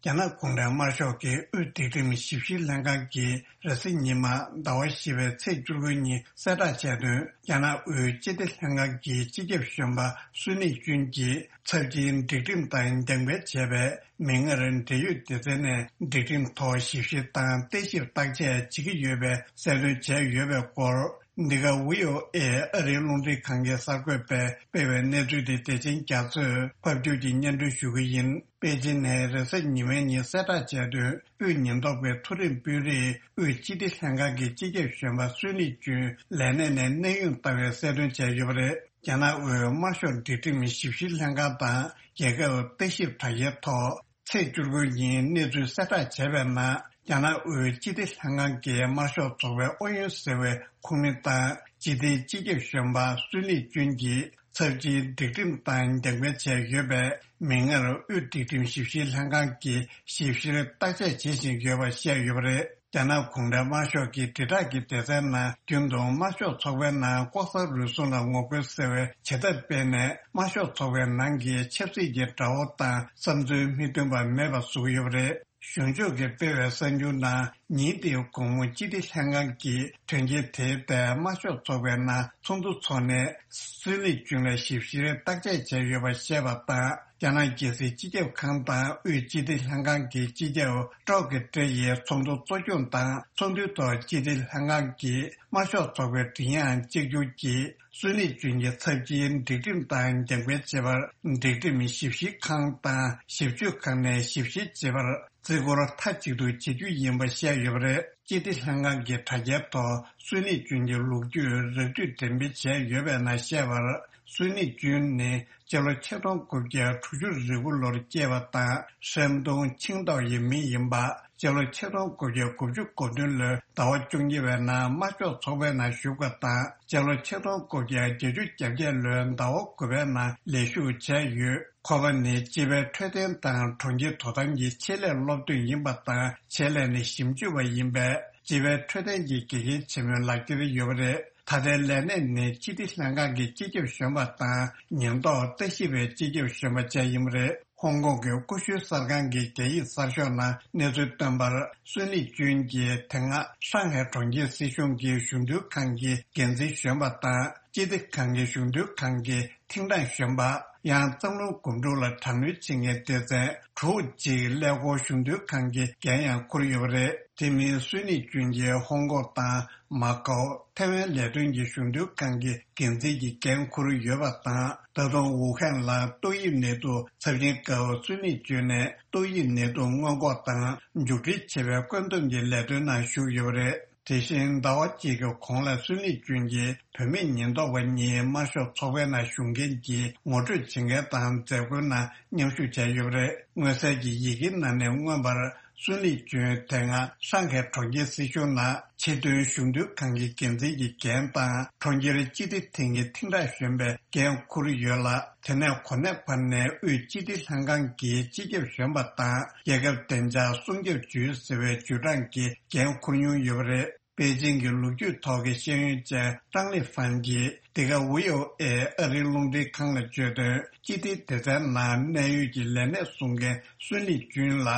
རྒྱ་ནག་གུང་ཁྲན་དམར་ཤོག་གི་དབུས་སྒྲིག་ཁྲིམས་ཞིབ་བཤེར་ལྷན་ཁང་གིས་རེས་གཟའ་ཉི་མ་ཟླ་བ་བཞི་པའི་ཚེས་བཅུ་དགུ་ཉིན་གསལ་བསྒྲགས་བྱས་དོན། རྒྱ་ནག་དབུས་སྤྱི་བདེ་ལྷན་ཁང་གི་སྤྱི་ཁྱབ་གཞོན་པ་སུན་ལི་ཅུན་གྱིས་ཚབས་ཆེའི་སྒྲིག་ཁྲིམས་དང་རྒྱབ་འགལ་བྱས་པའི་མིག་སྔར་འབྲེལ་ཡོད་སྡེ་ཚན་ནས་སྒྲིག་ཁྲིམས་ཐོག་ཞིབ་བཤེར་དང་བརྟག་ཞིབ་བརྟག་དཔྱད་བྱེད་ཀྱི་ཡོད་པའི་གསལ་སྟོན་བྱས་ཡོད་པའི་སྐོར། འདི་ག་བྷི་ཨོ་ཨེ་ཨ་རིའི་རླུང་འཕྲིན་ཁང་གི་གསར་འགོད་པས་སྤེལ་བའི་གནས་ཚུལ་དེ་བདེ་ཆེན་རྒྱ་མཚོས་ཕབ་སྒྱུར་གྱིས་སྙན་སྒྲོན་ཞུ་གི་ཡིན། པེ་ཅིན་ནས་རེས་གཟའ་ཉི་མའི་ཉིན་གསལ་བསྒྲགས་བྱས་དོན། དབུས་ཉེན་རྟོག་པའི་མཐོ་རིམ་དཔོན་རིགས་དབུས་སྤྱི་བདེ་ལྷན་ཁང་གི་སྤྱི་ཁྱབ་གཞོན་པ་སུན་ལི་ཅུན་ལས་གནས་ནས་གནས་དབྱུང་བཏང་བའི་གསལ་སྟོན་བྱས་ཡོད་པ་རེད། རྒྱ་ནག་དབུས་དམར་ཤོག་སྒྲིག་ཁྲིམས་ཞིབ་བཤེར་ལྷན་ཁང་དང་རྒྱལ་ཁབ་ལྟ་ཞིབ་དྲ་རྒྱའི་ཐོག་ཚེས་བཅུ་དགུ་ཉིན་གནས་ཚུལ་གསལ་བསྒྲགས་བྱས་པའི་ནང་། རྒྱ་ནག་དབུས་སྤྱི་བདེ་ལྷན་ཁང་གི་དམར་ཤོག་ཚོགས་པའི་ཨུ་ཡོན་ཟེར་བའི་ཁོངས་མི་དང་སྤྱི་བདེའི་སྤྱི་ཁྱབ་གཞོན་པ་སུན་ལི་ཅུན་གྱིས་ཚབས་ཆེའི་སྒྲིག་ཁྲིམས་དང་རྒྱབ་འགལ་བྱས་ཡོད་པས། མིག་སྔར་དབུས་སྒྲིག་ཁྲིམས་ཞིབ་བཤེར་ལྷན་ཁང་གིས་ཞིབ་བཤེར་བརྟག་དཔྱད་བྱེད་བཞིན་ཡོད་པ་བཤད་ཡོད་པ་རེད། རྒྱ་ནག་གུང་ཁྲན་དམར་ཤོག་གི་དྲིལ་བསྒྲགས་ཀྱི་སྡེ་ཚན་ནང་རྒྱུན་དུ་དམར་ཤོག་ཚོགས་པའི་ནང་ལྐོག་ཟ་རུལ་སུངས་ལ་ངོ་རྒོལ་ཟེར་བའི་བྱེད་ཐབས་སྤེལ་ནས། དམར་ཤོག་ཚོགས་པའི་ནང་གི་ཆབ་སྲིད་ཀྱི་དགྲ་བོ་དང་བསམ་ཚུལ་མི་མཐུན་པ་མེད་པ་བཟོ་གི་ཡོད་པ་རེད། གཞུང་ཕྱོགས་ཀྱིས་སྤེལ་བའི་གསར་འགྱུར་ནང་། ཉིན་དེའི་དགོང་མོ་སྤྱི་བདེ་ལྷན་ཁང་གིས་དོན་རྐྱེན་དེའི་ཐད་དམར་ཤོག་ཚོགས་པའི་ནང་ཚོགས་འདུ་འཚོགས་ནས། སུན་ལི་ཅུན་ལ་ཞིབ་བཤེར་བརྟག་དཔྱད་བྱས་ཡོད་པ་བཤད་པ་དང་། རྒྱ་ནག་རྒྱལ་སྲིད་སྤྱི་ཁྱབ་ཁང་དང་དབུས་སྤྱི་བདེ་ལྷན་ཁང་གི་སྤྱི་ཁྱབ་ཀྲོག་གི་ཏྲེ་ཡིས་ཚོགས་འདུ་གཙོ་སྐྱོང་དང་། ཚོགས་འདུའི་ཐོག་སྤྱི་བདེ་ལྷན་ཁང་གིས་དམར་ཤོག་ཚོགས་པའི་མགྲིན་དབྱངས་གཅིག་གྱུར་གྱིས། སུན་ལི་ཅུན་གྱི་ཚབས་ཆེའི་སྒྲིག་ཁྲིམས་དང་རྒྱབ་འགལ་བྱས་པར། སྒྲིག་ཁྲིམས་ཞིབ་བཤེར་ཁང་དང་ཞིབ་དཔྱོད་ཁང་ནས་ཞིབ་བཤེར་བྱེད་པར། བརྩི་བཀུར་མཐའ་གཅིག་ཏུ་བྱེད་རྒྱུ་ཡིན་པ་བཤད་ཡོད་པ་རེད། སྤྱི་བདེ་ལྷན་ཁང་གི་དྲ་རྒྱའི་ཐོག་སུན་ལི་ཅུན་གྱི་ལོ་རྒྱུས་རགས་བསྡུས་འགྲེམས་སྤེལ་བྱས་ཡོད་པའི་ནང་བཤད་པར། སུན་ལི་ཅུན་ནི་སྤྱི་ལོ་ཆིག་སྟོང་དགུ་བརྒྱ་དྲུག་ཅུ་རེ་དགུ་ལོར་སྐྱེས་པ་དང་། ཧྲན་ཏུང་ཆིང་ཏོའུ་ཡི་མི་ཡིན་པ། སྤྱི་ལོ་ཆིག་སྟོང་དགུ་བརྒྱ་དགུ་བཅུ་གོ་བདུན་ལོའི་ཟླ་བ་བཅོ་གཉིས་པའི་ནང་དམར་ཤོག་ཚོགས་པའི་ནང་ཞུགས་པ་དང་། སྤྱི་ལོ་ཆིག་སྟོང་དགུ་བརྒྱ་བརྒྱད་ཅུ་གྱ་བརྒྱད་ལོའི་ཟླ་བ་དགུ་པའི་ནང་ལས་ཞུགས་བྱས་ཡོད། ཁོ་པ་ནི་སྤྱི་པའི་འཕྲོད་བསྟེན་དང་གྲོང་ཁྱེར་དོ་དམ་གྱི་ཆེད་ལས་སློབ་སྟོན་ཡིན་པ་དང་། ཆེད་ལས་ནི་ཞིབ་འཇུག་པ་ཡིན་པས། སྤྱི་པའི་འཕྲོད་བསྟེན་གྱི་དགེ་རྒན་ཆེན་མོའི་ལག་ཁྱེར་ཡོད་པ་རེད། ད་ལྟའི་ལས་གནས་ནི་སྤྱི་བདེ་ལྷན་ཁང་གི་སྤྱི་ཁྱབ་གཞོན་པ་དང་ཉེན་རྟོག་ལྟ་ཞིབ་པའི་སྤྱི་ཁྱབ་གཞོན་པ་བཅས་ཡིན་པ་རེད། ཧོང་ཀོང་གི་ཀུ་ཤུའི་གསར་ཁང་གི་རྒྱ་ཡིག་གསར་ཤོག་ནང་གནས་ཚུལ་བཏོན་པར། སུན་ལི་ཅུན་གྱིས་དེ་སྔ་ཧྲང་ཧའེ་གྲོང་ཁྱེར་སྲིད་གཞུང་གི་གཞུང་དོན་ཁང་གི་འགན་འཛིན་གཞོན་པ་དང་། སྤྱི་བདེ་ཁང་གི་གཞུང་དོན་ཁང་གི་ཐིང་ཀྲང་གཞོན་པ། ཡང་། གཙང་ལུང་སྒོམ་སྒྲུབ་ལ་དྲག་གནོན་བྱེད་མཁན་སྡེ་ཚན་དྲུག་ཅིག་ཀླད་ཀོར་གཞུང་དོན་ཁང་གི་འགན་ཡང་འཁུར་ཡོད་པ་རེད། དེ་མིན་སུན་ལི་ཅུན་གྱིས་ཧོང་ཀོང་དང་མ་ཀའོ། ཐའེ་ཝན་ལས་དོན་གྱི་གཞུང་དོན་ཁང་གི་འགན་འཛིན་གྱི་འགན་འཁུར་ཡོད་པ་དང་། ད་དུང་ཝུ་ཧན་ལ་ཏོག་དབྱིབས་ནད་དུག་ཚབས་ཆེན་སྐབས་སུན་ལི་ཅུན་ནས་ཏོག་དབྱིབས་ནད་དུག་སྔོན་འགོག་དང་མཇུག་སྒྲིལ་བྱེད་པའི་བཀོད་འདོམས་ཀྱི་ལས་དོན་ནང་ཞུགས་ཡོད་པ་རེད། དེ་བཞིན་ཟླ་བ་གཅིག་གི་གོང་ལ་སུན་ལི་ཅུན་གྱིས་བུད་མེད་ཉེན་རྟོག་པ་གཉིས་དམར་ཤོག་ཚོགས་པའི་ནང་ཞུགས་མཁན་གྱི་ངོ་སྤྲོད་བྱེད་མཁན་དང་མཛད་སྒོའི་ནང་མཉམ་ཞུགས་བྱས་ཡོད་པ་རེད། མངོན་གསལ་གྱི་ཡི་གེའི་ནང་ནས་མངོན་པར། སུན་ལི་ཅུན་དེ་སྔ་ཧྲང་ཧའེ་གྲོང་ཁྱེར་སྲིད་གཞུང་ནང་ཆེས་མཐོའི་གཞུང་དོན་ཁང་གི་འགན་འཛིན་གྱི་འགན་དང་། གྲོང་ཁྱེར་སྤྱི་བདེ་ཐིང་གི་ཐིང་ཀྲང་གཞོན་པའི་འགན་འཁུར་ཡོད་ལ། དེ་ནས་གོ་གནས་བར་ནས་དབུས་སྤྱི་བདེ་ལྷན་ཁང་གི་སྤྱི་ཁྱབ་གཞོན་པ་དང་། རྒྱལ་ཁབ་བདེ་འཇགས་སྲུང་སྐྱོབ་ཅུས་ཟེར་བའི་ཅུས་ཀྲང་གི་འགན་འཁུར་མྱོང་ཡོད་པ་རེད། པེ་ཅིང་གི་ལོ་རྒྱུས་ཐོག་གི་ཤེས་ཡོན་ཅན་ཀྲང་ལི་ཧྥན་གྱིས་འདི་ག་ཝི་ཨོ་ཨེ་ཨ་རིའི་རླུང་འཕྲིན་ཁང་ལ་བརྗོད་དོན། སྤྱི་བདེའི་སྡེ་ཚན་ནང་གནད་ཡོད་ཀྱི་ལས་གནས་སྲུང་མཁན་སུན་ལི་ཅུན་ལ་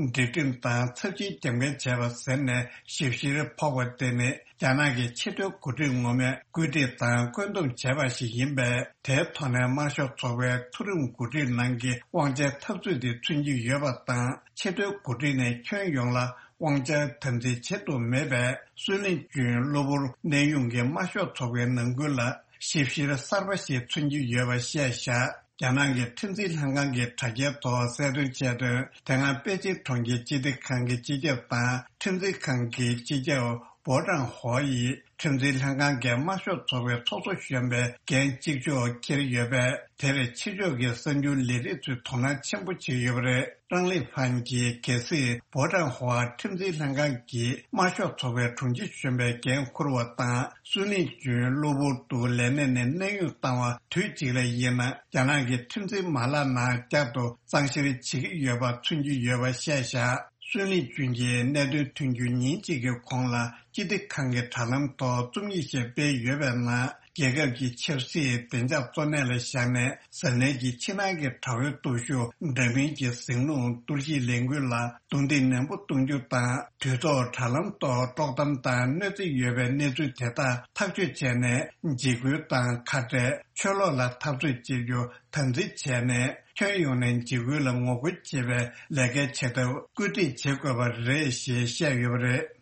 སྒྲིག་ཁྲིམས་དང་ཚབས་ཆེའི་རྒྱབ་འགལ་བྱས་པ་ཟེར་ནས་ཞིབ་བཤེར་ཕོག་པ་དེ་ནི། རྒྱ་ནག་གི་ཆེས་མཐོའི་འགོ་ཁྲིད་ངོ་མས་བཀོད་སྒྲིག་དང་བཀོད་འདོམས་བྱས་པ་ཞིག་ཡིན་པས། དེའི་ཐོག་ནས་དམར་ཤོག་ཚོགས་པའི་མཐོ་རིམ་འགོ་ཁྲིད་ནང་གི་དབང་ཆའི་འཐབ་རྩོད་དེ་མཚོན་གྱི་ཡོད་པ་དང་། ཆེས་མཐོའི་འགོ་ཁྲིད་ནས་ཁྱོན་ཡོངས་ལ་དབང་ཆ་དམ་འཛིན་བྱེད་ཐུབ་མེད་པས། སུན་ལི་ཅུན་གློ་བུར་གནས་དབྱུང་གིས་དམར་ཤོག་ཚོགས་པའི་ནང་ཁུལ་ལ་ཞིབ་བཤེར་གསར་པ་ཞིག་མཚོན་གྱི་ཡོད་པ་བཤད་བཞག་རྒྱ་ནག་གི་ཁྲིམས་འཛིན་ལྷན་ཁང་གི་དྲ་རྒྱའི་ཐོག་གསལ་སྟོན་བྱས་དོན། དེ་སྔ་པེ་ཅིང་གྲོང་ཁྱེར་སྤྱི་བདེ་ཁང་གི་སྤྱི་ཁྱབ་དང་ཁྲིམས་འཛིན་ཁང་གི་སྤྱི་ཁྱབ་པོ་ཀྲང་ཧོ་ཡིས་ཁྲིམས་འཛིན་ལྷན་ཁང་གིས་དམར་ཤོག་ཚོགས་པའི་ཚོགས་གཙོ་གཞོན་པའི་འགན་གཅིག་ལྕོགས་འཁྱེར་ཡོད་པས། དེར་ཕྱི་ཕྱོགས་ཀྱི་གསར་འགྱུར་ལས་རིགས་ཚོས་དོ་སྣང་ཆེན་པོ་བྱེད་ཡོད་པ་རེད། ཀྲང་ལི་ཧྥན་གྱིས་གལ་སྲིད་པོ་ཀྲང་ཧོ་ཁྲིམས་འཛིན་ལྷན་ཁང་གིས་དམར་ཤོག་ཚོགས་པའི་དྲུང་ཆེ་གཞོན་པའི་འགན་འཁུར་བ་དང་། སུན་ལི་ཅུན་གློ་བུར་དུ་ལས་གནས་ནས་གནས་དབྱུང་བཏང་བ་དུས་གཅིག་ལ་ཡིན་ན། རྒྱ་ནག་གི་ཁྲིམས་འཛིན་མ་ལག་ནང་བསྐྱར་དུ་གཙང་བཤེར་བྱེད་ཀྱི་ཡོད་པ་མཚོན་གྱི་ཡོད་པ་བཤད་བཞག་སུན་ལི་ཅུན་གྱིས་གནད་དོན་ཐོན་རྒྱུ་ཉིན་གཅིག་གི་གོང་ལ་སྤྱི་བདེ་ཁང་གི་དྲ་ལམ་ཐོག་རྩོམ་ཡིག་ཞིག་སྤེལ་ཡོད་པའི་ནང་། རྒྱལ་ཁབ་ཀྱི་ཆབ་སྲིད་བདེ་འཇགས་གཙོ་གནད་ལ་བཞག་ནས། གཟབ་ནན་གྱིས་ཕྱི་ནང་གི་དྲ་བའི་སྟོབས་ཤུགས་འདྲ་མིན་གྱི་ཟིང་རླུང་གཏོར་བཤིག་ལས་འགུལ་ལ་རྡུང་རྡེག་ནན་པོ་གཏོང་རྒྱུ་དང་། དུས་ཐོག་དྲ་ལམ་ཐོག་དཀྲོག་གཏམ་དང་གནོད་འཚེ་ཡོད་པའི་གནས་ཚུལ་དེ་དག་ཐག་གཅོད་བྱས་ནས། འཇིགས་སྐུལ་དང་ཁ་བྲལ། ཆོས་ལུགས་ལ་འཐབ་རྩོད་བྱེད་རྒྱུ་དམ་འཛིན་བྱས་ནས། ཁྱོན་ཡོངས་ནས་འཇིགས་སྐུལ་ལ་ངོ་རྒོལ་བྱེད་པའི་ལས་ཀའི་བྱེད་ཐབས་བཀོད་སྒྲིག་བྱེད་དགོས་པ་རེད་ཞེས་བཤད་ཡོད་པ་རེད།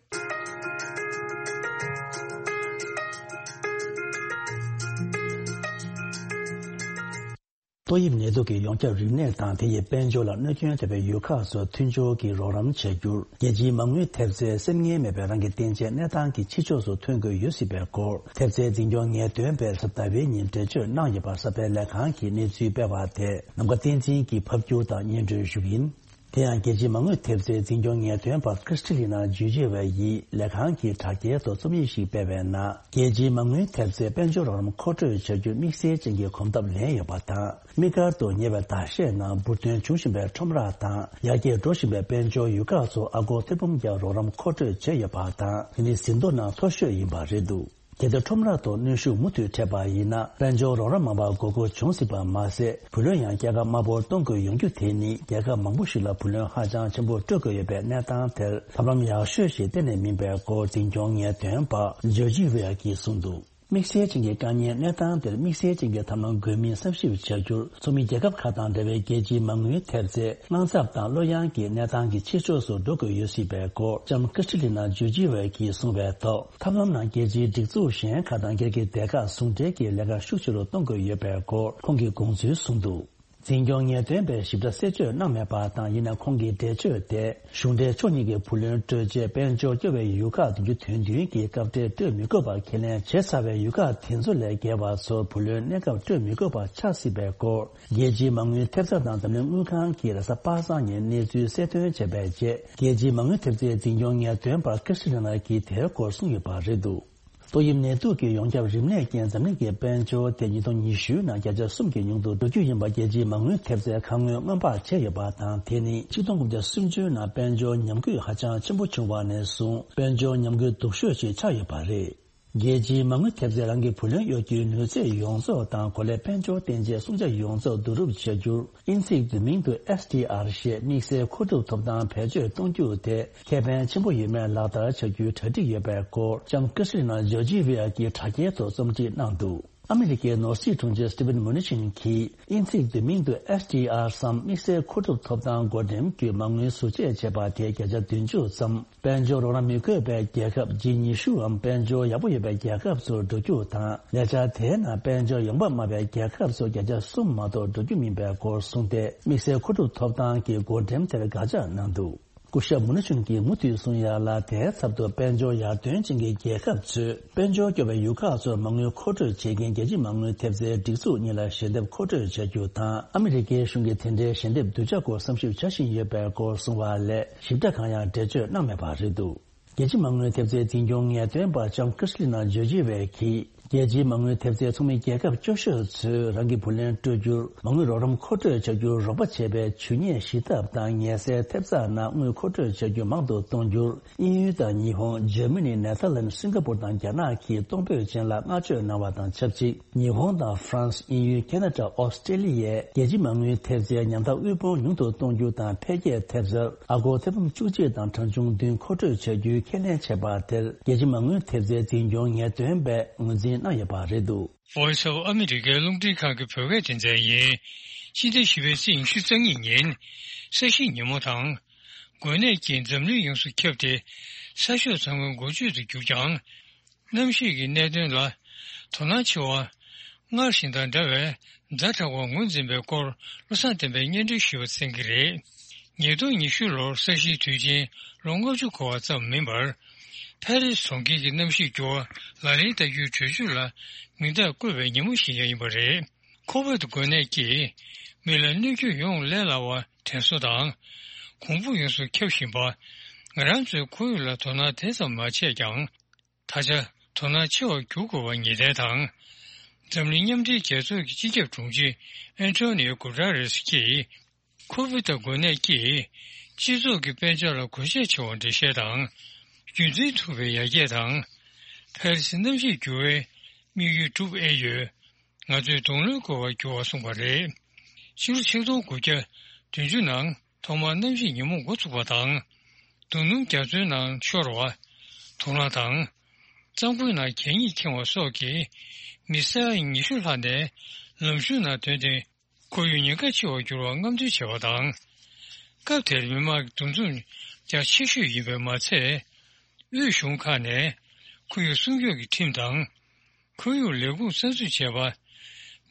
ཏོག་དབྱིབས་ནད་དུག་གི་ཡོངས་ཁྱབ་རིམས་ནད་དང་དེ་ཡི་དཔལ་འབྱོར་ལ་གནོད་སྐྱོན་ཐེབས་པའི་ཡུལ་ཁག་སོགས་མཐུན་སྦྱོར་གྱིས་རོགས་རམ་བྱ་རྒྱུར། རྒྱལ་སྤྱིའི་མ་དངུལ་ཐེབས་རྩའི་སེམས་ངལ་མེད་པའི་རང་གི་བརྟེན་ཆའི་གནས་སྟངས་ཀྱི་ཕྱི་ཕྱོགས་སུ་ཐོན་དགོས་ཡོད་སྲིད་པའི་སྐོར། ཐེབས་རྩའི་འཛིན་སྐྱོང་ངེས་སྟོན་པས་གཟའ་ཟླ་བའི་ཉིན་འགྲེལ་བརྗོད་གནང་ཡོད་པ། གསར་སྤེལ་ལས་ཁང་གིས་གནས་ཚུལ་སྤེལ་བ་དེ་ནམ་མཁའ་བསྟན་འཛིན་གྱིས་ཕབ་སྒྱུར་དང་སྙན་སྒྲོན་ཞུ་གི་ཡིན། དེ་ཡང་རྒྱལ་སྤྱིའི་མ་དངུལ་ཐེབས་རྩའི་འཛིན་སྐྱོང་ངེས་སྟོན་པ་ཀྲིས་ཊི་ལི་ན་ཇུ་ཇི་ཝེ་ཡིས་ལས་ཁང་གི་དྲ་རྒྱའི་ཐོག་རྩོམ་ཡིག་ཞིག་སྤེལ་བའི་ནང་། རྒྱལ་སྤྱིའི་མ་དངུལ་ཐེབས་རྩའི་དཔལ་འབྱོར་རོགས་རམ་མཁོ་སྤྲོད་བྱ་རྒྱུར་དམིགས་བསལ་ཅན་གྱི་གོམ་སྟབས་ལེན་ཡོད་པ་དང་། དམིགས་བཀར་དུ་ཉེ་བའི་ཟླ་ཤས་ནང་འབུར་ཐོན་བྱུང་བཞིན་པའི་ཁྲོམ་ར་དང་ཡར་རྒྱས་འགྲོ་བཞིན་པའི་དཔལ་འབྱོར་ཡུལ་ཁག་སོགས་ཨ་སྒོར་ཐེར་འབུམ་བརྒྱ་རོགས་རམ་མཁོ་སྤྲོད་བྱས་ཡོད་པ་དང་། དེ་ནི་ཟིན་ཐོ་ནང་མཐོ་ཤོས་ཡིན་པ་རེད་འདུག་གལ་ཏེ་ཁྲོམ་ར་ཐོག་གནོན་ཤུགས་མུ་མཐུད་འཕྲད་པ་ཡིན་ན། དཔལ་འབྱོར་རོགས་རམ་མང་པོ་དགོས་མཁོ་འབྱུང་སྲིད་པ་མ་ཟད། བུ་ལོན་ཡང་རྒྱལ་ཁབ་དམའ་པོར་གཏོང་དགོས་ཡོང་རྒྱུ་དེ་ནི། རྒྱལ་ཁབ་མང་པོ་ཞིག་ལ་བུ་ལོན་ཧ་ཅང་ཆེན་པོ་སྤྲོད་དགོས་ཡོད་པའི་གནས་སྟངས་དེར་ཐབས་ལམ་ཡག་ཤོས་ཤིག་གཏན་ནས་མིན་པའི་སྐོར། འཛིན་སྐྱོང་ངེས་སྟོན་པ་ཇོར་ཇི་ཝེ་ཡ་གིས་གསུངས་འདུག་དམིགས་བསལ་ཅན་གྱི་དཀའ་ངལ་གནས་སྟངས་དེར་དམིགས་བསལ་ཅན་གྱི་ཐབས་ལམ་དགོས་མིན་བསམ་ཞིབ་བྱ་རྒྱུར། ཚོགས་མི་རྒྱལ་ཁབ་ཁག་དང་འབྲེལ་བའི་རྒྱལ་སྤྱིའི་མ་དངུལ་ཐེབས་རྩའི་དངངས་འཚབ་དང་བློ་གཡེང་གི་གནས་སྟངས་ཀྱི་ཕྱི་ཕྱོགས་སུ་འགྲོ་དགོས་ཡོད་སྲིད་པའི་སྐོར། ལྕམ་ཀྲིས་ཊི་ལི་ན་ཇོར་ཇི་ཝེ་ཡ་གིས་གསུངས་པའི་ཐོག་ཐབས་ལམ་ནང་རྒྱལ་སྤྱིའི་སྒྲིག་འཛུགས་གཞན་ཁག་དང་སྒེར་གྱི་སྡེ་ཁག་ཟུང་འབྲེལ་གྱིས་ལས་ཀ་ཤུགས་ཆེ་རུ་གཏོང་དགོས་ཡོད་པའི་སྐོར་ཁོང་གིས་དགོངས་ཚུལ་གསུངས་འདུག་འཛིན་སྐྱོང་ངེས་སྟོན་པས་ཞིབ་ཕྲ་གསལ་བརྗོད་གནང་མེད་པ་དང་། ཡིན་ན་ཁོང་གི་འགྲེལ་བརྗོད་དེ། གཞུང་འབྲེལ་ཕྱོགས་གཉིས་ཀྱི་བུ་ལོན་སྤྲོད་ཆེད་དཔལ་འབྱོར་སྐྱོ་བའི་ཡུལ་ཁག་བདུན་ཅུ་དོན་བདུན་གྱིས་སྐབས་འབྲེལ་སྤྲོད་མི་དགོས་པར་ཁས་ལེན་བྱས་ཚར་བའི་ཡུལ་ཁག་དེ་ཚོ་ལས་བརྒལ་བ་ཚོར་བུ་ལོན་གནས་སྐབས་སྤྲོད་མི་དགོས་པ་ཆགས་སྲིད་པའི་སྐོར། རྒྱལ་སྤྱིའི་མ་དངུལ་ཐེབས་རྩ་དང་འཛམ་གླིང་དངུལ་ཁང་གིས་རེས་གཟའ་པ་སངས་ཉིན་གནས་ཚུལ་གསལ་སྟོན་བྱས་པའི་རྗེས། རྒྱལ་སྤྱིའི་མ་དངུལ་ཐེབས་རྩའི་འཛིན་སྐྱོང་ངེས་སྟོན་པ་ཀིར་སི་ལི་ན་གིས་དེའི་སྐོར་གསུངས་ཡོད་པ་རེད་འདུག་ཏོག་དབྱིབས་ནད་དུག་གི་ཡོངས་ཁྱབ་རིམས་ནད་རྐྱེན་འཛམ་གླིང་གི་དཔལ་འབྱོར་དེ་ཉིས་སྟོང་ཉི་ཤུ་ནང་བརྒྱ་ཆ་གསུམ་གྱི་ཉུང་དུ་འགྲོ་རྒྱུ་ཡིན་པ་རྒྱལ་སྤྱིའི་མ་དངུལ་ཐེབས་རྩའི་ཁ་སྔོན་སྔོན་དཔག་བྱས་ཡོད་པ་དང་། དེ་ནི་ཆིག་སྟོང་དགུ་བརྒྱ་སུམ་ཅུ་ནང་དཔལ་འབྱོར་ཉམས་རྒུད་ཧ་ཅང་ཆེན་པོ་བྱུང་བ་ནས་བཟུང་དཔལ་འབྱོར་ཉམས་རྒུད་སྡུག་ཤོས་ཤིག་ཆགས་ཡོད་པ་རེད། རྒྱལ་སྤྱིའི་མ་དངུལ་ཐེབས་རྩའི་རང་གི་བུ་ལོན་གཡོ་སྒྱུའི་ནུས་ཚད་ཡོངས་རྫོགས་དང་གོ་ལའི་དཔལ་འབྱོར་བརྟན་ཆའི་སྲུང་བྱ་ཡོངས་རྫོགས་བསྡུ་རུབ་བྱ་རྒྱུར་དབྱིན་ཚིག་བསྡུས་མིང་དུ་ཨེས་ཌི་ཨར་ཞེས་དམིགས་བསལ་མཁོ་སྒྲུབ་ཐོབ་ཐང་བེད་སྤྱོད་གཏོང་རྒྱུ་དེ་ཁེ་ཕན་ཆེན་པོ་ཡོད་མེད་ལག་བསྟར་བྱ་རྒྱུའི་གྲ་སྒྲིག་ཡོད་པའི་སྐོར་ལྕམ་ཀིར་སི་ལི་ན་ཇོར་ཇི་ཝི་ཡ་གིས་དྲ་རྒྱའི་ཐོག་རྩོམ་སྒྲིག་གནང་འདུག་ཨ་མི་རི་ཀའི་ནོར་སྲིད་དྲུང་ཆེ་སི་ཏི་ཝན་མུ་ནི་ཆིན་གྱིས་དབྱིན་ཚིག་བསྡུས་མིང་དུ་ཨེས་ཌི་ཨར་སམ་དམིགས་བསལ་མཁོ་སྒྲུབ་ཐོབ་ཐང་བགོ་འགྲེམས་བརྒྱུད་མ་དངུལ་ཟུར་བཅད་བྱས་པ་དེ་བརྒྱ་ཆ་བདུན་ཅུ་ཙམ། དཔལ་འབྱོར་རོགས་རམ་མི་དགོས་པའི་རྒྱལ་ཁབ་ཇི་ཉི་ཤུའམ་དཔལ་འབྱོར་ཡག་པོ་ཡོད་པའི་རྒྱལ་ཁབ་ཚོར་འགྲོ་རྒྱུ་དང་། ལས་འཆར་དེའི་ནང་དཔལ་འབྱོར་ཡོང་འབབ་དམའ་བའི་རྒྱལ་ཁབ་ཚོར་བརྒྱ་ཆ་གསུམ་མ་གཏོགས་འགྲོ་རྒྱུ་མིན་པའི་སྐོར་གསུངས་ཏེ། དམིགས་བསལ་མཁོ་སྒྲུབ་ཐོབ་ཐང་གི་བགོ་འགྲེམས་དེར་དགག་བྱ་གནང་འདུག་སྐུ་ཞབས་མུ་ནུ་ཆུན་གྱིས་མུ་མཐུད་གསུངས་ཡ་ལ། དེའི་ཚབ་ཏུ་དཔལ་འབྱོར་ཡར་ཐོན་ཅན་གྱི་རྒྱལ་ཁབ་ཚོས་དཔལ་འབྱོར་སྐྱོ་བའི་ཡུལ་ཁག་ཚོར་མ་དངུལ་མཁོ་སྤྲོད་བྱེད་མཁན་རྒྱལ་སྤྱིའི་མ་དངུལ་ཐེབས་རྩའི་སྒྲིག་འཛུགས་གཉིས་ལ་ཞལ་འདེབས་མཁོ་སྤྲོད་བྱ་རྒྱུ་དང་། ཨ་མི་རི་ཀའི་གཞུང་གིས་དེ་འདྲའི་ཞལ་འདེབས་བསྡུ་བྱ་སྐོར་བསམ་ཞིབ་བྱ་བཞིན་ཡོད་པའི་སྐོར་གསུངས་པ་ལས། ཞིབ་ཕྲ་གང་ཡང་འགྲེལ་བརྗོད་གནང་མེད་པ་རེད་འདུག་རྒྱལ་སྤྱིའི་མ་དངུལ་ཐེབས་རྩའི་འཛིན་སྐྱོང་ངེས་སྟོན་པ་ལྕམ་ཀིར་སི་ལི་ན་ཇོར་ཇི་ཝེ་གིས། རྒྱལ་སྤྱིའི་མ་དངུལ་ཐེབས་རྩའི་ཚོགས་མི་རྒྱལ་ཁབ་སྐྱོ་ཤོས་ཚོས་རང་གི་བུ་ལོན་སྤྲོད་རྒྱུར་མ་དངུལ་རོགས་རམ་མཁོ་སྤྲོད་བྱ་རྒྱུར་རོགས་པ་བྱེད་པའི་ཇུས་ཉེས་ཞི་ཐབས་དང་ཉེན་སེལ་ཐེབས་རྩ་ནང་དངུལ་མཁོ་སྤྲོད་བྱ་རྒྱུ་མང་དུ་གཏོང་རྒྱུར། དབྱིན་ཡུལ་དང་ཉི་ཧོང་། འཇར་མ་ནི། ནེ་ཐར་ལན། སིང་ག་པུར་དང་རྒྱ་ནག་གིས་གཏོང་ཕོད་ཅན་ལ་བསྔགས་བརྗོད་གནང་བ་དང་ཆབས་ཅིག་ཉི་ཧོང་དང་ཧྥ་རན་སི། དབྱིན་ཡུལ། ཁེ་ན་ཌ། ཨོ་སི་ཀྲེ་ལི་ཡས་རྒྱལ་སྤྱིའི་མ་དངུལ་ཐེབས་རྩའི་ཉམ་ཐག་དབུལ་ཕོངས་ཉུང་དུ་གཏོང་རྒྱུ་དང་འཕེལ་རྒྱས་ཐེབས་རྩར་ཨ་སྒོར་ཐེར་འབུམ་བཅུ་གཅིག་དང་གྲངས་ཆུང་བདུན་མཁོ་སྤྲོད་བྱ་རྒྱུའི་ཁས་ལེན་བྱས་པ་དེར། རྒྱལ་སྤྱིའི་མ་དངུལ་ཐེབས་རྩའི་འཛིན་སྐྱོང་ངེས་སྟོན་པས་ངོས་འཛིན་གནང་ཡོད་པ་རེད་འདུག Voice of America རླུང་འཕྲིན་ཁང་གི་བོད་སྐད་སྡེ་ཚན་ཡིན། ཕྱི་ཟླ་བཞི་པའི་ཚེས་ཉི་ཤུ་རྩ་གཉིས་ཉིན། ས་གཞི་ཉིན་མོ་དང་། འགོས་ནད་ཀྱིས་འཛམ་གླིང་ཡོངས་སུ་ཁྱབ་སྟེ། ས་ཕྱོགས་ཚང་མའི་འགོ་བརྗོད་དུ་གྱུར་ཀྱང་། གནམ་གཤིས་ཀྱི་གནད་དོན་ལ་དོ་སྣང་ཆེ་བ། སྔར་བཞིན་དང་འདྲ་བའི་ཛ་དྲག་པ་ངོས་འཛིན་པའི་སྐོར་བློ་བཟང་བསྟན་པས་སྙན་སྒྲོན་ཞུས་པ་གསན་གྱི་རེད། ཉིས་སྟོང་ཉི་ཤུ་ལོར་ས་གཞིའི་དུས་ཆེན་ལོ་ལྔ་བཅུ་འཁོར་བ་ཙམ་མིན་པར། ཕ་རི་སི་གྲོང་ཁྱེར་གྱི་གནམ་གཤིས་འགྱུར་བ་ལག་ལེན་བསྟར་རྒྱུའི་གྲོས་ཆོད་ལ་མིང་རྟགས་བཀོད་པའི་ཉིན་མོ་ཞིག་ཀྱང་ཡིན་པ་རེད། ཁོ་ཝིད་འགོས་ནད་ཀྱིས་མི་ལ་གནོད་སྐྱོན་ཡོང་ལས་སླ་བ་དྲན་གསོ་དང་། གོང་བུ་ཡོངས་སུ་ཁྱབ་བཞིན་པ། ང་རང་ཚོའི་ཁོར་ཡུག་ལ་དོ་སྣང་དེ་ཙམ་མ་བྱས་ཀྱང་། ད་ཆ་དོ་སྣང་ཆེ་བར་འགྱུར་དགོས་པ་ངེས་གཏན་དང་། འཛམ་གླིང་མཉམ་འབྲེལ་རྒྱལ་ཚོགས་ཀྱི་སྤྱི་ཁྱབ་དྲུང་ཆེ་ཨན་ཐོ་ནིའོ་གུ་ཏྲ་རེས་ཀྱིས། ཁོ་ཝིད་འགོས་ནད་ཀྱིས་སྤྱི་ཚོགས་ཀྱི་དཔལ་འབྱོར་ལ་གོད་ཆག་ཆེ་བར་འགྲེལ་བཤད་དང་། རྒྱུན་འཛིན་ཐུབ་པའི་ཡར་རྒྱས་དང་། ཕ་རི་སི་གནམ་གཤིས་འགྱུར་བའི་དམིགས་ཡུལ་འགྲུབ་ཨེ་ཡོད། ང་ཚོས་གདོང་ལེན་དགོས་པར་གྱུར་བ་གསུངས་པ་རེད། ཕྱི་ལོ་ཆིག་སྟོང་དགུ་བརྒྱ་བདུན་ཅུ་ནང་ཐོག་མར་གནམ་གཤིས་ཉིན་མོ་འགོ་ཚུགས་པ་དང་། རྡོ་སྣུམ་རྒྱ་མཚོའི་ནང་ཤོར་བ། དུག་རླངས་དང་། གཙང་པོའི་ནང་གད་སྙིགས་ཁེངས་པ་སོགས་ཀྱིས་མི་ས་ཡ་ཉི་ཤུ་ལྷག་ནས་ལམ་གཞུང་ནང་ཐོན་ཏེ། ཁོར་ཡུག་ཉེན་ཁ་ཆེ་བར་གྱུར་བར་རྔམ་སྟོན་བྱས་པ་དང་། སྐབས་དེར་མི་དམངས་ཀྱི་འདུ་འཛོམས་རྒྱ་ཆེ་ཤོས་ཡིན་པས་མ་ཚད། དབུས་གཞུང་ཁག་ནས་ཁོར་ཡུག་སྲུང་སྐྱོབ་ཀྱི་ཁྲིམས་དང་། ཁོར་ཡུག་ལས་ཁུངས་གསར་འཛུགས་བྱས་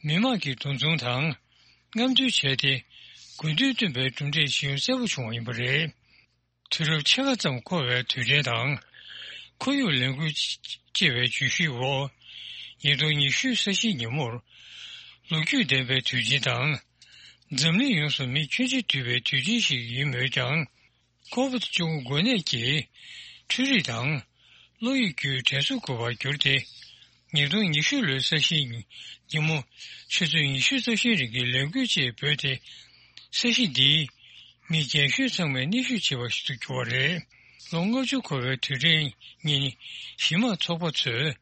པ། མི་དམངས་ཀྱི་འདུ་འཛོམས་དང་རྔམ་སྟོན་བྱས་ཏེ། དགོས་འདུན་བཏོན་པའི་གྲུབ་འབྲས་ཇི་ཡོང་གསལ་པོ་བྱུང་བ་ཡིན་པ་རེད། དུས་རབས་ཕྱེད་ཀ་ཙམ་འཁོར་བའི་དུས་དྲན་དང་། ཁོར་ཡུག་ལས་འགུལ་ཅེས་པའི་བརྗོད་གཞིའི་འོག་ཉིས་སྟོང་ཉི་ཤུ་ས་གཞིའི་ཉིན་མོར། ལོ་རྒྱུས་ལྡན་པའི་དུས་ཆེན་དང་། འཛམ་གླིང་ཡོངས་སུ་མི་ཁྱོན་ཆེ་འདུས་པའི་དུས་ཆེན་ཞིག་ཡིན་མོད་ཀྱང་། ཁོ་ཝིད་བཅུ་དགུ་འགོས་ནད་ཀྱིས་འཕྲུལ་རིག་དང་། བློ་ཡིད་བརྒྱུད་དྲན་གསོ་དགོས་པར་གྱུར་ཏེ། ཉིས་སྟོང་ཉི་ཤུ་ལོའི་ས་གཞིའི་ཉིན་མོ་ཆུ་ཚོད་ཉི་ཤུ་རྩ་བཞིའི་རིང་གི་ལས་འགུལ་ཅེས་འབོད་དེ། ས་གཞི་འདིའི་མི་རྒན་ཤོས་ཚང་མས་གནོན་ཤུགས་ཆེ་བ་ཞིག་ཏུ་གྱུར་བ་རེད། ལོ་ལྔ་བཅུ་འཁོར་བའི་དུས་དྲན་ཉིན། གཞི་མ་ཚོགས་པ་ཚོས་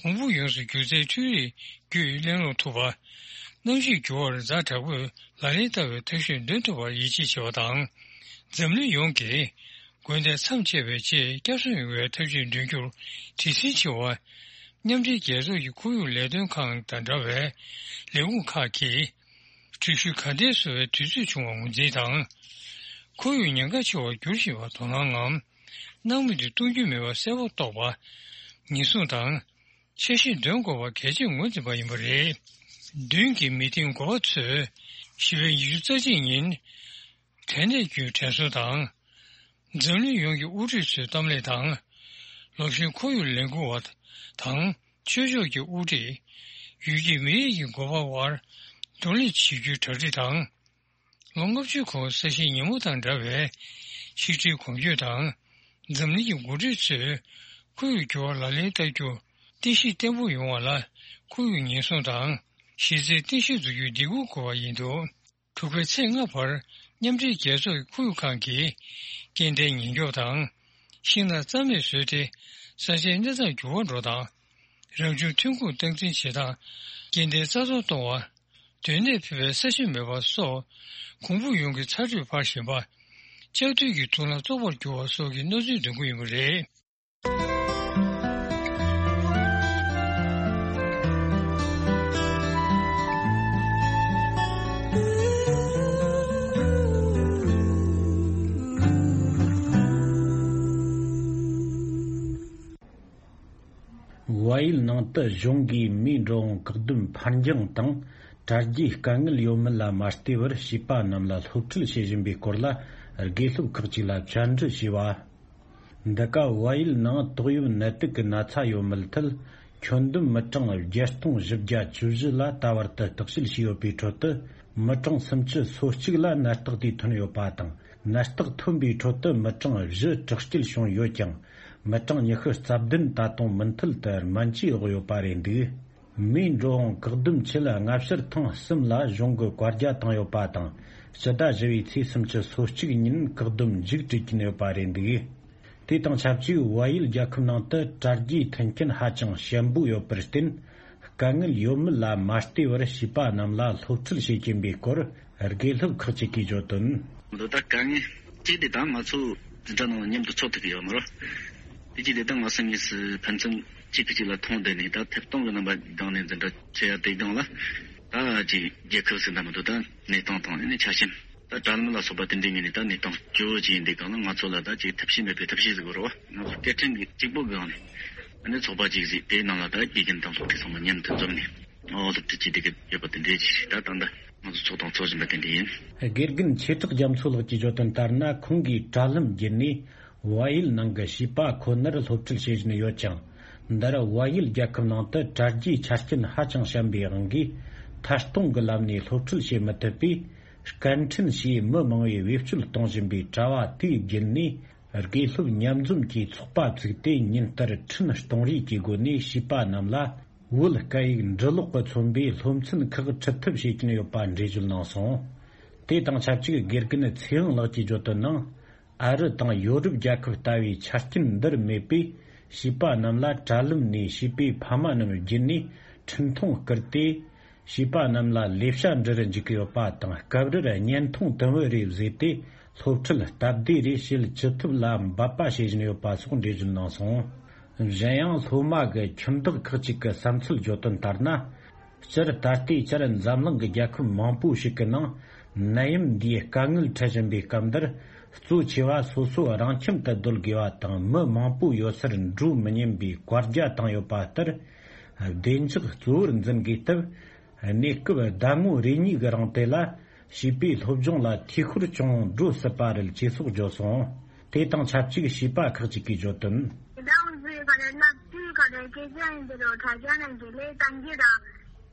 གོང་བུ་ཡོངས་སུ་འགྱུར་རྩའི་འཕྲུལ་རིག་བརྒྱུད་གླེང་སློང་ཐུབ་པ། གནམ་གཤིས་འགྱུར་བར་ཛ་དྲག་པོས་ལག་ལེན་བསྟར་བའི་ཐབས་ཤེས་འདོན་ཐུབ་པར་ཡིད་ཆེས་བྱེད་པ་དང་། འཛམ་གླིང་ཡོངས་ཀྱིས་དགོས་འདོད་མཚམས་ཆད་པའི་ཆེད་བསྐྱར་གསོ་ཡོང་བའི་ཐབས་ཇུས་འདོན་རྒྱུར་བྲེལ་ཟིང་ཆེ་བ། མཉམ་འབྲེལ་རྒྱལ་ཚོགས་ཀྱི་ཁོར་ཡུག་ལས་དོན་ཁང་དང་འདྲ་བའི་ལས་ཁུངས་ཁག་གིས། འགྲུལ་བཞུད་ག་འདྲས་བཟོ་བའི་དུས་ཚོད་བྱུང་བ་ངོས་འཛིན་དང་། ཁོར་ཡུག་ཉེན་ཁ་ཆེ་བར་འགྱུར་བཞིན་པར་དོ་སྣང་ངམ། སྣང་མེད་དུ་གཏོང་རྒྱུ་མེད་པ་གསལ་པོ་རྟོགས་པ། ཉེན་སྲུང་དང་། འཆར་གཞི་འདོན་དགོས་པ་གལ་ཆེར་ངོས་འཛིན་པ་ཡིན་པ་རེད། མདུན་གྱི་མི་ཐེངས་དགུ་པ་ཚོས་བཞི་པའི་ཉི་ཤུ་རྩ་གཅིག་ཉིན། དྲན་གནས་བརྒྱུད་དྲན་གསོ་དང་། འཛམ་གླིང་ཡོངས་ཀྱི་དབུ་ཁྲིད་ཚོའི་གཏམ་གླེང་དང་། ལོ་གཞོན་ཁོར་ཡུག་ལས་འགུལ་བ་དང་། ཆོས་ཕྱོགས་ཀྱི་དབུ་ཁྲིད། ཡུལ་གྱི་མི་རིགས་ཀྱི་འགོ་པ་དབར་གདོང་ལེན་བྱེད་རྒྱུའི་གྲ་སྒྲིག་དང་། ལོ་ལྔ་བཅུའི་གོང་ས་གཞིའི་ཉིན་མོ་དང་འདྲ་བའི་ཆིག་སྒྲིལ་གོམ་བགྲོད་དང་། འཛམ་གླིང་གི་འགོ་ཁྲིད་ཚོས་ཁོར་ཡུག་འགྱུར་བ་ལག་ལེན་བསྟར་རྒྱུ་རྟེན་གཞི་བརྟན་པོ་ཡོང་བ་ལ་ཁོར་ཡུག་ཉེན་སྲུང་དང་གཞི་རྩའི་རྟེན་གཞི་འཛུགས་རྒྱུའི་སྒྲིག་གོ་དགོས་པ་ཡིན་འདུག་དྲུག་པའི་ཚེས་ལྔ་བར་མཉམ་འབྲེལ་རྒྱལ་ཚོགས་ཀྱི་ཁོར་ཡུག་ཁང་གིས་སྐྱེལ་འདྲེན་ཉེན་སྐྱོབ་དང་། ཤིང་ནགས་རྩ་མེད་བཟོས་ཏེ་ས་ཆའི་གནས་སྟངས་འགྱུར་བ་འགྲོ་སྟངས། རང་བྱུང་ཐོན་ཁུངས་སྟངས་འཛིན་བྱེད་སྟངས། སྐྱེ་ལྡན་རྩ་གཏོར་གཏོང་བ། སྡོད་གནས་ཕུད་པའི་ས་ཞིང་མེད་པ་སོགས། གོང་བུ་ཡོངས་ཀྱི་ཚ་དྲོད་འཕར་བཞིན་པ། ལྕགས་རྡུལ་གྱི་དུག་རླངས་བཙོག་པར་འགྱུར་བ་སོགས་ཀྱི་གནོད་འཚེའི་འདུ་འགོད་ཡིན་པ་རེད། བལ་ཡུལ་ནང་དུ་གཞུང་གིས་མིའི་འགྲོ་འོང་བཀག་སྡོམ་འཕར་འགྱངས་དང་། དྲ་རྒྱའི་དཀའ་ངལ་ཡོད་མེད་ལ་མ་ལྟོས་པར་བྱིས་པ་རྣམས་ལ་སློབ་ཁྲིད་བྱེད་བཞིན་པའི་སྐོར་ལ། དགེ་སློབ་ཁག་ཅིག་ལ་བཅར་འདྲི་བྱས་པ། འདི་ག་བལ་ཡུལ་ནང་ཏོག་དབྱིབས་ནད་དུག་གི་ན་ཚ་ཡོད་མེད་ཐད། ཁྱོན་བསྡོམས་མི་གྲངས་བརྒྱད་སྟོང་བཞི་བརྒྱ་བཅུ་བཞི་ལ་ད་བར་དུ་བརྟག་དཔྱད་བྱས་ཡོད་པའི་ཁྲོད་དུ། མི་གྲངས་སུམ་ཅུ་སོ་གཅིག་ལ་ནད་རྟགས་དེ་ཐོན་ཡོད་པ་དང་། ནད་རྟགས་ཐོན་པའི་ཁྲོད་དུ་མི་གྲངས་བཞི་དྲག་སྐྱེད་བྱུང་ཡོད་ཀྱང་། མི་གྲངས་ཉི་ཤུ་རྩ་བདུན་ད་དུང་མུ་མཐུད་དུ་སྨན་བཅོས་འོག་ཡོད་པ་རེད་འདུག་མིའི་འགྲོ་འོང་བཀག་སྡོམ་ཆེད་སྔ་ཕྱིར་ཐེངས་གསུམ་ལ་གཞུང་གི་བཀའ་རྒྱ་བཏང་ཡོད་པ་དང་། སྤྱི་ཟླ་བཞི་བའི་ཚེས་སུམ་ཅུ་སོ་གཅིག་ཉིན་བཀག་སྡོམ་མཇུག་སྒྲིལ་གྱིན་ཡོད་པ་རེད་འདུག་དེ་དང་ཆབས་ཅིག་བལ་ཡུལ་རྒྱལ་ཁབ་ནང་དུ་དྲ་རྒྱའི་མཐུན་རྐྱེན་ཧ་ཅང་ཞན་པོ་ཡོད་པར་བརྟེན། དཀའ་ངལ་ཡོད་མེད་ལ་མ་ལྟོས་པར་བྱིས་པ་རྣམས་ལ་སློབ་ཁྲིད་བྱེད་ཀྱིན་པའི་སྐོར་དགེ་སློབ་ཁག་ཅིག་གིས་བརྗོད་དོན། འདི་ལྟར་དཀའ་ངལ་གཅིག་དེ་དག་ང་ཚོ་འཛིན་གྲྭ་ནང་མཉམ་དུ་འཚོགས་ཐུབ་ཀྱི་ཡོད་མ་རེད། དེ་གཅིག་དེ་དག་ང་ཚོ་གཉིས་སུ་ཕན་ཚུན་གཅིག་གིས་གཅིག་ལ་མཐོང་བསྡད་ནས། ད་ཐད་གཏོང་གི་རྣམ་པ་སྒང་ནས་འཛིན་གྲྭ་འཚོགས་ཡ་དེ་སྒང་ལ། ད་ཅིག་རྒྱལ་ཁབ་ཟིན་ད་མི་འདུག་ད་གནས་སྟངས་དང་ནི་ཆ་རྐྱེན། ད་དྲ་ལམ་ལ་སོགས་པ་དེ་འདྲའི་ངོས་ནས་ད་གནས་སྟངས་སྐྱོ་བོ་ཅིག་ཡིན་དུས་སྒང་ལ། ང་ཚོ་ལ་ད་ཅིག་ཐབས་ཤེས་མེད་པའི་ཐབས་ཤེས་ཟིག་དགོས་རེད་བ། ང་ཚོ་སྐད་འཕྲིན་གྱི་གཅིག་པོ་སྒང་ནས་ཨ་ནི་ཚོགས་པ་ཅིག་གཟིགས། དེའི་ནང་ལ་ད་དགེ་རྒན་དང་སློབ་ཕྲུག་ཚང་མ་མཉམ་དུ་འཛོམས་ནས། ཨོ། སློབ་ཁྲིད་བྱེད་བསྡད་ཀྱི་ཡོད་པ་དེ་འདྲའི་ཅིག་ད་ད་ལྟ་ང་ཚོ་ཚོགས་དང་ཚོགས་བཞིན་པ་དེ་འདྲ་ཡིན། དགེ་རྒན་ཆོས་གྲགས་རྒྱ་མཚོ་ལགས་ཀྱིས་བརྗོད་དོན་ལྟར་ན། ཁོང་གིས་དྲ་ལམ་བརྒྱུད་ནས་བལ་ཡུལ་ནང་གི་བྱིས་པ་ཁོ་ནར་སློབ་ཁྲིད་བྱེད་བཞིན་ཡོད་ཀྱང་། འདིར་བལ་ཡུལ་རྒྱལ་ཁབ་ནང་དུ་དྲ་རྒྱའི་ཆ་རྐྱེན་ཧ་ཅང་ཞན་པའི་དབང་གིས། ཐད་གཏོང་གི་ལམ་ནས་སློབ་ཁྲིད་བྱེད་མི་ཐུབ་པས། སྐད་འཕྲིན་ཞེས་མི་མང་བས་བེད་སྤྱོད་གཏོང་བཞིན་པའི་དྲ་བ་དེའི་བརྒྱུད་ནས། དགེ་སློབ་མཉམ་འཛོམས་ཀྱིས་ཚོགས་པ་བཙུགས་ཏེ། ཉིན་ལྟར་འཕྲིན་གཏོང་རེས་ཀྱི་སྒོ་ནས་བྱིས་པ་རྣམས་ལ་བོད་སྐད་ཡིག་འབྲི་ཀློག་གིས་མཚོན་པའི་སློབ་ཚན་ཁག་ཁྲིད་ཐབས་བྱེད་ཀྱིན་ཡོད་པ་འགྲེལ་བརྗོད་གནང་སོང་། དེ་དང་ཆབས་ཅིག་དགེ་རྒན་ཚེ་དབང་ལགས་ཀྱིས་བརྗོད་དོན་ནང་། ཨ་རི་དང་ཡོ་རོབ་རྒྱལ་ཁབ་ལྟ་བུའི་ཆ་རྐྱེན་འདིར་མེད་པས། བྱིས་པ་རྣམས་ལ་དྲ་ལམ་ནས་བྱིས་པའི་ཕ་མ་རྣམས་བརྒྱུད་ནས་འཕྲིན་ཐུང་བསྐུར་ཏེ། བྱིས་པ་རྣམས་ལ་ལས་བྱ་འབྲི་རུ་འཇུག་གི་ཡོད་པ་དང་། སྐབས་རེར་བརྙན་ཐུང་དུམ་བུ་རེ་བཟོས་ཏེ། སློབ་ཁྲིད་སྟབས་བདེ་རེ་བྱེད་ཅི་ཐུབ་ལ་འབད་པ་བྱེད་བཞིན་ཡོད་པ་སོགས་འགྲེལ་བརྗོད་གནང་སོང་། གཞན་ཡང་། སློབ་མ་གི་ཁྱིམ་བདག་ཁག་ཅིག་གི་བསམ་ཚུལ་བརྗོད་དོན་ལྟར་ན། སྤྱིར་ད་ལྟའི་ཆར་འཛམ་གླིང་གི་རྒྱལ་ཁབ་མང་པོ་ཞིག་གི་ནང་ནད་ཡམས་འདིའི་དཀའ་ངལ་འཕྲད་བཞིན་པའི་སྐབས་འདིར། གཙོ་ཆེ་བ་སོ་སོ་རང་ཁྱིམ་དུ་སྡོད་དགོས་པ་དང་། མི་མང་པོ་ཡོད་སར་འགྲོ་མི་ཉན་པའི་བཀའ་རྒྱ་བཏང་ཡོད་པ་ལྟར། བདེ་འཇགས་གཙོ་བོར་འཛིན་དགོས་སྟབས། གནས་སྐབས་ཟླ་ངོ་རེ་གཉིས་ཀྱི་རིང་དེ་ལ། བྱིས་པའི་སློབ་སྦྱོང་ལ་འཐུས་ཤོར་ཅུང་འགྲོ་སྲིད་པ་རེད་ཅེས་སོགས་བརྗོད་སོང་། དེ་དང་ཆབས་ཅིག་བྱིས་པ་ཁག་ཅིག་གིས་བརྗོད་དོན། ད་ང་ཚོའི་ག་རེ་བསླབ་ཚུལ་ག་རེ་སྐད་ཆ་ཡིན་དེ་རུ་དྲ་རྒྱ་ནས་དགེ་ལས་གཏང་གི་ར།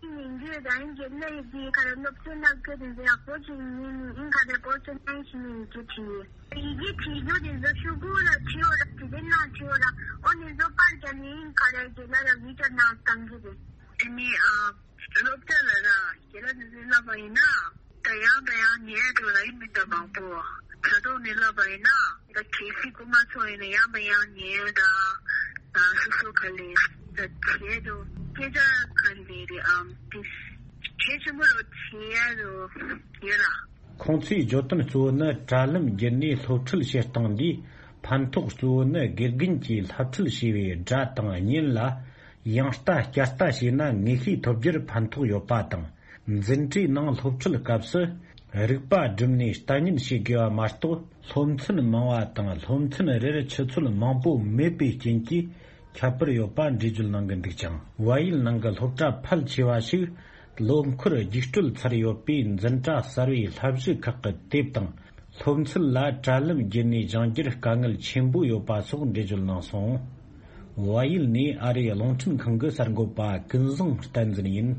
ཡིན་རྒྱུ་དང་དགེ་ལས་ཀྱི་ག་རེ་སློབ་ཚན་བསླབ་རྒྱུ་དེ་ཚོ་ཡག་པོ་ཞིག་ཡིན་ཡིན་ག་རེ་པོ་ཚོ་ནས་ཞིག་ཡིན་རྒྱུ་དེ། ཡི་གེ་བྲིས་རྒྱུ་དེ་ཚོ་ཤོག་གུ་ལ་བྲིས་འོ་ར། དེ་དེ་ནང་བྲིས་འོ་ར། ཨོ་ནི་ཚོ་པར་རྒྱབ་ནས་ཡིན་ག་རེ་དགེ་ལས་ལ་བི་ཀ་ནང་གཏང་གི་རེད། དེ་ནི་ཨ། སློབ་གྲྭ་ལ་ར་དགེ་ལགས་ནས་བསླབ་པ་ཡིན་ན། ད་ཡང་ད་ཡང་ཉན་འགྲོ་ལ་ཡིན་མི་འདྲ་མང་པོ། དྲ་ཐོག་ནས་བསླབ་པ་ཡིན་ན། ད་གལ་སྲིད་སྐུ་མ་ཚོ་ཡིན་ན་ཡང་ད་ཡང་ཉན་ད། ད་སོ་སོ་ག་ལས་ད་བྱེད་འགྲོ། སྐད་ཆ་ག་ལས་རེད་ཨམ་དེ། གལ་ཆེན་པོ་རུ་བྱེད་ཡ་རུ་ཡོད་ར། ཁོང་ཚོའི་བརྗོད་དོན་གཙོ་བོ་ནི། དྲ་ལམ་བརྒྱུད་ནས་སློབ་ཁྲིད་བྱེད་སྟངས་འདིའི་ཕན་ཐོགས་གཙོ་བོ་ནི། དགེ་རྒན་གྱིས་བསླབ་ཁྲིད་བྱས་པའི་སྒྲ་དང་བརྙན་ལ་ཡང་ལྟ་བསྐྱར་ལྟ་བྱས་ན་ངེས་ཤེས་ཐོབ་རྒྱུར་ཕན་ཐོགས་ཡོད་པ་དང་། འཛིན་གྲྭའི་ནང་སློབ་ཁྲིད་སྐབས་སུ་རིག་པ་བསྒྲིམས་ནས་ལྟ་ཉན་བྱེད་དགོས་པ་མ་གཏོགས། སློབ་ཚན་མང་བ་དང་སློབ་ཚན་རེར་ཆུ་ཚོད་མང་པོ་མེད་པའི་རྐྱེན་གྱིས་ཁྱད་པར་ཡོད་པ་འགྲེལ་བརྗོད་གནང་གི་འདུག་ཅིང་། བལ་ཡུལ་ནང་གི་སློབ་གྲྭ་ཕལ་ཆེ་བ་ཞིག་ལོ་འཁོར་རྒྱུགས་སྤྲོད་ཚར་ཡོད་པས། འཛིན་གྲྭ་གསར་བའི་བསླབ་གཞི་ཁག་གི་དེབ་དང་སློབ་ཚན་ལ་དྲ་ལམ་བརྒྱུད་ནས་སྦྱང་རྒྱུར་དཀའ་ངལ་ཆེན་པོ་ཡོད་པ་སོགས་འགྲེལ་བརྗོད་གནང་སོང་། བལ་ཡུལ་ནས་ཨ་རིའི་རླུང་འཕྲིན་ཁང་གི་གསར་འགོད་པ་ཀུན་བཟང་བསྟན་འཛིན་ཡིན།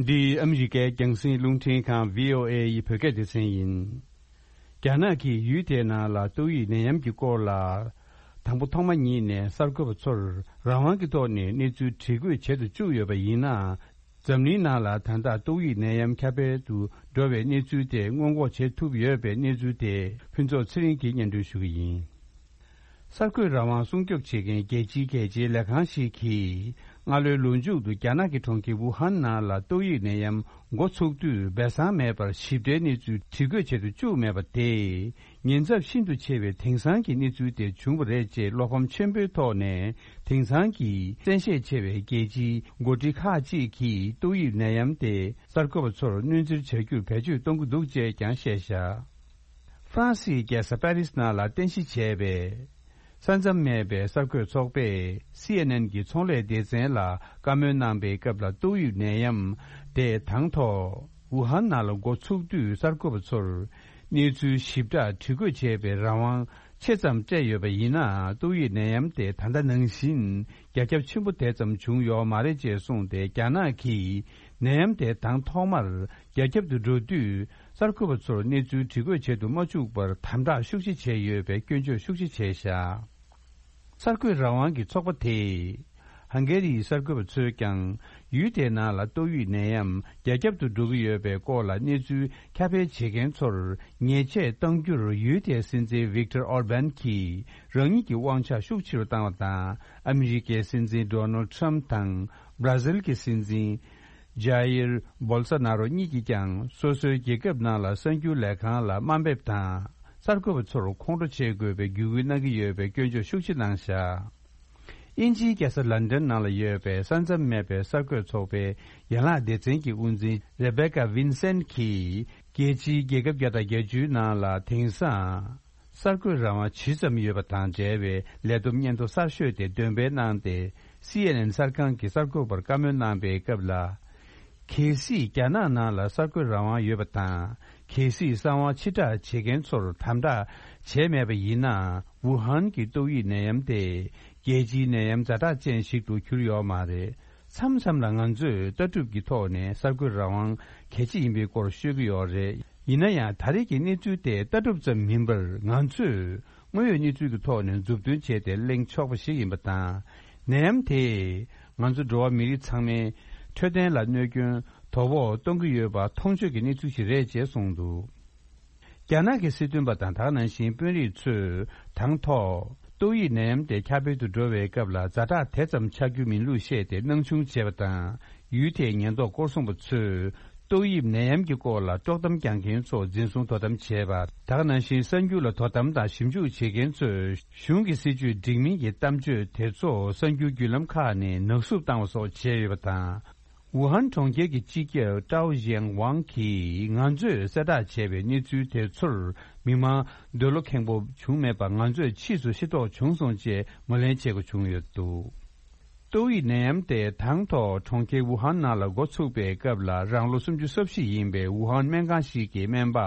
འདི་ཨ་མི་རི་ཀའི་རྒྱང་སྲིང་རླུང་འཕྲིན་ཁང་བྷི་ཨོ་ཨེ་ཡི་བོད་སྐད་སྡེ་ཚན་ཡིན། རྒྱ་ནག་གིས་ཡུལ་དེའི་ནང་ལ་ཏོག་དབྱིབས་ནད་ཡམས་ཀྱི་སྐོར་ལ་ དང་པོ་ཐོག་མ་ཉིད་ནས་གསར་འགོད་པ་ཚོར་རང་དབང་གི་ཐོག་ནས་གནས་ཚུལ་དྲི་བཀོད་བྱེད་དུ་བཅུག་ཡོད་པ་ཡིན་ནའང་། འཛམ་གླིང་ནང་ལ་ད་ལྟ་ཏོག་དབྱིབས་ནད་ཡམས་ཁྱབ་སྤེལ་དུ་འགྲོ་བའི་གནས་ཚུལ་དེ་སྔོན་འགོག་བྱེད་ཐུབ་ཡོད་པའི་གནས་ཚུལ་དེ་ཕུན་ཚོགས་ཚེ་རིང་གིས་སྙན་སྒྲོན་ཞུ་གི་ཡིན། གསར་འགོད་རང་དབང་སྲུང་སྐྱོབ་བྱེད་མཁན་རྒྱལ་སྤྱིའི་གལ་ཆེའི་ལས་ཁང་ཞིག་གིས། སྔ་ལོའི་ལོ་མཇུག་ཏུ་རྒྱ་ནག་གི་གྲོང་ཁྱེར་ཝུ་ཧན་ནང་ལ་ཏོག་དབྱིབས་ནད་ཡམས་འགོ་ཚུགས་དུས་སྦས་གསང་མེད་པར་ཞིབ་ཕྲའི་གནས་ཚུལ་དྲི་བཀོད་བྱེད་དུ་བཅུག་མེད་པ་དེས། ཉེན་ཚབས་ཤིན་ཏུ་ཆེ་བའི་དེང་སང་གི་གནས་ཚུལ་དེ་བྱུང་བ་རེད་ཅེས་བློ་ཕམ་ཆེན་པོའི་ཐོག་ནས། དེང་སང་གི་གསན་ཤེད་ཆེ་བའི་རྒྱལ་སྤྱིའི་འགོ་ཁྲིད་ཁག་ཅིག་གིས་ཏོག་དབྱིབས་ནད་ཡམས་དེ་གསར་འགོད་པ་ཚོར་གནོན་འཚེར་བྱ་རྒྱུར་བེད་སྤྱོད་གཏོང་གི་འདུག་ཅེས་ཀྱང་བཤད་བཞག་ཧྥ་རན་སིའི་རྒྱལ་ས་པེ་རིས་ནང་ལ་རྟེན་གཞི་བྱས་པའི། ས་མཚམས་མེད་པའི་གསར་འགོད་ཚོགས་པས་སི་ཨེན་ཨེན་གྱི་ཚོང་ལས་སྡེ་ཚན་ལ་བཀའ་མོལ་གནང་པའི་སྐབས་ལ། ཏོག་དབྱིབས་ནད་ཡམས་དེ་དང་ཐོག་ཝུ་ཧན་ནང་ལ་འགོ་ཚུགས་དུས་གསར་འགོད་པ་ཚོར་གནས་ཚུལ་ཞིབ་ཕྲ་དྲི་བཀོད་བྱེད་པའི་རང་དབང་ཆེ་ཙམ་སྤྲད་ཡོད་པ་ཡིན་ནའང་། ཏོག་དབྱིབས་ནད་ཡམས་དེ་ད་ལྟ་ནང་བཞིན་རྒྱ་ཁྱབ་ཆེན་པོ་དེ་ཙམ་བྱུང་ཡོད་མ་རེད་ཅེས་གསུངས་ཏེ། རྒྱ་ནག་གིས་ནད་ཡམས་དེ་དང་ཐོག་མར་རྒྱ་ཁྱབ་ཏུ་འགྲོ་དུས། གསར་འགོད་པ་ཚོར་གནས་ཚུལ་དྲི་བཀོད་བྱེད་དུ་མ་བཅུག་པར་དམ་དྲག་ཤུགས་ཆེ་བྱས་ཡོད་པའི་སྐྱོན་བརྗོད་ཤུགས་ཆེ་བྱས་བཞག་གསར་འགོད་རང་དབང་གི་ཚོགས་པ་དེས། ཧང་གེ་རིའི་གསར་འགོད་པ་ཚོས་ཀྱང་། ཡུལ་དེའི་ནང་ལ་ཏོག་དབྱིབས་ནད་ཡམས་རྒྱ་ཁྱབ་ཏུ་འགྲོ་གི་ཡོད་པའི་སྐོར་ལ་གནས་ཚུལ་ཁྱབ་སྤེལ་བྱེད་མཁན་ཚོར་ཉེས་ཆད་གཏང་རྒྱུར། ཡུལ་དེའི་སྲིད་འཛིན་ཝིག་ཏར་ཨོར་བན་གྱིས་རང་ཉིད་ཀྱི་དབང་ཆ་ཤུགས་ཆེ་རུ་བཏང་བ་དང་། ཨ་མི་རི་ཀའི་སྲིད་འཛིན་ཌོ་ནལ་ཁྲམ་དང་། བྷར་ཛིལ་གྱི་སྲིད་འཛིན། ཇཱ་ཡིར་བོལ་སོ་ནཱ་རོ་གཉིས་ཀྱིས་ཀྱང་སོ་སོའི་རྒྱལ་ཁབ་ནང་ལ་གསར་འགྱུར་ལས་ཁང་ལ་དམའ་འབེབས་དང་། གསར་འགོད་པ་ཚོར་ཁོང་ཁྲོ་བྱེད་དགོས་པའི་བརྒྱུད་སྐུལ་གནང་གི་ཡོད་པའི་སྐྱོན་བརྗོད་ཤུགས་ཆེ་གནང་བཞག་དབྱིན་ཇིའི་རྒྱལ་ས་ལན་ཌན་ནང་ལ་ཡོད་པའི་ས་མཚམས་མེད་པའི་གསར་འགོད་ཚོགས་པའི་ཡན་ལག་སྡེ་ཚན་གྱི་དབུ་འཛིན་རེ་བེ་ཀ་ཝིན་སན་གྱིས། རྒྱལ་སྤྱིའི་རྒྱལ་ཁབ་བརྒྱ་དང་བརྒྱད་ཅུའི་ནང་ལ་དེང་སང་། གསར་འགོད་རང་དབང་ཇི་ཙམ་ཡོད་པ་དང་འབྲེལ་བའི་ལས་བསྡོམས་སྙན་ཐོ་གསར་ཤོས་དེ་འདོན་སྤེལ་གནང་སྟེ། སི་ཨེན་ཨེན་གསར་ཁང་གི་གསར་འགོད་པར་བཀའ་མོལ་གནང་པའི་སྐབས་ལ། གལ་སྲིད་རྒྱ་ནག་ནང་ལ་གསར་འགོད་རང་དབང་ཡོད་པ་དང་། གལ་སྲིད་གསང་བ་ཕྱིར་བསྒྲགས་བྱེད་མཁན་ཚོར་དམ་དྲག་བྱས་མེད་པ་ཡིན་ན། ཝུ་ཧན་གྱི་ཏོག་དབྱིབས་ནད་ཡམས་དེ་རྒྱལ་སྤྱིའི་ནད་ཡམས་ཛ་དྲག་ཅན་ཞིག་ཏུ་གྱུར་ཡོད་མ་རེད། མཚམས་མཚམས་ལ་ང་ཚོས་ལྟ་གྲུབ་ཀྱི་ཐོག་ནས་གསར་འགོད་རང་དབང་གལ་ཆེ་ཡིན་པའི་སྐོར་ཤོད་ཀྱི་ཡོད་རེད། ཡིན་ན་ཡང་། ད་རེས་ཀྱི་གནས་ཚུལ་དེ་ལྟ་གྲུབ་ཙམ་མིན་པར། ང་ཚོས་དངོས་ཡོད་གནས་ཚུལ་གྱི་ཐོག་ནས་མཛུབ་སྟོན་བྱས་ཏེ་གླེང་ཆོག་པ་ཞིག་ཡིན་པ་དང་། ནད་ཡམས་དེས་ང་ཚོ་འགྲོ་བ་མི་རིགས་ཚང་མའི་འཕྲོད་བསྟེན་ལ་གནོད་སྐྱོན་དོ་ཕོག་གཏོང་གི་ཡོད་པ་མཐོང་ཆོས་ཀྱི་གནས་ཚུལ་ཞིག་རེད་ཅེས་གསུངས་འདུག་རྒྱ་ནག་གི་སྲིད་དོན་པ་དང་། ད་ག་ནང་བཞིན་དཔོན་རིགས་ཚོས་དང་ཐོག་ཏོག་དབྱིབས་ནད་ཡམས་དེ་ཁྱབ་སྤེལ་དུ་འགྲོ་བའི་སྐབས་ལ། ཛ་དྲག་དེ་ཙམ་ཆགས་རྒྱུ་མིན་ལུགས་བཤད་དེ་སྣང་ཆུང་བྱས་པ་དང་། ཡུལ་དེའི་ཉེན་རྟོག་སྐོར་སྲུང་པ་ཚོས་ཏོག་དབྱིབས་ནད་ཡམས་ཀྱི་སྐོར་ལ་དཀྲོག་གཏམ་རྒྱག་མཁན་ཚོ་འཛིན་བཟུང་དོ་དམ་བྱས་པ། ད་ག་ནང་བཞིན་གསར་འགྱུར་ལ་དོ་དམ་དང་ཞིབ་འཇུག་བྱེད་མཁན་ཚོས་གཞུང་གི་སྲིད་བྱུས་འགྲིག་མིན་གྱི་གཏམ་བརྗོད་དེ་ཚོ་གསར་འགྱུར་བརྒྱུད་ལམ་ཁག་ནས་ནག་བསུབ་བཏང་བ་སོགས་བྱས་ཡོད་པ་དང་། ཝུ་ཧན་གྲོང་ཁྱེར་གྱི་སྤྱི་ཁྱབ་ཀྲའོ་ཞན་ཝང་གིས། ང་ཚོས་གསལ་བསྒྲགས་བྱས་པའི་གནས་ཚུལ་དེ་ཚོར་མི་མང་འདོད་བློ་ཁེངས་པོ་བྱུང་མེད་པ། ང་ཚོས་ཕྱིས་སུ་ཤེས་རྟོགས་བྱུང་སོང་ཅེས་ངོས་ལེན་བྱེད་དགོས་བྱུང་ཡོད་འདུག་ཏོག་དབྱིབས་ནད་ཡམས་དེ་དང་ཐོག་གྲོང་ཁྱེར་ཝུ་ཧན་ནང་ལ་འགོ་ཚུགས་པའི་སྐབས་ལ། རང་ལོ་སུམ་ཅུ་སོ་བཞི་ཡིན་པའི་ཝུ་ཧན་སྨན་ཁང་ཞིག་གི་སྨན་པ་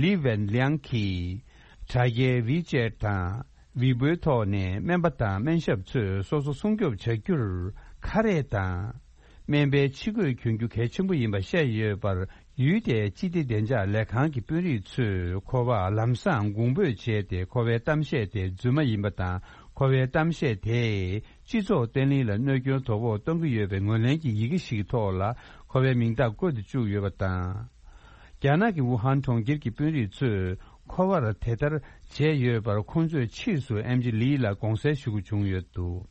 ལི་ཝེན་ལིང་གིས་དྲ་རྒྱའི་ཝི་ཅེད་དང་ཝི་བོའི་ཐོག་ནས་སྨན་པ་དང་སྨན་ཞབས་ཚོས་སོ་སོ་སྲུང་སྐྱོབ་བྱ་རྒྱུར་ཁ་རས་དང་། སྨན་པའི་ཕྱི་གོས་གྱོན་རྒྱུ་གལ་ཆེན་པོ་ཡིན་པ་བཤད་ཡོད་པར། ཡུལ་དེའི་སྤྱི་བདེ་བདེ་འཇགས་ལས་ཁང་གི་དཔོན་རིགས་ཚོས་ཁོ་པར་ལམ་སང་དགོངས་འབོད་བྱས་ཏེ། ཁོ་པའི་གཏམ་བཤད་དེ་རྫུན་མ་ཡིན་པ་དང་། ཁོ་པའི་གཏམ་བཤད་དེས་སྤྱི་ཚོགས་བརྟན་ལྷིང་ལ་གནོད་སྐྱོན་དོ་ཕོག་གཏོང་གི་ཡོད་པའི་ངོས་ལེན་གྱི་ཡི་གེ་ཞིག་གི་ཐོག་ལ་ཁོ་པའི་མིང་རྟགས་བཀོད་དེ་བཅུག་ཡོད་པ་དང་། རྒྱ་ནག་གི་ཝུ་ཧན་གྲོང་ཁྱེར་གྱི་དཔོན་རིགས་ཚོས་ཁོ་པར་དེ་ལྟར་བྱས་ཡོད་པར། ཁོང་ཚོས་ཕྱིས་སུ་ཨེམ་ཆི་ལི་ལ་དགོངས་སེལ་ཞུ་དགོས་བྱུང་ཡོད་འདུག་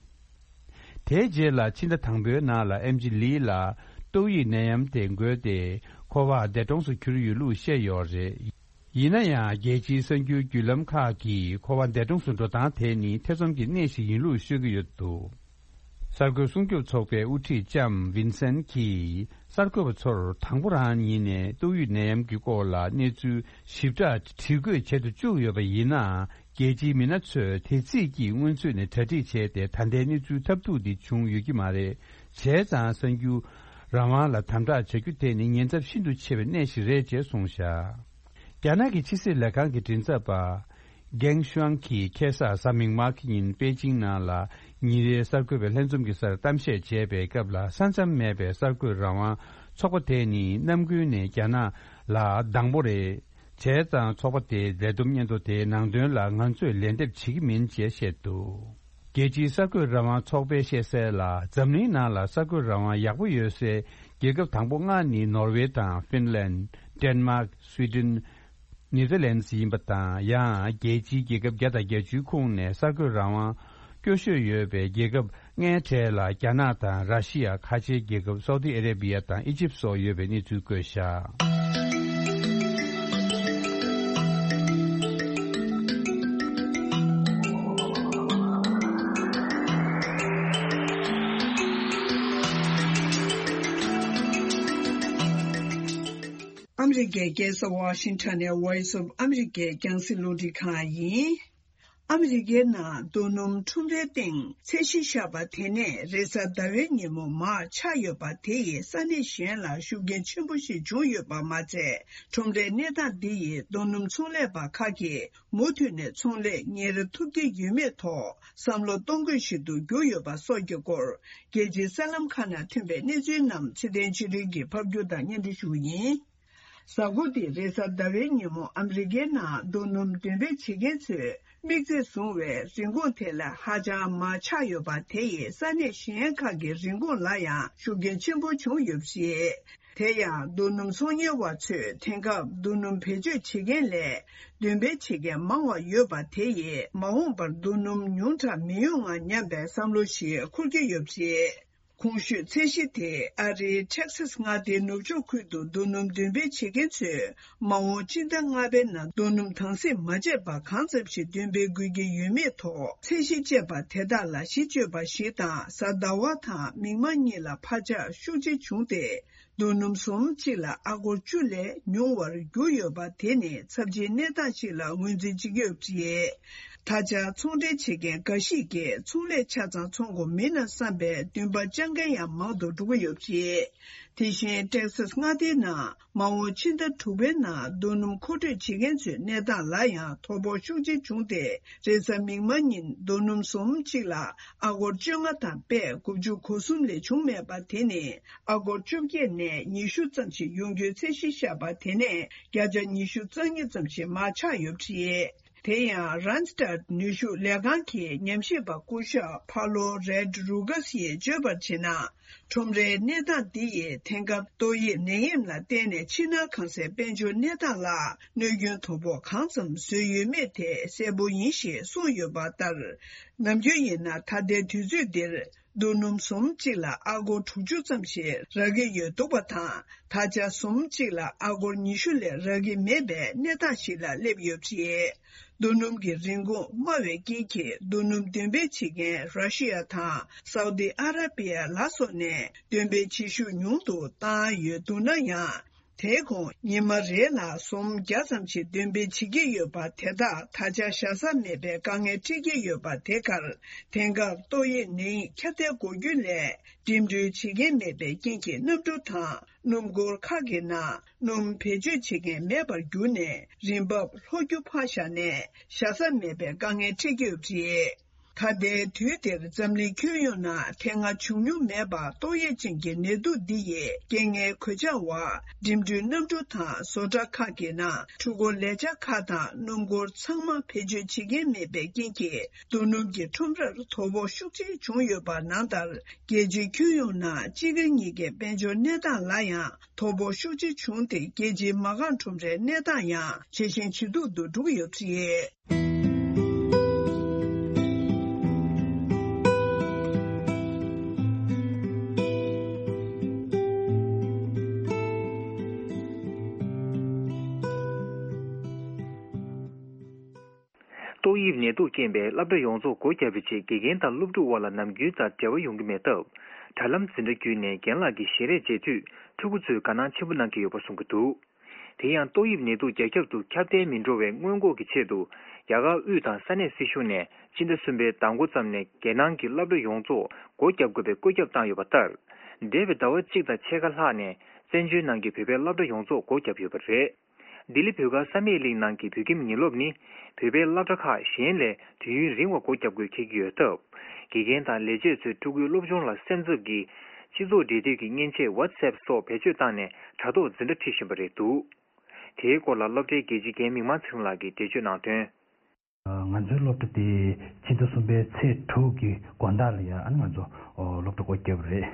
དེའི་རྗེས་ལ་ཕྱི་ཟླ་དང་པོའི་ནང་ལ་ཨེམ་ཆི་ལི་ལ་ཏོག་དབྱིབས་ནད་ཡམས་དེ་འགོས་ཏེ། ཁོ་པ་འདས་གྲོངས་སུ་གྱུར་ཡོད་ལུགས་བཤད་ཡོད་རེད། ཡིན་ན་ཡང་། རྒྱལ་སྤྱིའི་གསར་འགྱུར་བརྒྱུད་ལམ་ཁག་གིས་ཁོ་པ་འདས་གྲོངས་སུ་འགྲོ་སྟངས་དེ་ནི་ཐེ་ཚོམ་གྱི་གནས་ཤིག་ཡིན་ལུགས་ཤོད་ཀྱི་ཡོད་འདུག་གསར་འགོད་སྲུང་སྐྱོབ་ཚོགས་པའི་དབུ་ཁྲིད་ལྕམ་ཝིན་སན་གྱིས། གསར་འགོད་པ་ཚོར་དང་པོ་རང་ཉིད་ནས་ཏོག་དབྱིབས་ནད་ཡམས་ཀྱི་སྐོར་ལ་གནས་ཚུལ་ཞིབ་ཕྲ་དྲི་བཀོད་བྱེད་དུ་བཅུག་ཡོད་པ་ཡིན་ན། རྒྱལ་སྤྱིའི་མི་སྣ་ཚོས་དེ་རྩིས་ཀྱིས་སྔོན་ཚུད་ནས་གྲ་སྒྲིག་བྱས་ཏེ། ད་ལྟའི་གནས་ཚུལ་ཐབས་སྡུག་འདི་བྱུང་ཡོད་ཀྱི་མ་རེད། བྱས་ཙང་། གསར་འགྱུར་རང་དབང་ལ་དམ་དྲག་བྱ་རྒྱུ་དེ་ནི་ཉེན་ཚབས་ཤིན་ཏུ་ཆེ་བའི་གནས་ཤིག་རེད་ཅེས་གསུངས་བཞག་རྒྱ་ནག་གི་ཕྱི་སྲིད་ལས་ཁང་གི་མགྲིན་ཚབ་པ། གེང་ཤུའང་གིས་ཁ་སང་གཟའ་མིག་དམར་གྱི་ཉིན་པེ་ཅིང་ནང་ལ་ཉིན་རེའི་གསར་འགོད་པའི་ལྷན་འཛོམས་ཀྱི་སར་གཏམ་བཤད་བྱས་པའི་སྐབས་ལ། ས་མཚམས་མེད་པའི་གསར་འགོད་རང་དབང་ཚོགས་པ་དེ་ནི་ནམ་རྒྱུན་ནས་རྒྱ་ནག་ལ་སྡང་པོ་རེད། བྱས་ཙང་ཚོགས་པ་དེའི་ལས་བསྡོམས་སྙན་ཐོ་དེའི་ནང་དོན་ལ་ང་ཚོས་ལན་འདེབས་བྱེད་ཀྱི་མིན་ཅེས་བཤད་འདུག་རྒྱལ་སྤྱིའི་གསར་འགོད་རང་དབང་ཚོགས་པས་བཤད་གསལ་ལ། འཛམ་གླིང་ནང་ལ་གསར་འགོད་རང་དབང་ཡག་པོ་ཡོད་སའི་རྒྱལ་ཁབ་དང་པོ་ལྔ་ནི་ནོར་ཝེ་དང་ཧྥིན་ལན། ཌེན་མཱག་སུའི་ཏན། ནེ་ཐར་ལན་སི་ཡིན་པ་དང་། ཡང་རྒྱལ་སྤྱིའི་རྒྱལ་ཁབ་བརྒྱ་དང་བརྒྱད་ཅུའི་ཁོངས་ནས་གསར་འགོད་རང་དབང་སྐྱོ་ཤོས་ཡོད་པའི་རྒྱལ་ཁབ་ལྔའི་གྲས་ལ་རྒྱ་ནག་དང་ར་ཤི་ཡ། ཁ་ཆེའི་རྒྱལ་ཁབ་སའུ་ཏི་ཨ་རེ་བི་ཡ་དང་ཨི་ཇིབ་སོགས་ཡོད་པའི་གནས་ཚུལ་བཀོད་བཞག་ཨ་མི་རི་ཀའི་རྒྱལ་ས་ཝ་ཤིང་ཊོན་ནས་Voice of America རྒྱང་སྲིང་རླུང་འཕྲིན་ཁང་ཡིན། ཨ་མི་རི་ཀའི་ནང་རྡོ་སྣུམ་ཁྲོམ་རའི་སྟེང་ཚད་གཞི་བཞག་པ་དེ་ནས་རེས་གཟའ་ཟླ་བའི་ཉིན་མོ་མར་ཆག་ཡོད་པ་དེ་ཡིས་ས་གནས་གཞན་ལ་ཤུགས་རྐྱེན་ཆེན་པོ་ཞིག་བྱུང་ཡོད་པ་མ་ཚད། ཁྲོམ་རའི་གནས་སྟངས་འདི་ཡིས་རྡོ་སྣུམ་ཚོང་ལས་པ་ཁག་གིས་མུ་མཐུད་ནས་ཚོང་ལས་གཉེར་ཐུབ་ཀྱི་ཡོད་མེད་ཐོག་བསམ་བློ་གཏོང་དགོས་ཤིག་ཏུ་གྱུར་ཡོད་པ་སོགས་ཀྱི་སྐོར། རྒྱལ་སྤྱིའི་གསར་ལམ་ཁག་ནང་ཐོན་པའི་གནས་ཚུལ་རྣམས་ཚེ་བརྟན་ཆོས་སྒྲོན་གྱིས་ཕབ་སྒྱུར་དང་སྙན་སྒྲོན་ཞུ་རྒྱུ་ཡིན། གཟའ་འཁོར་འདིའི་རེས་གཟའ་ཟླ་བའི་ཉིན་མོ་ཨ་མི་རི་ཀའི་ནང་རྡོ་སྣུམ་འདོན་སྤེལ་བྱེད་མཁན་ཚོས་དམིགས་ཚད་བཟུང་བའི་རིན་གོང་དེ་ལས་ཧ་ཅང་མར་ཆག་ཡོད་པ་དེ་ཡིས་ས་གནས་གཞན་ཁག་གི་རིན་གོང་ལ་ཡང་ཤུགས་རྐྱེན་ཆེན་པོ་བྱུང་ཡོད་པ་རེད། དེ་ཡང་རྡོ་སྣུམ་ཚོང་གཉེར་བ་ཚོས་དེང་སྐབས་རྡོ་སྣུམ་བེད་སྤྱོད་བྱེད་མཁན་ལས་འདོན་སྤེལ་བྱེད་མཁན་མང་བ་ཡོད་པ་དེ་ཡིས་མ་འོངས་པར་རྡོ་སྣུམ་ཉུང་དྲགས་མི་ཡོང་ང་སྙམ་པའི་བསམ་བློ་ཞིག་འཁོར་གྱི་ཡོད་པ་རེད། གོང་ཞུས་ཚད་གཞི་དེ་ཨ་རིའི་ཊེག་སཱས་མངའ་སྡེའི་ནུབ་ཕྱོགས་ཁུལ་དུ་རྡོ་སྣུམ་འདོན་སྤེལ་བྱེད་མཁན་ཚོས་མ་འོངས་སྤྱི་ཟླ་ལྔ་པའི་ནང་རྡོ་སྣུམ་དྭངས་སིལ་མ་བྱས་པ་གང་ཙམ་ཞིག་འདོན་སྤེལ་དགོས་ཀྱི་ཡོད་མེད་ཐོག་ཚད་གཞི་བཅས་པ་དེ་དག་ལ་གཞི་བཅོལ་བ་ཞིག་དང་། གཟའ་ཟླ་བ་དང་མིག་དམར་གཉིས་ལ་འཕར་ཆག་ཤུགས་ཆེ་བྱུང་སྟེ། རྡོ་སྣུམ་ཟུར་གཅིག་ལ་ཨ་སྒོར་བཅུ་ལས་ཉུང་བར་གྱུར་ཡོད་པ་དེ་ནི་ཚབས་ཆེའི་གནས་སྟངས་ཤིག་ལ་ངོས་འཛིན་བྱེད་ཀྱི་ཡོད་པ་རེད། ད་ཆ་ཚོང་འབྲེལ་བྱེད་མཁན་འགའ་ཞིག་གིས་ཚོང་ལས་ཆ་ཚང་ཚོང་དགོས་མིན་ན་བསམ་པའི་འདུན་པ་བཅངས་མཁན་ཡང་མང་དུ་འགྲོ་གི་ཡོད་པ་རེད། དེ་བཞིན་ཊེག་སཱས་མངའ་སྡེའི་ནང་མ་འོངས་ཕྱི་ཟླ་དྲུག་པའི་ནང་རྡོ་སྣུམ་མཁོ་སྤྲོད་བྱེད་མཁན་ཚོའི་གནས་སྟངས་ལ་ཡང་དོ་ཕོག་ཤུགས་ཆེ་བྱུང་སྟེ། རེས་གཟའ་མིག་དམར་ཉིན་རྡོ་སྣུམ་ཟུར་གཅིག་ལ་ཨ་སྒོར་བཅོ་ལྔ་དང་པད་དགུ་བཅུ་གོ་གསུམ་ལས་བྱུང་མེད་པ་དེ་ནི་ཨ་སྒོར་བཅོ་བརྒྱད་ནས་ཉི་ཤུ་ཙམ་ཞིག་ཡོང་རྒྱུའི་ཚད་གཞི་བཞག་པ་དེ་ནས་བརྒྱ་ཆ་ཉི་ཤུ་རྩ་གཉིས་ཙམ་ཞིག་མར་ཆག་ཡོད་པ་རེད། དེ་ཡང་རན་སི་ཊད་ནུས་ཤུགས་ལས་ཁང་གི་ཉམས་ཞིབ་པ་སྐུ་ཞབས་ཕ་ལོ་རེད་རུ་ཀ་སིས་བརྗོད་པར་བྱས་ན། ཁྲོམ་རའི་གནས་སྟངས་འདི་ཡིས་དེང་སྐབས་ཏོག་དབྱིབས་ནད་ཡམས་ལ་བརྟེན་ནས་ཕྱི་ནང་གང་སའི་དཔལ་འབྱོར་གནས་སྟངས་ལ་གནོད་སྐྱོན་དོ་ཕོག་གང་ཙམ་བཟོས་ཡོད་མེད་དེ་གསལ་པོ་ཡིན་ཞེས་གསུངས་ཡོད་པ་ལྟར། ནམ་རྒྱུན་ཡིན་ན་ད་ལྟའི་དུས་ཚོད་འདིར་རྡོ་སྣུམ་ཟུར་གཅིག་ལ་ཨ་སྒོར་དྲུག་ཅུ་ཙམ་ཞིག་རག་གི་ཡོད་འདུག་པ་དང་། ད་ཆ་ཟུར་གཅིག་ལ་ཨ་སྒོར་ཉི་ཤུ་ལས་རག་གི་མེད་པའི་གནས་སྟངས་ཤིག་ལ་སླེབས་ཡོད་པ་རེད། རྡོ་སྣུམ་གྱི་རིན་གོང་དམའ་བའི་རྐྱེན་གྱིས་རྡོ་སྣུམ་འདོན་སྤེལ་བྱེད་མཁན་ར་ཤི་ཡ་དང་སའུ་ཏི་ཨ་ར་པི་ཡ་ལ་སོགས་ནས་འདོན་སྤེལ་བྱེད་ཤུགས་ཉུང་དུ་བཏང་ཡོད་འདུག་ན་ཡང་། དེའི་གོང་ཉི་མ་རེ་ལ་ཟུར་བརྒྱ་ཙམ་ཞིག་འདོན་སྤེལ་བྱེད་ཀྱི་ཡོད་པ་དེ་དག་ད་ཆ་བཞག་ས་མེད་པའི་དཀའ་ངལ་འཕྲད་ཀྱི་ཡོད་པ་དེ་གར། དེང་སྐབས་ཏོག་དབྱིབས་ནད་ཡམས་ཁྱབ་གདལ་འགོ་རྒྱུ་ལས་འགྲིམ་འགྲུལ་བྱེད་མཁན་མེད་པའི་རྐྱེན་གྱིས་གནམ་གྲུ་དང་སྣུམ་འཁོར་ཁག་གི་ནང་སྣུམ་བེད་སྤྱོད་བྱེད་མཁན་མེད་པར་གྱུར་ནས་རིན་འབབ་ལྷོ་རྒྱུ་ཕར་བཞག་ནས་བཞག་ས་མེད་པའི་དཀའ་ངལ་འཕྲད་ཀྱི་ཡོད་པ་རེད། ད་ལྟའི་དུས་འདིར་འཛམ་གླིང་ཁྱོན་ཡོངས་ནང་དེ་སྔ་བྱུང་མྱོང་མེད་པར་ཏོག་དབྱིབས་ཅན་གྱི་ནད་དུག་འདི་ཡིས་རྐྱེན་ངན་གོད་ཆག་འོག་འགྲིམ་འགྲུལ་གནམ་གྲུ་དང་བཟོ་གྲྭ་ཁག་གི་ནང་འཕྲུལ་འཁོར་ལས་འཆར་ཁག་དང་སྣུམ་འཁོར་ཚང་མ་བེད་སྤྱོད་བྱེད་མཁན་མེད་པའི་རྐྱེན་གྱིས་རྡོ་སྣུམ་གྱི་ཁྲོམ་རར་དོ་ཕོག་ཤུགས་ཆེ་བྱུང་ཡོད་པ་ནང་ལྟར། རྒྱལ་སྤྱིའི་ཁྱོན་ཡོངས་ནང་སྤྱི་ཁང་གཉིས་ཀའི་དཔལ་འབྱོར་གནས་སྟངས་ལ་ཡང་དོ་ཕོག་ཤུགས་ཆེ་བྱུང་སྟེ། རྒྱལ་སྤྱིའི་མ་རྐང་ཁྲོམ་རའི་གནས་སྟངས་ཡང་ཇེ་ཞན་ཇེ་སྡུག་ཏུ་འགྲོ་གི་ཡོད་པ་རེད། ཏོག་དབྱིབས་ནད་དུག་རྐྱེན་པས་སློབ་གྲྭ་ཡོངས་རྫོགས་སྒོ་བརྒྱབ་པའི་རྗེས། དགེ་རྒན་དང་སློབ་ཕྲུག་དབར་ལ་ནམ་རྒྱུན་དང་འབྲེལ་བ་ཡོང་གི་མེད་སྟབས། དྲ་ལམ་འཛིན་གྲྭ་བརྒྱུད་ནས་རྒན་ལགས་ཀྱི་ཞལ་རས་མཇལ་དུས། ཕྲུ་གུ་ཚོས་དགའ་སྣང་ཆེན་པོ་གནང་གི་ཡོད་པ་གསུང་གི་འདུག་དེ་ཡང་ཏོག་དབྱིབས་ནད་དུག་རྒྱ་ཁྱབ་ཏུ་ཁྱབ་གདལ་མི་འགྲོ་བའི་སྔོན་འགོག་གི་ཆེད་དུ། རྒྱ་གར་དབུས་དང་ས་གནས་སྲིད་གཞུང་ནས་སྤྱི་ཟླ་གསུམ་པའི་ཟླ་འགོ་ཙམ་ནས་རྒྱལ་ནང་གི་སློབ་གྲྭ་ཡོངས་རྫོགས་སྒོ་བརྒྱབ་དགོས་པའི་བཀོད་ཁྱབ་བཏང་ཡོད་པ་ལྟར། འདས་པའི་ཟླ་བ་གཅིག་དང་ཕྱེད་ཀ་ལྷག་ནས་བཙན་བྱོལ་ནང་གི་བོད་པའི་སློབ་གྲྭ་ཡོངས་རྫོགས་སྒོ་བརྒྱབ་ཡོད་པ་རེད། ལྡི་ལི་བོད་སྒར་བསམ་ཡས་གླིང་ནང་གི་བོད་ཁྱིམ་ཉིན་སློབ་ནི། བོད་པའི་སློབ་གྲྭ་ཁག་གཞན་ལས་དུས་ཡུན་རིང་བ་སྒོ་བརྒྱབ་དགོས་འཁེལ་གྱི་ཡོད་སྟབས། དགེ་རྒན་དང་ལས་བྱེད་ཚོས་ཕྲུ་གུའི་སློབ་སྦྱོང་ལ་སེམས་འཚབ་ཀྱིས། སྤྱི་ཚོགས་འབྲེལ་མཐུད་ཀྱི་མཉེན་ཆས་WhatsApp་སོགས་བེད་སྤྱོད་བཏང་ནས་དྲ་ཐོག་འཛིན་གྲྭ་ཁྲིད་བཞིན་པ་རེད་འདུག་དེའི་སྐོར་ལ་སློབ་གྲྭའི་དགེ་ཆེ་རྒན་མིག་དམར་ཚེ་རིང་ལགས་ཀྱིས་འགྲེལ་བརྗོད་གནང་དོན། ང་ཚོའི་སློབ་གྲྭ་དེ་ཕྱི་ཟླ་གསུམ་པའི་ཚེས་དྲུག་གི་དགོང་དག་ལ་ཡ་ཨ་ནི་ང་ཚོ་སློབ་གྲྭ་སྒོ་བརྒྱབ་པ་རེད།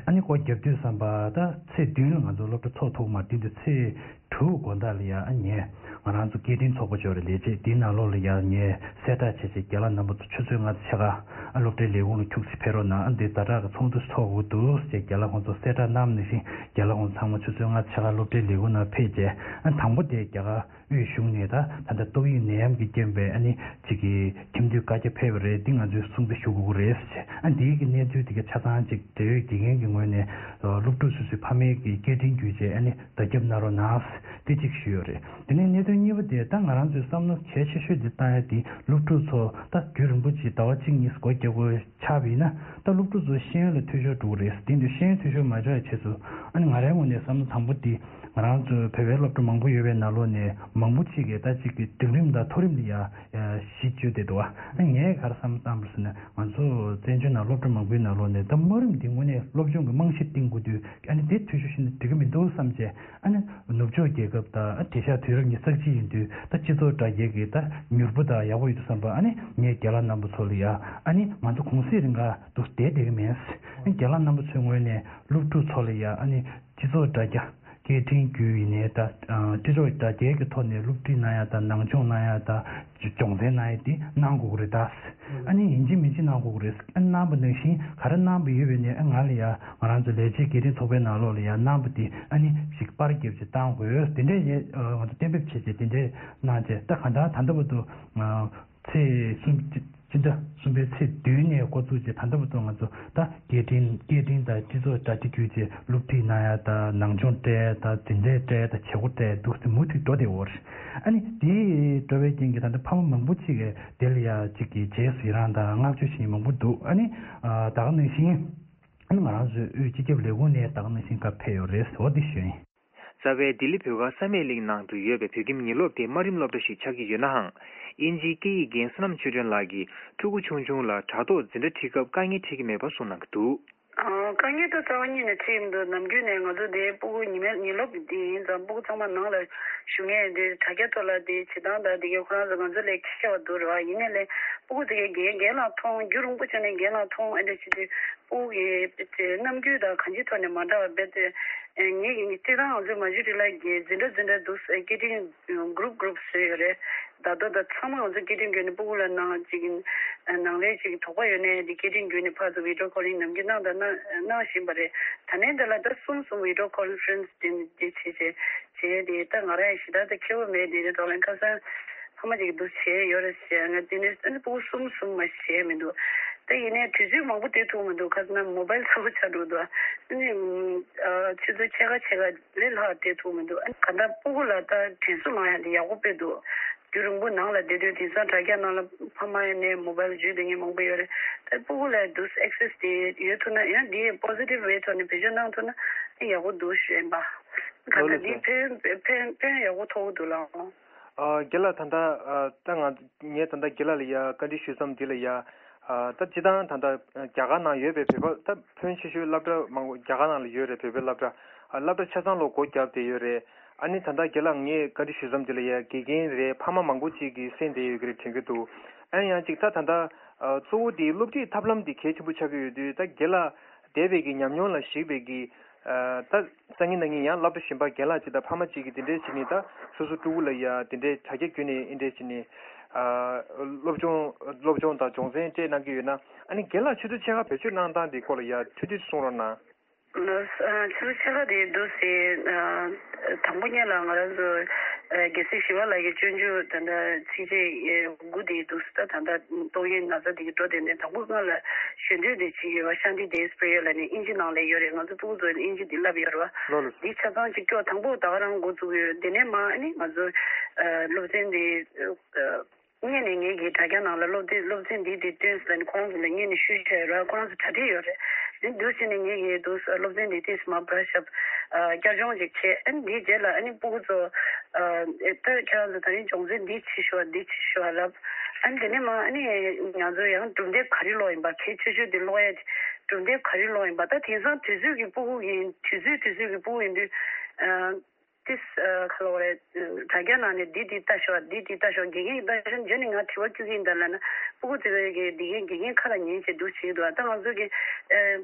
ཨ་ནི་སྒོ་བརྒྱབ་དུས་ཙམ་པ་ད་ཚེས་བདུན་ལ་ང་ཚོ་སློབ་གྲྭ་ཚོགས་ཐུབ་མ་བདུན་དུ་ཚེས་དྲུག་དགོང་དག་ལ་ཡ་ཨ་ངས་ང་རང་ཚོ་སྐད་འཕྲིན་ཚོགས་པ་ཅོག་རེ་ལས་བྱེད་དེའི་ནང་ལོགས་ལ་ཡ་ངས་གསལ་བསྒྲགས་བྱས་བྱས་རྒན་ལགས་རྣམ་པ་ཚོ་ཆུ་ཚོད་ལྔ་ཙམ་ཕྱེད་ཀ་ཨ་སློབ་གྲྭའི་ལས་ཁུངས་ལ་ཁྱུག་ཙམ་ཕེབས་རོགས་གནང་། ཨ་འདི་ཛ་དྲག་གི་ཚོགས་འདུ་ཚོགས་དགོས་འདུག་ཅེས་རྒན་ལགས་ཁོང་ཚོ་གསལ་བསྒྲགས་གནང་ནང་བཞིན་རྒན་ལགས་ཁོང་ཚང་མ་ཆུ་ཚོད་ལྔ་ཙམ་ཕྱེད་ཀ་སློབ་གྲྭའི་ལས་ཁུངས་ནང་ཕེབས་བྱས། ཨ་དང་པོ་དེ་རྒྱ་གར་དབུས་གཞུང་ནས་ད་ད་ལྟ་ཏོག་དབྱིབས་ནད་ཡམས་ཀྱི་རྐྱེན་པས་ཨ་ནི་ཅིག་གི་ཁྱིམ་སྡོད་བཀའ་རྒྱ་ཕེབས་པ་རེད། འདི་ང་ཚོས་སྲུང་བརྩི་ཞུ་དགོས་ཀྱི་རེད་ཟེར། ཨ་འདིའི་གི་གནས་ཚུལ་དེ་ག་ཆ་ཚང་ཅིག་འབྲེལ་ཡོད་དགེ་རྒན་གྱི་ངོས་ནས་སློབ་ཕྲུག་སོ་སོའི་ཕ་མའི་གི་སྐད་འཕྲིན་བརྒྱུད་བྱས་ཨ་ནི་བརྡ་ཁྱབ་གནང་རོགས་གནང་ཟེར་འདི་གཅིག་ཞུས་ཡོད་རེད། དེ་ནས་གནད་དོན་གཉིས་པ་དེ་ད་ང་རང་ཚོའི་བསམ་བློ་གལ་ཆེ་ཤོས་དེ་བཏང་ཡ་དེ་སློབ་ཕྲུག་ཚོ་ད་རྒྱུན་རིང་པོ་ཅིག་ཟླ་བ་གཅིག་གཉིས་སྒོ་རྒྱག་དགོས་ཆགས་པ་ཡིན་ན་ད་སློབ་ཕྲུག་ཚོ་ཤེས་ཡོན་ལ་འཐུས་ཤོར་འགྲོ་གི་རེད། དེ་འདྲ་ཤེས་ཡོན་འཐུས་ཤོར་མ་འགྲོ་ཡ་ཆེད་དུ་ཨ་ནི་ང་རའི་ངོས་ནས་བསམ་བློ་དང་པོ་དེ། ང་རང་ཚོའི་བོད་པའི་སློབ་གྲྭ་མང་པོ་ཡོད་པའི་ནང་ལོགས་ནས་མང་པོ་ཅིག་གིས་ད་ཅིག་གི་འབྲིང་རིམ་དང་མཐོ་རིམ་ལ་ཡ་གཞི་བཅོལ་བསྡད་འདུག་ཨ་ངས་ག་རེ་བསམ་བཏང་བ་ཟེར་ན་ང་ཚོ་བཙན་བྱོལ་ནང་སློབ་གྲྭ་མང་པོའི་ནང་ལོགས་ནས་ད་དམའ་རིམ་འདི་དངོས་གནས་སློབ་སྦྱོང་གི་རྨང་གཞི་བཏིང་དགོས་དུས་ཨ་ནི་དེ་འཐུས་ཤོར་ཤོར་ན་འགྲིག་གི་མི་འདུག་བསམ་བྱས། ཨ་ནི་ནུབ་ཕྱོགས་རྒྱལ་ཁབ་དང་ཨ་དེང་སང་དུས་རབས་ཉི་ཤུ་རྩ་གཅིག་ཡིན་དུས་ད་སྤྱི་ཚོགས་དྲ་རྒྱའི་གི་ད་མྱུར་པོ་དང་ཡག་པོ་ཡོད་དུས་བསམ་པ་ཨ་ནི་ངས་རྒན་ལགས་རྣམ་པ་ཚོ་ལ་ཡ་ཨ་ནི་ང་ཚོ་གུང་སེང་རིང་ག་འདུག་བསྡད་བསྡད་གི་མེད། ཨ་ནི་རྒན་ལགས་རྣམ་པ་ཚོའི་ངོས་ནས་སློབ་ཕྲུག་ཚོ་ལ་ཡ་ཨ་ནི། སྤྱི་ཚོགས་དྲ་རྒྱ། སྐད་འཕྲིན་བརྒྱུད་ཡིན་ནའི་ད། སྤྱི་ཚོགས་དྲ་རྒྱའི་གི་ཐོག་ནས་སློབ་ཁྲིད་གནང་ཡ་དང་ནང་སྦྱོང་གནང་ཡ་དང་། སྦྱོང་ཚན་གནང་ཡ་དེ་གནང་དགོས་ཀྱི་རེད་ད། ཨ་ནི་ཡིན་གཅིག་མིན་གཅིག་གནང་དགོས་ཀྱི་རེད། ཨ་གནང་པ་ནང་བཞིན་ག་རེ་གནང་པ་ཡོད་པས་ནས་ཨ་ང་ལ་ཡ་ང་རང་ཚོ་ལས་བྱེད་སྐད་འཕྲིན་ཚོགས་པའི་ནང་ལོགས་ལ་ཡ་གནང་པ་དེ་ཨ་ནི་ཞིག་པར་རྒྱབ་ཅིག་བཏང་དགོས་དེ་འདྲས་ཡས་ང་ཚོ་གཏན་འབེབས་བྱས་བྱས་དེ་འདྲས་གནང་བྱས་ད་ག་འདྲ་ད་ལྟ་བར་དུ། ཚེས་གསུམ། སྤྱི་ཟླ་གསུམ་པའི་ཚེས་བདུན་ནས་འགོ་བཙུགས་རྗེས་ད་ལྟ་བར་དུ་ང་ཚོ་ད་སྐད་འཕྲིན་སྐད་འཕྲིན་དང་སྤྱི་ཚོགས་དྲ་རྒྱ་བརྒྱུད་རྗེས་སློབ་ཁྲིད་གནང་ཡ་དང་ནང་སྦྱོང་སྤྲད་ཡ་དང་འཛིན་གྲྭའི་སྤྲད་ཡ་དང་བྱེད་སྒོ་སྤྲད་ཡ་འདུག་སེ་མུ་མཐུད་འགྲོ་བསྡད་ཡོད་རེད། ཨ་ནི་དེ་འགྲོ་བའི་རྐྱེན་གྱིས་ད་ལྟ་ཕ་མ་མང་པོ་ཅིག་གིས་དེ་ལ་ཡ་གཅིག་གིས་རྗེས་སུ་ཡི་རང་དང་བསྔགས་བརྗོད་བྱེད་མཁན་མང་པོ་འདུག་ཨ་ནི་ད་ག་ནང་བཞིན་ཨ་ནི་ང་རང་ཚོའི་དབུས་སྤྱི་ཁྱབ་ལས་ཁུངས་ནས་ད་ག་ནང་བཞིན་བཀའ་ཕེབས་ཡོད་རེད་ཟེར་བ་འདི་ཞུ་ཡིན། རྩ་བའི་ལྡི་ལི་བོད་སྒར་བསམ་ཡས་གླིང་ནང་དུ་ཡོད་པའི་བོད་ཁྱིམ་ཉིན་སློབ་དེ་དམའ་རིམ་སློབ་གྲྭ་ཞིག་ཆགས་ཀྱི་ཡོད་ནའང་། དབྱིན་ཇིའི་སྐད་ཡིག་རྒན་བསོད་ནམས་ཆོས་སྒྲོན་ལགས་ཀྱིས་ཕྲུ་གུ་ཆུང་ཆུང་ལ་དྲ་ཐོག་འཛིན་གྲྭ་ཁྲིད་སྐབས་དཀའ་ངལ་འཕྲད་ཀྱི་མེད་པ་གསུངས་གནང་གི་འདུག་ཨ། དཀའ་ངལ་ད་རྩ་བ་ཉིད་ནས་འཕྲད་ཀྱི་མི་འདུག་ནམ་རྒྱུན་ནས་ང་ཚོ་དེ་སྤུ་གུ་ཉི་མའི་ཉིན་སློབ་དེ་ཡིན་ཙང་སྤུ་གུ་ཚང་མ་ནང་ལ་བཞུགས་མཁན་དེ་དྲ་རྒྱ་ཐོག་ལ་དེ་བྱེད་སྟངས་དང་དེ་གའི་ཁོ་རང་ཚོ་ང་ཚོ་ལས་ཁྱད་པར་འདུག་རེད་བ། ཡིན་ནའི་ལས་སྤུ་གུ་དེ་གའི་རྒན་རྒན་ལགས་མཐོང་རྒྱུན་རིང་པོ་བྱས་ནས་རྒན་ལགས་མཐོང་ཨེ་འདྲ་བྱེད་དུས། སྤུ་གུ་གི་དེ་རྣམ་འགྱུར་དང་གང་ཅིའི་ཐོག་ནས་མ་འདྲ་བ་རྦད་དེ། ངེད་ཀྱི་སྤྱིར་བཏང་ང་ཚོའི་མ་ཇུ་ཊི་ལགས་ཀྱིས་འཛིན་གྲྭ་འཛིན་གྲྭ་འདུག་སེ་སྐད་འཕྲིན་གུ་རུབ་གུ་རུབ་བཟོས་ཡོད་རེད། ད་དུང་ད་ཚང་མ་ང་ཚོ་སྐད་འཕྲིན་བརྒྱུད་ནས་སྤུ་གུ་ལ་གནང་ཅིག་ནང་ལས་ཅིག་དོགས་པ་ཡོད་ནའི་དེ་སྐད་འཕྲིན་བརྒྱུད་ནས་ཕར་ཚུར་video calling་ནམ་རྒྱུན་གནང་དང་གནང་གནང་བཞིན་པ་རེད། ད་ནས་འདི་ལ་ད་གསུམ་གསུམ་video conference་དེ་འདི་བྱས་བྱས་བྱས་དེ་ད་ང་རང་ཡང་ཞེ་དྲག་ད་མཁས་པོ་མེད་དེ་རེད། ད་ལན་ཁ་སང་། ཕ་མ་ཅིག་འདུག་བྱས་ཡོད་རེད་ཟེར་ང་དེ་ནས་ཨ་ནི་སྤུ་གུ་གསུམ་གསུམ་མ་བྱས་མི་འདུག་ད་ཡིན་ནའི་དུས་ཚོད་མང་པོ་སྡོད་ཐུབ་མི་འདུག་ཁ་སང་མོ་བལ་ཚ་པོ་ཆགས་འགྲོ་འདུག་ཨ་ནི་ཨ་ཆུ་ཚོད་ཕྱེད་ཀ་ཕྱེད་ཀ་ལས་ལྷག་སྡོད་ཐུབ་མི་འདུག་ཨ་ནི་ག་འདྲ་སྤུ་གུ་ལ་ད་དྲན་གསོ་གནང་ཡ་དེ་ཡག་པོ་དཔེ་འདུག་རྒྱུན་རིང་པོ་ནང་ལ་བསྡད་དུས་དེང་སང་དྲ་རྒྱ་ནང་ལ་ཕ་མ་ཡ་ནས་མོ་བལ་འཇུས་བསྡད་མཁན་མང་པོ་ཡོད་རེད། ད་སྤུ་གུ་ལ་འདུག access་དེ་ཡོད་ཐུབ་ན་ཡང་དེ་positive way་ཐོག་ནས་བེད་སྤྱོད་གནང་ཐུབ་ན་ཡག་པོ་འདུག་ཞུ་ཡིན་པ། ག་ལ་འདི་ཕན་ཕན་ཕན་ཡག་པོ་ཐོགས་འདུག་ལགས། ཨ་རྒན་ལགས་ད་ལྟ་ཨ་ད་ང་ངས་ད་ལྟ་རྒན་ལགས་ལ་ཡ་བཀའ་འདྲི་ཞུ་མཚམས་འདི་ལ་ཡ་ཨ་ད་སྤྱིར་བཏང་ད་ལྟ་རྒྱ་གར་ནང་ཡོད་པའི་བོད་པ་ད་ཕོན་ཆེ་ཤོས་སློབ་གྲྭ་མང་པོ་རྒྱ་གར་ནང་ལ་ཡོད་རེད། བོད་པའི་སློབ་གྲྭ་ཨ་སློབ་གྲྭ་ཆ་ཚང་ལོ་སྒོ་བརྒྱབ་བསྡད་ཡོད་རེད། ཨ་ནི་ད་ལྟ་རྒན་ལགས་ངས་བཀའ་འདྲི་ཞུ་མཚམས་འདི་ལ་ཡ་དགེ་རྒན་རེད། ཕ་མ་མང་པོ་ཅིག་གིས་གསན་བསྡད་ཡོད་ཀྱི་རེད་དྲན་གྱི་འདུག་ཨ་ནི་ཡང་ཅིག་ད་ད་ལྟ་ཨ་གཙོ་བོ་དེ་སློབ་ཁྲིད་ཐབས་ལམ་དེ་གལ་ཆེན་པོ་ཆགས་ཀྱི་ཡོད་དུས་ད་རྒན་ལགས་འདས་པའི་གི་ཉམས་མྱོང་ལ་གཞིགས་པའི་གི་ད་སང་ཉིན་གནངས་ཉིན་ཡང་སློབ་གྲྭ་གཞན་པ་རྒན་ལགས་གཅིག་དང་ཕ་མ་གཅིག་གིས་དེ་འདྲའི་བྱས་ནས་ད་སོ་སོ་ཕྲུ་གུ་ལ་ཡ་དེ་འདྲའི་དྲ་རྒྱ་བརྒྱུད་ནས་ཨེ་འདྲས་བྱས་ནས་སློབ་སྦྱོང་སློབ་སྦྱོང་དང་སྦྱོང་ཚན་སྤྲད་གནང་གི་ཡོད་ན་ཨ་ནི་རྒན་ལགས་ཆུ་ཚོད་ཕྱེད་ཀ་བེད་སྤྱོད་གནང་སྟངས་དེ་སྐོར་ལ་ཡ་ཐུང་ཐུང་གསུང་རོགས་གནང་། ཆུ་ཚོད་ཕྱེད་ཀ་དེ་འདུག་སེ་དང་པོ་ཉིད་ལ་ང་རང་ཚོ་རྒྱལ་སྲས་ཞི་བ་ལྷ་གི་སྤྱོད་འཇུག་ད་ལྟ་ཚིགས་བཅད་དགུ་དེ་འདུག་སེ་ད་ད་ལྟ་ཏོག་དབྱིབས་ན་ཚ་དེ་གི་འགྲོ་དེ་ནས་དང་པོ་སྔོན་ལ་ཞལ་འདོན་དེ་བྱེད་ཀྱི་ཡོད་པ་ཤཱན་ཏི་དེ་སི་པི་རི་ཡ་ལབ་ནས་དབྱིན་ཇི་ནང་ལ་ཡོད་རེད། ང་ཚོ་ཕྲུ་གུ་ཚོ་དབྱིན་ཇི་དེ་བསླབ་ཡོད་རེད་བ། ལོ་ལོ། འདི་ཆ་ཚང་གཅིག་སྐྱོར་དང་པོ་ད་ག་རང་འགོ་བཙུགས་ཡོད། དེ་ནས་མ་ཨ་ནི་ང་ཚོ་སློབ་ཚན་དེ་སྔོན་ནས་ངེད་ཀྱི་དྲ་རྒྱ་ནང་ལ་སློབ་དེབ་སློབ་ཚན་འདི་དེ་བཏོན་ཟེར་ནས་ཁོང་ཚོ་ལ་སྔོན་ནས་ཞུས་བྱས་ཡོད་རེད། ཁོ་རང་ཚོ་གྲ་སྒྲིག་ཡོད་རེད། དེ་འདུག་བྱས་ནས་ངེད་ཀྱིས་འདུག་སློབ་ཚན་འདི་ཏིས་མ་བར་ཞབས་བསྐྱར་སྦྱོང་ཅིག་བྱས། ཨ་ནི་འདིའི་རྗེས་ལ་ཨ་ནི་སྤུ་གུ་ཚོ་ད་ཁྱེད་རང་ཚོ་ད་རིང་སྦྱོང་ཚན་འདི་བྱེད་ཤོག་འདི་བྱེད་ཤོག་ལབ། ཨ་ནི་དེ་ནས་མ་ཨ་ནི་ང་ཚོ་ཡང་གྲུབ་འབྲས་ག་རེ་ལོག་ཡིན་པ་གལ་ཆེ་ཤོས་དེ་ལོག་ཡ་གྲུབ་འབྲས་ག་རེ་ལོག་ཡིན་པ་ད་དེང་སང་དུས་ཚོད་ཀྱི་སྤུ་གུ་ཡིན་དུས་ཚོད་དུས་ཚོད་ཀྱི་སྤུ་གུ་ཡིན་དུས། ཨ་ཁ་ལོ་རེད། དྲ་རྒྱ་ནང་ནས་འདི་འདི་ལྟ་ཤོག་འདི་འདི་ལྟ་ཤོག་དགེ་རྒན་གྱིས་ལྟ་ཤོག་རྗེས་ནས་ང་དྲི་བ་བཅུག་གི་ཡིན་ད་ལབ་ན། སྤུ་གུ་དེ་གའི་གི་དགེ་རྒན་དགེ་རྒན་ཁ་ལ་ཉན་བྱས་འདུག་བྱེད་ཀྱི་འདུག་ད་ང་ཚོ་གི་ཨ་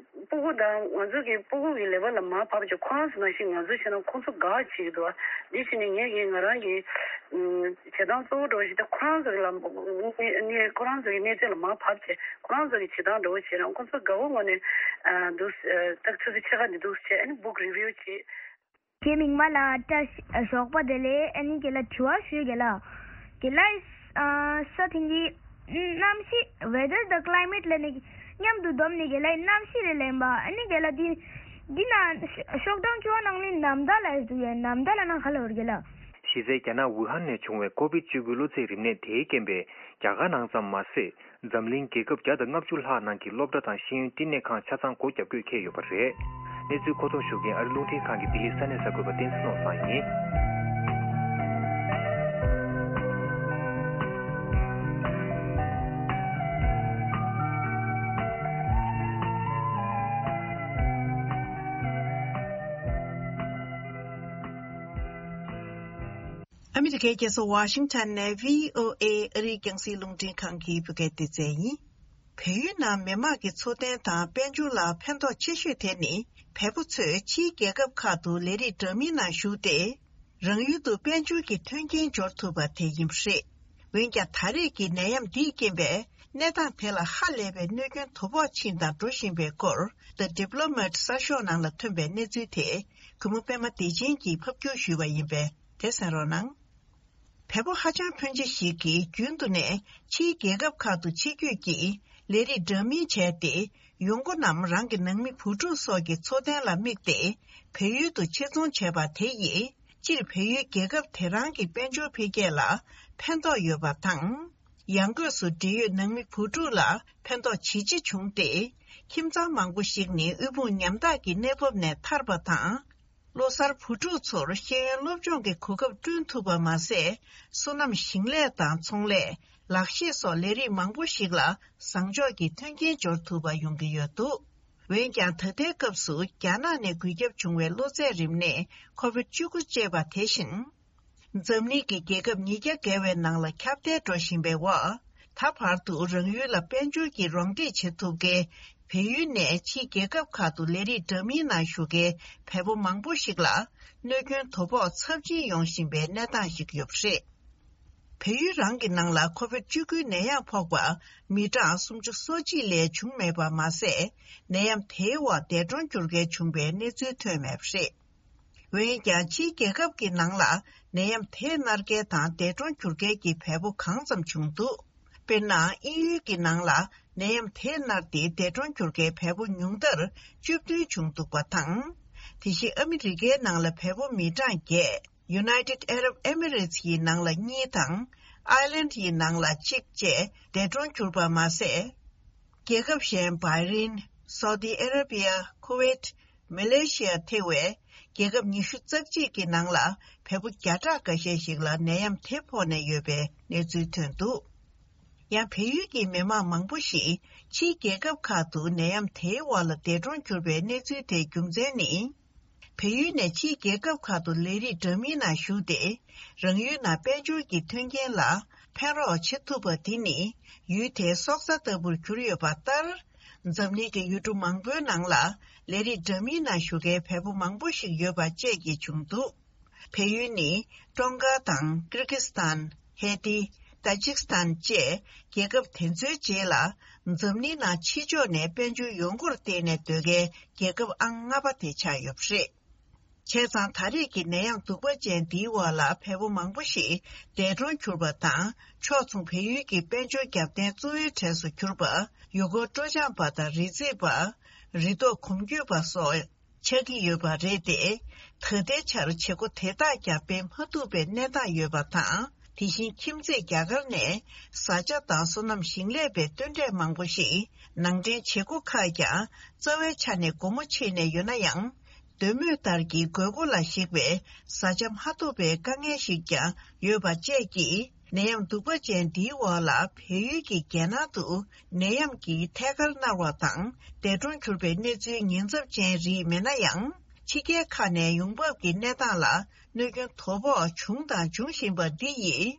སྤུ་གུ་དང་ང་ཚོ་གི་སྤུ་གུ་གི་ལས་བབ་ལ་མར་བབས་བྱས་ཁོ་རང་ཚོ་ནང་བཞིན་ང་ཚོ་བྱས་ན་ཁོང་ཚོ་དགའ་བྱེད་ཀྱི་འདུག་འདི་བྱས་ནས་ངས་གི་ང་རང་གི་ཨ་བྱེད་སྟངས་གཙོ་བོ་འདྲ་བོ་ཞིག་ད་ཁོ་རང་ཚོ་གི་ལམ་ནས་ཁོ་རང་ཚོ་གི་གནས་ཚད་ལ་མར་བབས་བྱས་ཁོ་རང་ཚོ་གི་བྱེད་སྟངས་འདྲ་བོ་བྱས་ན་ཁོང་ཚོ་དགའ་བོ་ངོ་ནས་ཨ་འདུག་ཨ་ད་ཆུ་ཚོད་ཕྱེད་ཀ་འདི་འདུག་བྱས་ཨ་ནི་book review་བྱེད། ཁྱེད་མིག་དམར་ལ་བཀྲ་ཤིས་ཨ་ཞོགས་པ་བདེ་ལེགས། ཨ་ནི་རྒན་ལགས་དྲི་བ་ཞུ་རྒན་ལགས། རྒན་ལགས་ཨ་ས་དེང་གི་གནམ་གཤིས་weather དང་climate ལབ་ནས་མཉམ་དུ་བསྡོམས་ནས་རྒན་ལགས་གནམ་གཤིས་རེད་ལབ་ཡིན་པ། ཨ་ནི་རྒན་ལགས་འདི་འདི་ན་ཤོག་གྲངས་བཅུ་པ་ནང་ནས་ནམ་ཟླ་ལབ་ཡོད་འདུག་གས། ནམ་ཟླ་ལབ་ན་ག་ལབ་རེད་རྒན་ལགས། གཞི་རྩའི་རྒྱ་ནག་ཝུ་ཧན་ནས་བྱུང་བའི་ཀོ་བིད་བཅུ་དགུ་གློ་ཚད་རིམས་ནད་དེའི་རྐྱེན་པས་རྒྱ་གར་ནང་ཙམ་མ་ཟད། འཛམ་གླིང་རྒྱལ་ཁབ་བརྒྱ་དང་ལྔ་བཅུ་ལྷག་ནང་གི་སློབ་གྲྭ་དང་ཤེས་ཡོན་བསྟི་གནས་ཁང་ཆ་ཚང་སྒོ་བརྒྱབ་དགོས་འཁེལ་ཡོད་པ་རེད། གནས་ཚུལ་མཁོ་གཏོང་ཞུ་མཁན་ཨ་རི་རླུང་འཕྲིན་ཁང་གི་ལྡི་ལི་ས་གནས་གསར་འགོད་པ་བསྟན་འཛིན་ནོར་བཟང་ཡིན། ཨ་མི་རི་ཀའི་རྒྱལ་ས་ཝ་ཤིང་ཊོན་ནས་བྷི་ཨོ་ཨེ་ཨ་རིའི་རྒྱང་སྲིང་རླུང་འཕྲིན་ཁང་གི་བོད་སྐད་སྡེ་ཚན་ཡིན། བལ་ཡུལ་ནང་མི་དམངས་ཀྱི་འཚོ་རྟེན་དང་དཔལ་འབྱོར་ལ་ཕན་ཐོགས་ཆེ་ཤོས་དེ་ནི། བལ་པོ་ཚོས་ཕྱིའི་རྒྱལ་ཁབ་ཁག་ཏུ་ལས་རིགས་འདྲ་མིན་ནང་ཞུགས་ཏེ། རང་ཡུལ་དུ་དཔལ་འབྱོར་གྱི་མཐུན་རྐྱེན་འབྱོར་ཐུབ་པ་དེ་ཡིན་པ་རེད། འོན་ཀྱང་ད་རེས་ཀྱི་ནད་ཡམས་འདིའི་རྐྱེན་པས། གནས་སྟངས་དེ་ལ་ཧ་ལས་པའི་གནོད་སྐྱོན་དོ་ཕོག་ཕྱིན་དང་འགྲོ་བཞིན་པའི་སྐོར། The Diplomat གསར་ཤོག་ནང་ལ་ཐོན་པའི་གནས་ཚུལ་དེ། གུས་མོ་པད་མ་བདེ་ཆེན་གྱིས་ཕབ་སྒྱུར་ཞུས་པ་ཡིན་པས་དེ་གསན་རོགས་གནང་། བལ་པོ་ཧ་ཅང་ཕོན་ཆེ་ཞིག་གིས་རྒྱུན་དུ་ནས་ཕྱིའི་རྒྱལ་ཁབ་ཁག་ཏུ་ཆེད་བསྐྱོད་ཀྱིས་ལས་རིགས་འདྲ་མིན་བྱས་ཏེ། ཡོང་སྒོ་རྣམས་རང་གི་ནང་མི་བུ་ཕྲུག་སོགས་ཀྱི་འཚོ་རྟེན་ལ་དམིགས་ཏེ། བལ་ཡུལ་དུ་ཕྱིར་ཚོང་བྱས་པ་དེ་ཡིས་སྤྱིར་བལ་ཡུལ་རྒྱལ་ཁབ་དེ་རང་གི་དཔལ་འབྱོར་འཕེལ་རྒྱས་ལ་ཕན་ཐོགས་ཡོད་པ་དང་། ཡང་སྒོས་སུ་འབྲེལ་ཡོད་ནང་མི་བུ་ཕྲུག་ལ་ཕན་ཐོགས་ཇི་ཆེ་བྱུང་སྟེ། ཁྱིམ་ཚང་མང་པོ་ཞིག་ནི་དབུལ་ཕོངས་ཉམ་ཐག་གི་གནས་བབ་ནས་ཐར་པ་དང་། ལོ་གསར་བུ་ཕྲུག་ཚོར་ཤེས་ཡོན་སློབ་སྦྱོང་གི་གོ་སྐབས་བསྐྲུན་ཐུབ་པ་མ་ཟད། སོ་ནམ་ཞིང་ལས་དང་ཚོང་ལས། ལག་ཤེས་སོགས་ལས་རིགས་མང་པོ་ཞིག་ལ་བཟང་ཕྱོགས་ཀྱི་མཐུན་རྐྱེན་འབྱོར་ཐུབ་པ་ཡོང་གི་ཡོད་འདུག་འོན་ཀྱང་ད་ལྟའི་སྐབས་སུ་རྒྱ་ནག་ནས་འགོས་ཁྱབ་བྱུང་བའི་གློ་ཚད་རིམས་ནད་ཁོ་བིད་བཅུ་དགུ་ཅེས་པ་དེ་བཞིན། འཛམ་གླིང་གི་རྒྱལ་ཁབ་ཉིས་བརྒྱ་བརྒལ་བའི་ནང་ལ་ཁྱབ་གདལ་འགྲོ་བཞིན་པའི་འོག་ད་བར་དུ་རང་ཡུལ་ལ་དཔལ་འབྱོར་གྱི་རོགས་འདེགས་བྱེད་ཐུབ་མཁན་བལ་ཡུལ་ནས་ཕྱིའི་རྒྱལ་ཁབ་ཁག་ཏུ་ལས་རིགས་འདྲ་མིན་ནང་ཞུགས་མཁན་བལ་པོ་མང་པོ་ཞིག་ལ་གནོད་སྐྱོན་དོ་ཕོག་ཚབས་ཆེན་ཡོང་བཞིན་པའི་གནས་སྟངས་ཤིག་ཡོད་པ་རེད། བལ་ཡུལ་རང་གི་ནང་ལ་ཁོ་བིད་བཅུ་དགུའི་ནད་ཡམས་ཕོག་པ་མི་གྲངས་སུམ་ཅུ་སོ་གཅིག་ལས་བྱུང་མེད་པ་མ་ཟད། ནད་ཡམས་དེའི་འོག་འདས་གྲོངས་གྱུར་མཁན་བྱུང་བའི་གནས་ཚུལ་ཐོན་མེད་པ་རེད། འོན་ཀྱང་ཕྱིའི་རྒྱལ་ཁབ་ཀྱི་ནང་ལ་ནད་ཡམས་དེས་མནར་མཁན་དང་འདས་གྲོངས་གྱུར་མཁན་གྱི་བལ་པོ་གང་ཙམ་བྱུང་འདུག་དཔེར་ན། དབྱིན་ཡུལ་གྱི་ནང་ལ་ནད་ཡམས་དེས་མནར་ཏེ་འདས་གྲོངས་གྱུར་མཁན་བལ་པོ་ཉུང་མཐར་བཅུ་བདུན་བྱུང་འདུག་པ་དང་། དེ་བཞིན་ཨ་མི་རི་ཀའི་ནང་ལ་བལ་པོ་མི་གྲངས་བརྒྱད། United Arab Emirates ཡི་ནང་ལ་གཉིས་དང་། ཨའི་ལན་ཡི་ནང་ལ་གཅིག་བཅས་འདས་གྲོངས་གྱུར་པ་མ་ཟད། རྒྱལ་ཁབ་གཞན་བྷའི་རིན། སོ་ཏི་ཨ་ར་བི་ཡ། ཁུ་ཝེད། མ་ལེ་ཤི་ཡ་ཐེ་བའི་རྒྱལ་ཁབ་ཉི་ཤུ་རྩ་གཅིག་གི་ནང་ལ་བལ་པོ་བརྒྱ་ཕྲག་འགའ་ཤས་ཤིག་ལ་ནད་ཡམས་དེ་ཕོག་ནས་ཡོད་པའི་གནས་ཚུལ་ཐོན་འདུག་ཡང་བལ་ཡུལ་གྱི་མི་མང་མང་པོ་ཞིག་ཕྱིའི་རྒྱལ་ཁབ་ཁག་ཏུ་ནད་ཡམས་དེའི་འོག་ལ་འདས་གྲོངས་གྱུར་པའི་གནས་ཚུལ་དེ་རྒྱུ་མཚན་ནི། བལ་ཡུལ་ནས་ཕྱིའི་རྒྱལ་ཁབ་ཁག་ཏུ་ལས་རིགས་འདྲ་མིན་ནང་ཞུགས་ཏེ། རང་ཡུལ་ནང་དཔལ་འབྱོར་གྱི་མཐུན་རྐྱེན་ལ་ཕན་རོགས་བྱེད་ཐུབ་པ་དེ་ནི་ཡུལ་དེའི་སྲོག་རྩ་ལྟ་བུར་གྱུར་ཡོད་པ་ལྟར། འཛམ་གླིང་གི་ཡུལ་གྲུ་མང་པོའི་ནང་ལ་ལས་རིགས་འདྲ་མིན་ནང་ཞུགས་མཁན་བལ་པོ་མང་པོ་ཞིག་ཡོད་པ་བཅས་ཀྱིས་བྱུང་འདུག་བལ་ཡུལ་ནི་ཀྲུང་ག་དང་ཀིར་ཀི་སི་ཐན། ཧེ་ཏི། ཏ་ཇིག་སི་ཐན་བཅས་རྒྱལ་ཁབ་དེ་ཚོའི་རྗེས་ལ། འཛམ་གླིང་ནང་ཕྱི་ཕྱོགས་ནས་དཔལ་འབྱོར་ཡོང་སྒོར་བརྟེན་ནས་སྡོད་མཁན་རྒྱལ་ཁབ་ཨང་ལྔ་པ་དེ་ཆགས་ཡོད་པ་རེད། བྱས་ཙང་ད་རེས་ཀྱི་ནད་ཡམས་གདུག་པ་ཅན་འདིའི་འོག་ལ་བལ་པོ་མང་པོ་ཞིག་འདས་གྲོངས་གྱུར་པ་དང་། ཕྱོགས་མཚུངས་བལ་ཡུལ་གྱི་དཔལ་འབྱོར་རྒྱབ་རྟེན་གཙོ་བོའི་གྲས་སུ་གྱུར་པ་ཡུལ་སྐོར་སྤྲོ་འཆམ་པ་དང་རི་འཛེག་པ། རི་ཐོག་གོམ་བགྲོད་པ་སོགས་ཆགས་ཀྱི་ཡོད་པ་རེད་དེ། ད་ལྟའི་ཆར་བྱེད་སྒོ་དེ་དག་ཀྱང་སྤེལ་མ་ཐུབ་པའི་གནས་སྟངས་ཡོད་པ་དང་། དེ་བཞིན་ཁྱིམ་མཚེས་རྒྱ་གར་ནས་བཟའ་བཅའ་དང་སོ་ནམ་ཞིང་ལས་པའི་སྟོན་འབྲས་མང་པོ་ཞིག་ནང་འདྲེན་བྱེད་སྒོ་ཁག་ཀྱང་རྩ་བའི་ཆ་ནས་སྒོ་མོ་ཕྱེ་ནས་ཡོད་ན་ཡང་། འདོད་མོས་ལྟར་གྱི་དགོས་མཁོ་ལ་གཞིགས་པའི་བཟའ་བཅའ་མ་ཐོབ་པའི་དཀའ་ངལ་ཞིག་ཀྱང་ཡོད་པ་བཅས་ཀྱིས། ནད་ཡམས་གདུག་པ་ཅན་འདིའི་འོག་ལ་བལ་ཡུལ་གྱི་རྒྱལ་ནང་དུ་ནད་ཡམས་ཀྱིས་ཐད་ཀར་མནར་བ་དང་འདས་གྲོངས་གྱུར་པའི་གནས་ཚུལ་ཉེན་ཚབས་ཅན་རིགས་མེད་ན་ཡང་། ཕྱི་རྒྱལ་ཁག་ནས་ཡོང་འབབ་ཀྱི་གནས་སྟངས་ལ་གནོད་སྐྱོན་དོ་ཕོག་བྱུང་དང་འབྱུང་བཞིན་པ་འདི་ཡིས།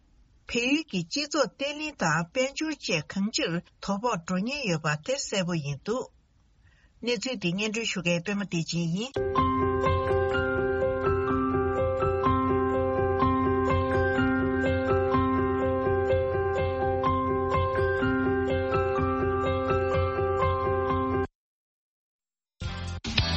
བལ་ཡུལ་གྱི་སྤྱི་ཚོགས་བརྟན་ལྷིང་དང་དཔལ་འབྱོར་བཅས་གང་ཅིར་དོ་ཕོག་འགྲོ་ཉེན་ཡོད་པ་དེ་གསལ་པོ་ཡིན་འདུག་གནས་ཚུལ་འདི་སྙན་སྒྲོན་ཞུ་མཁན་པད་མ་བདེ་ཆེན་ཡིན།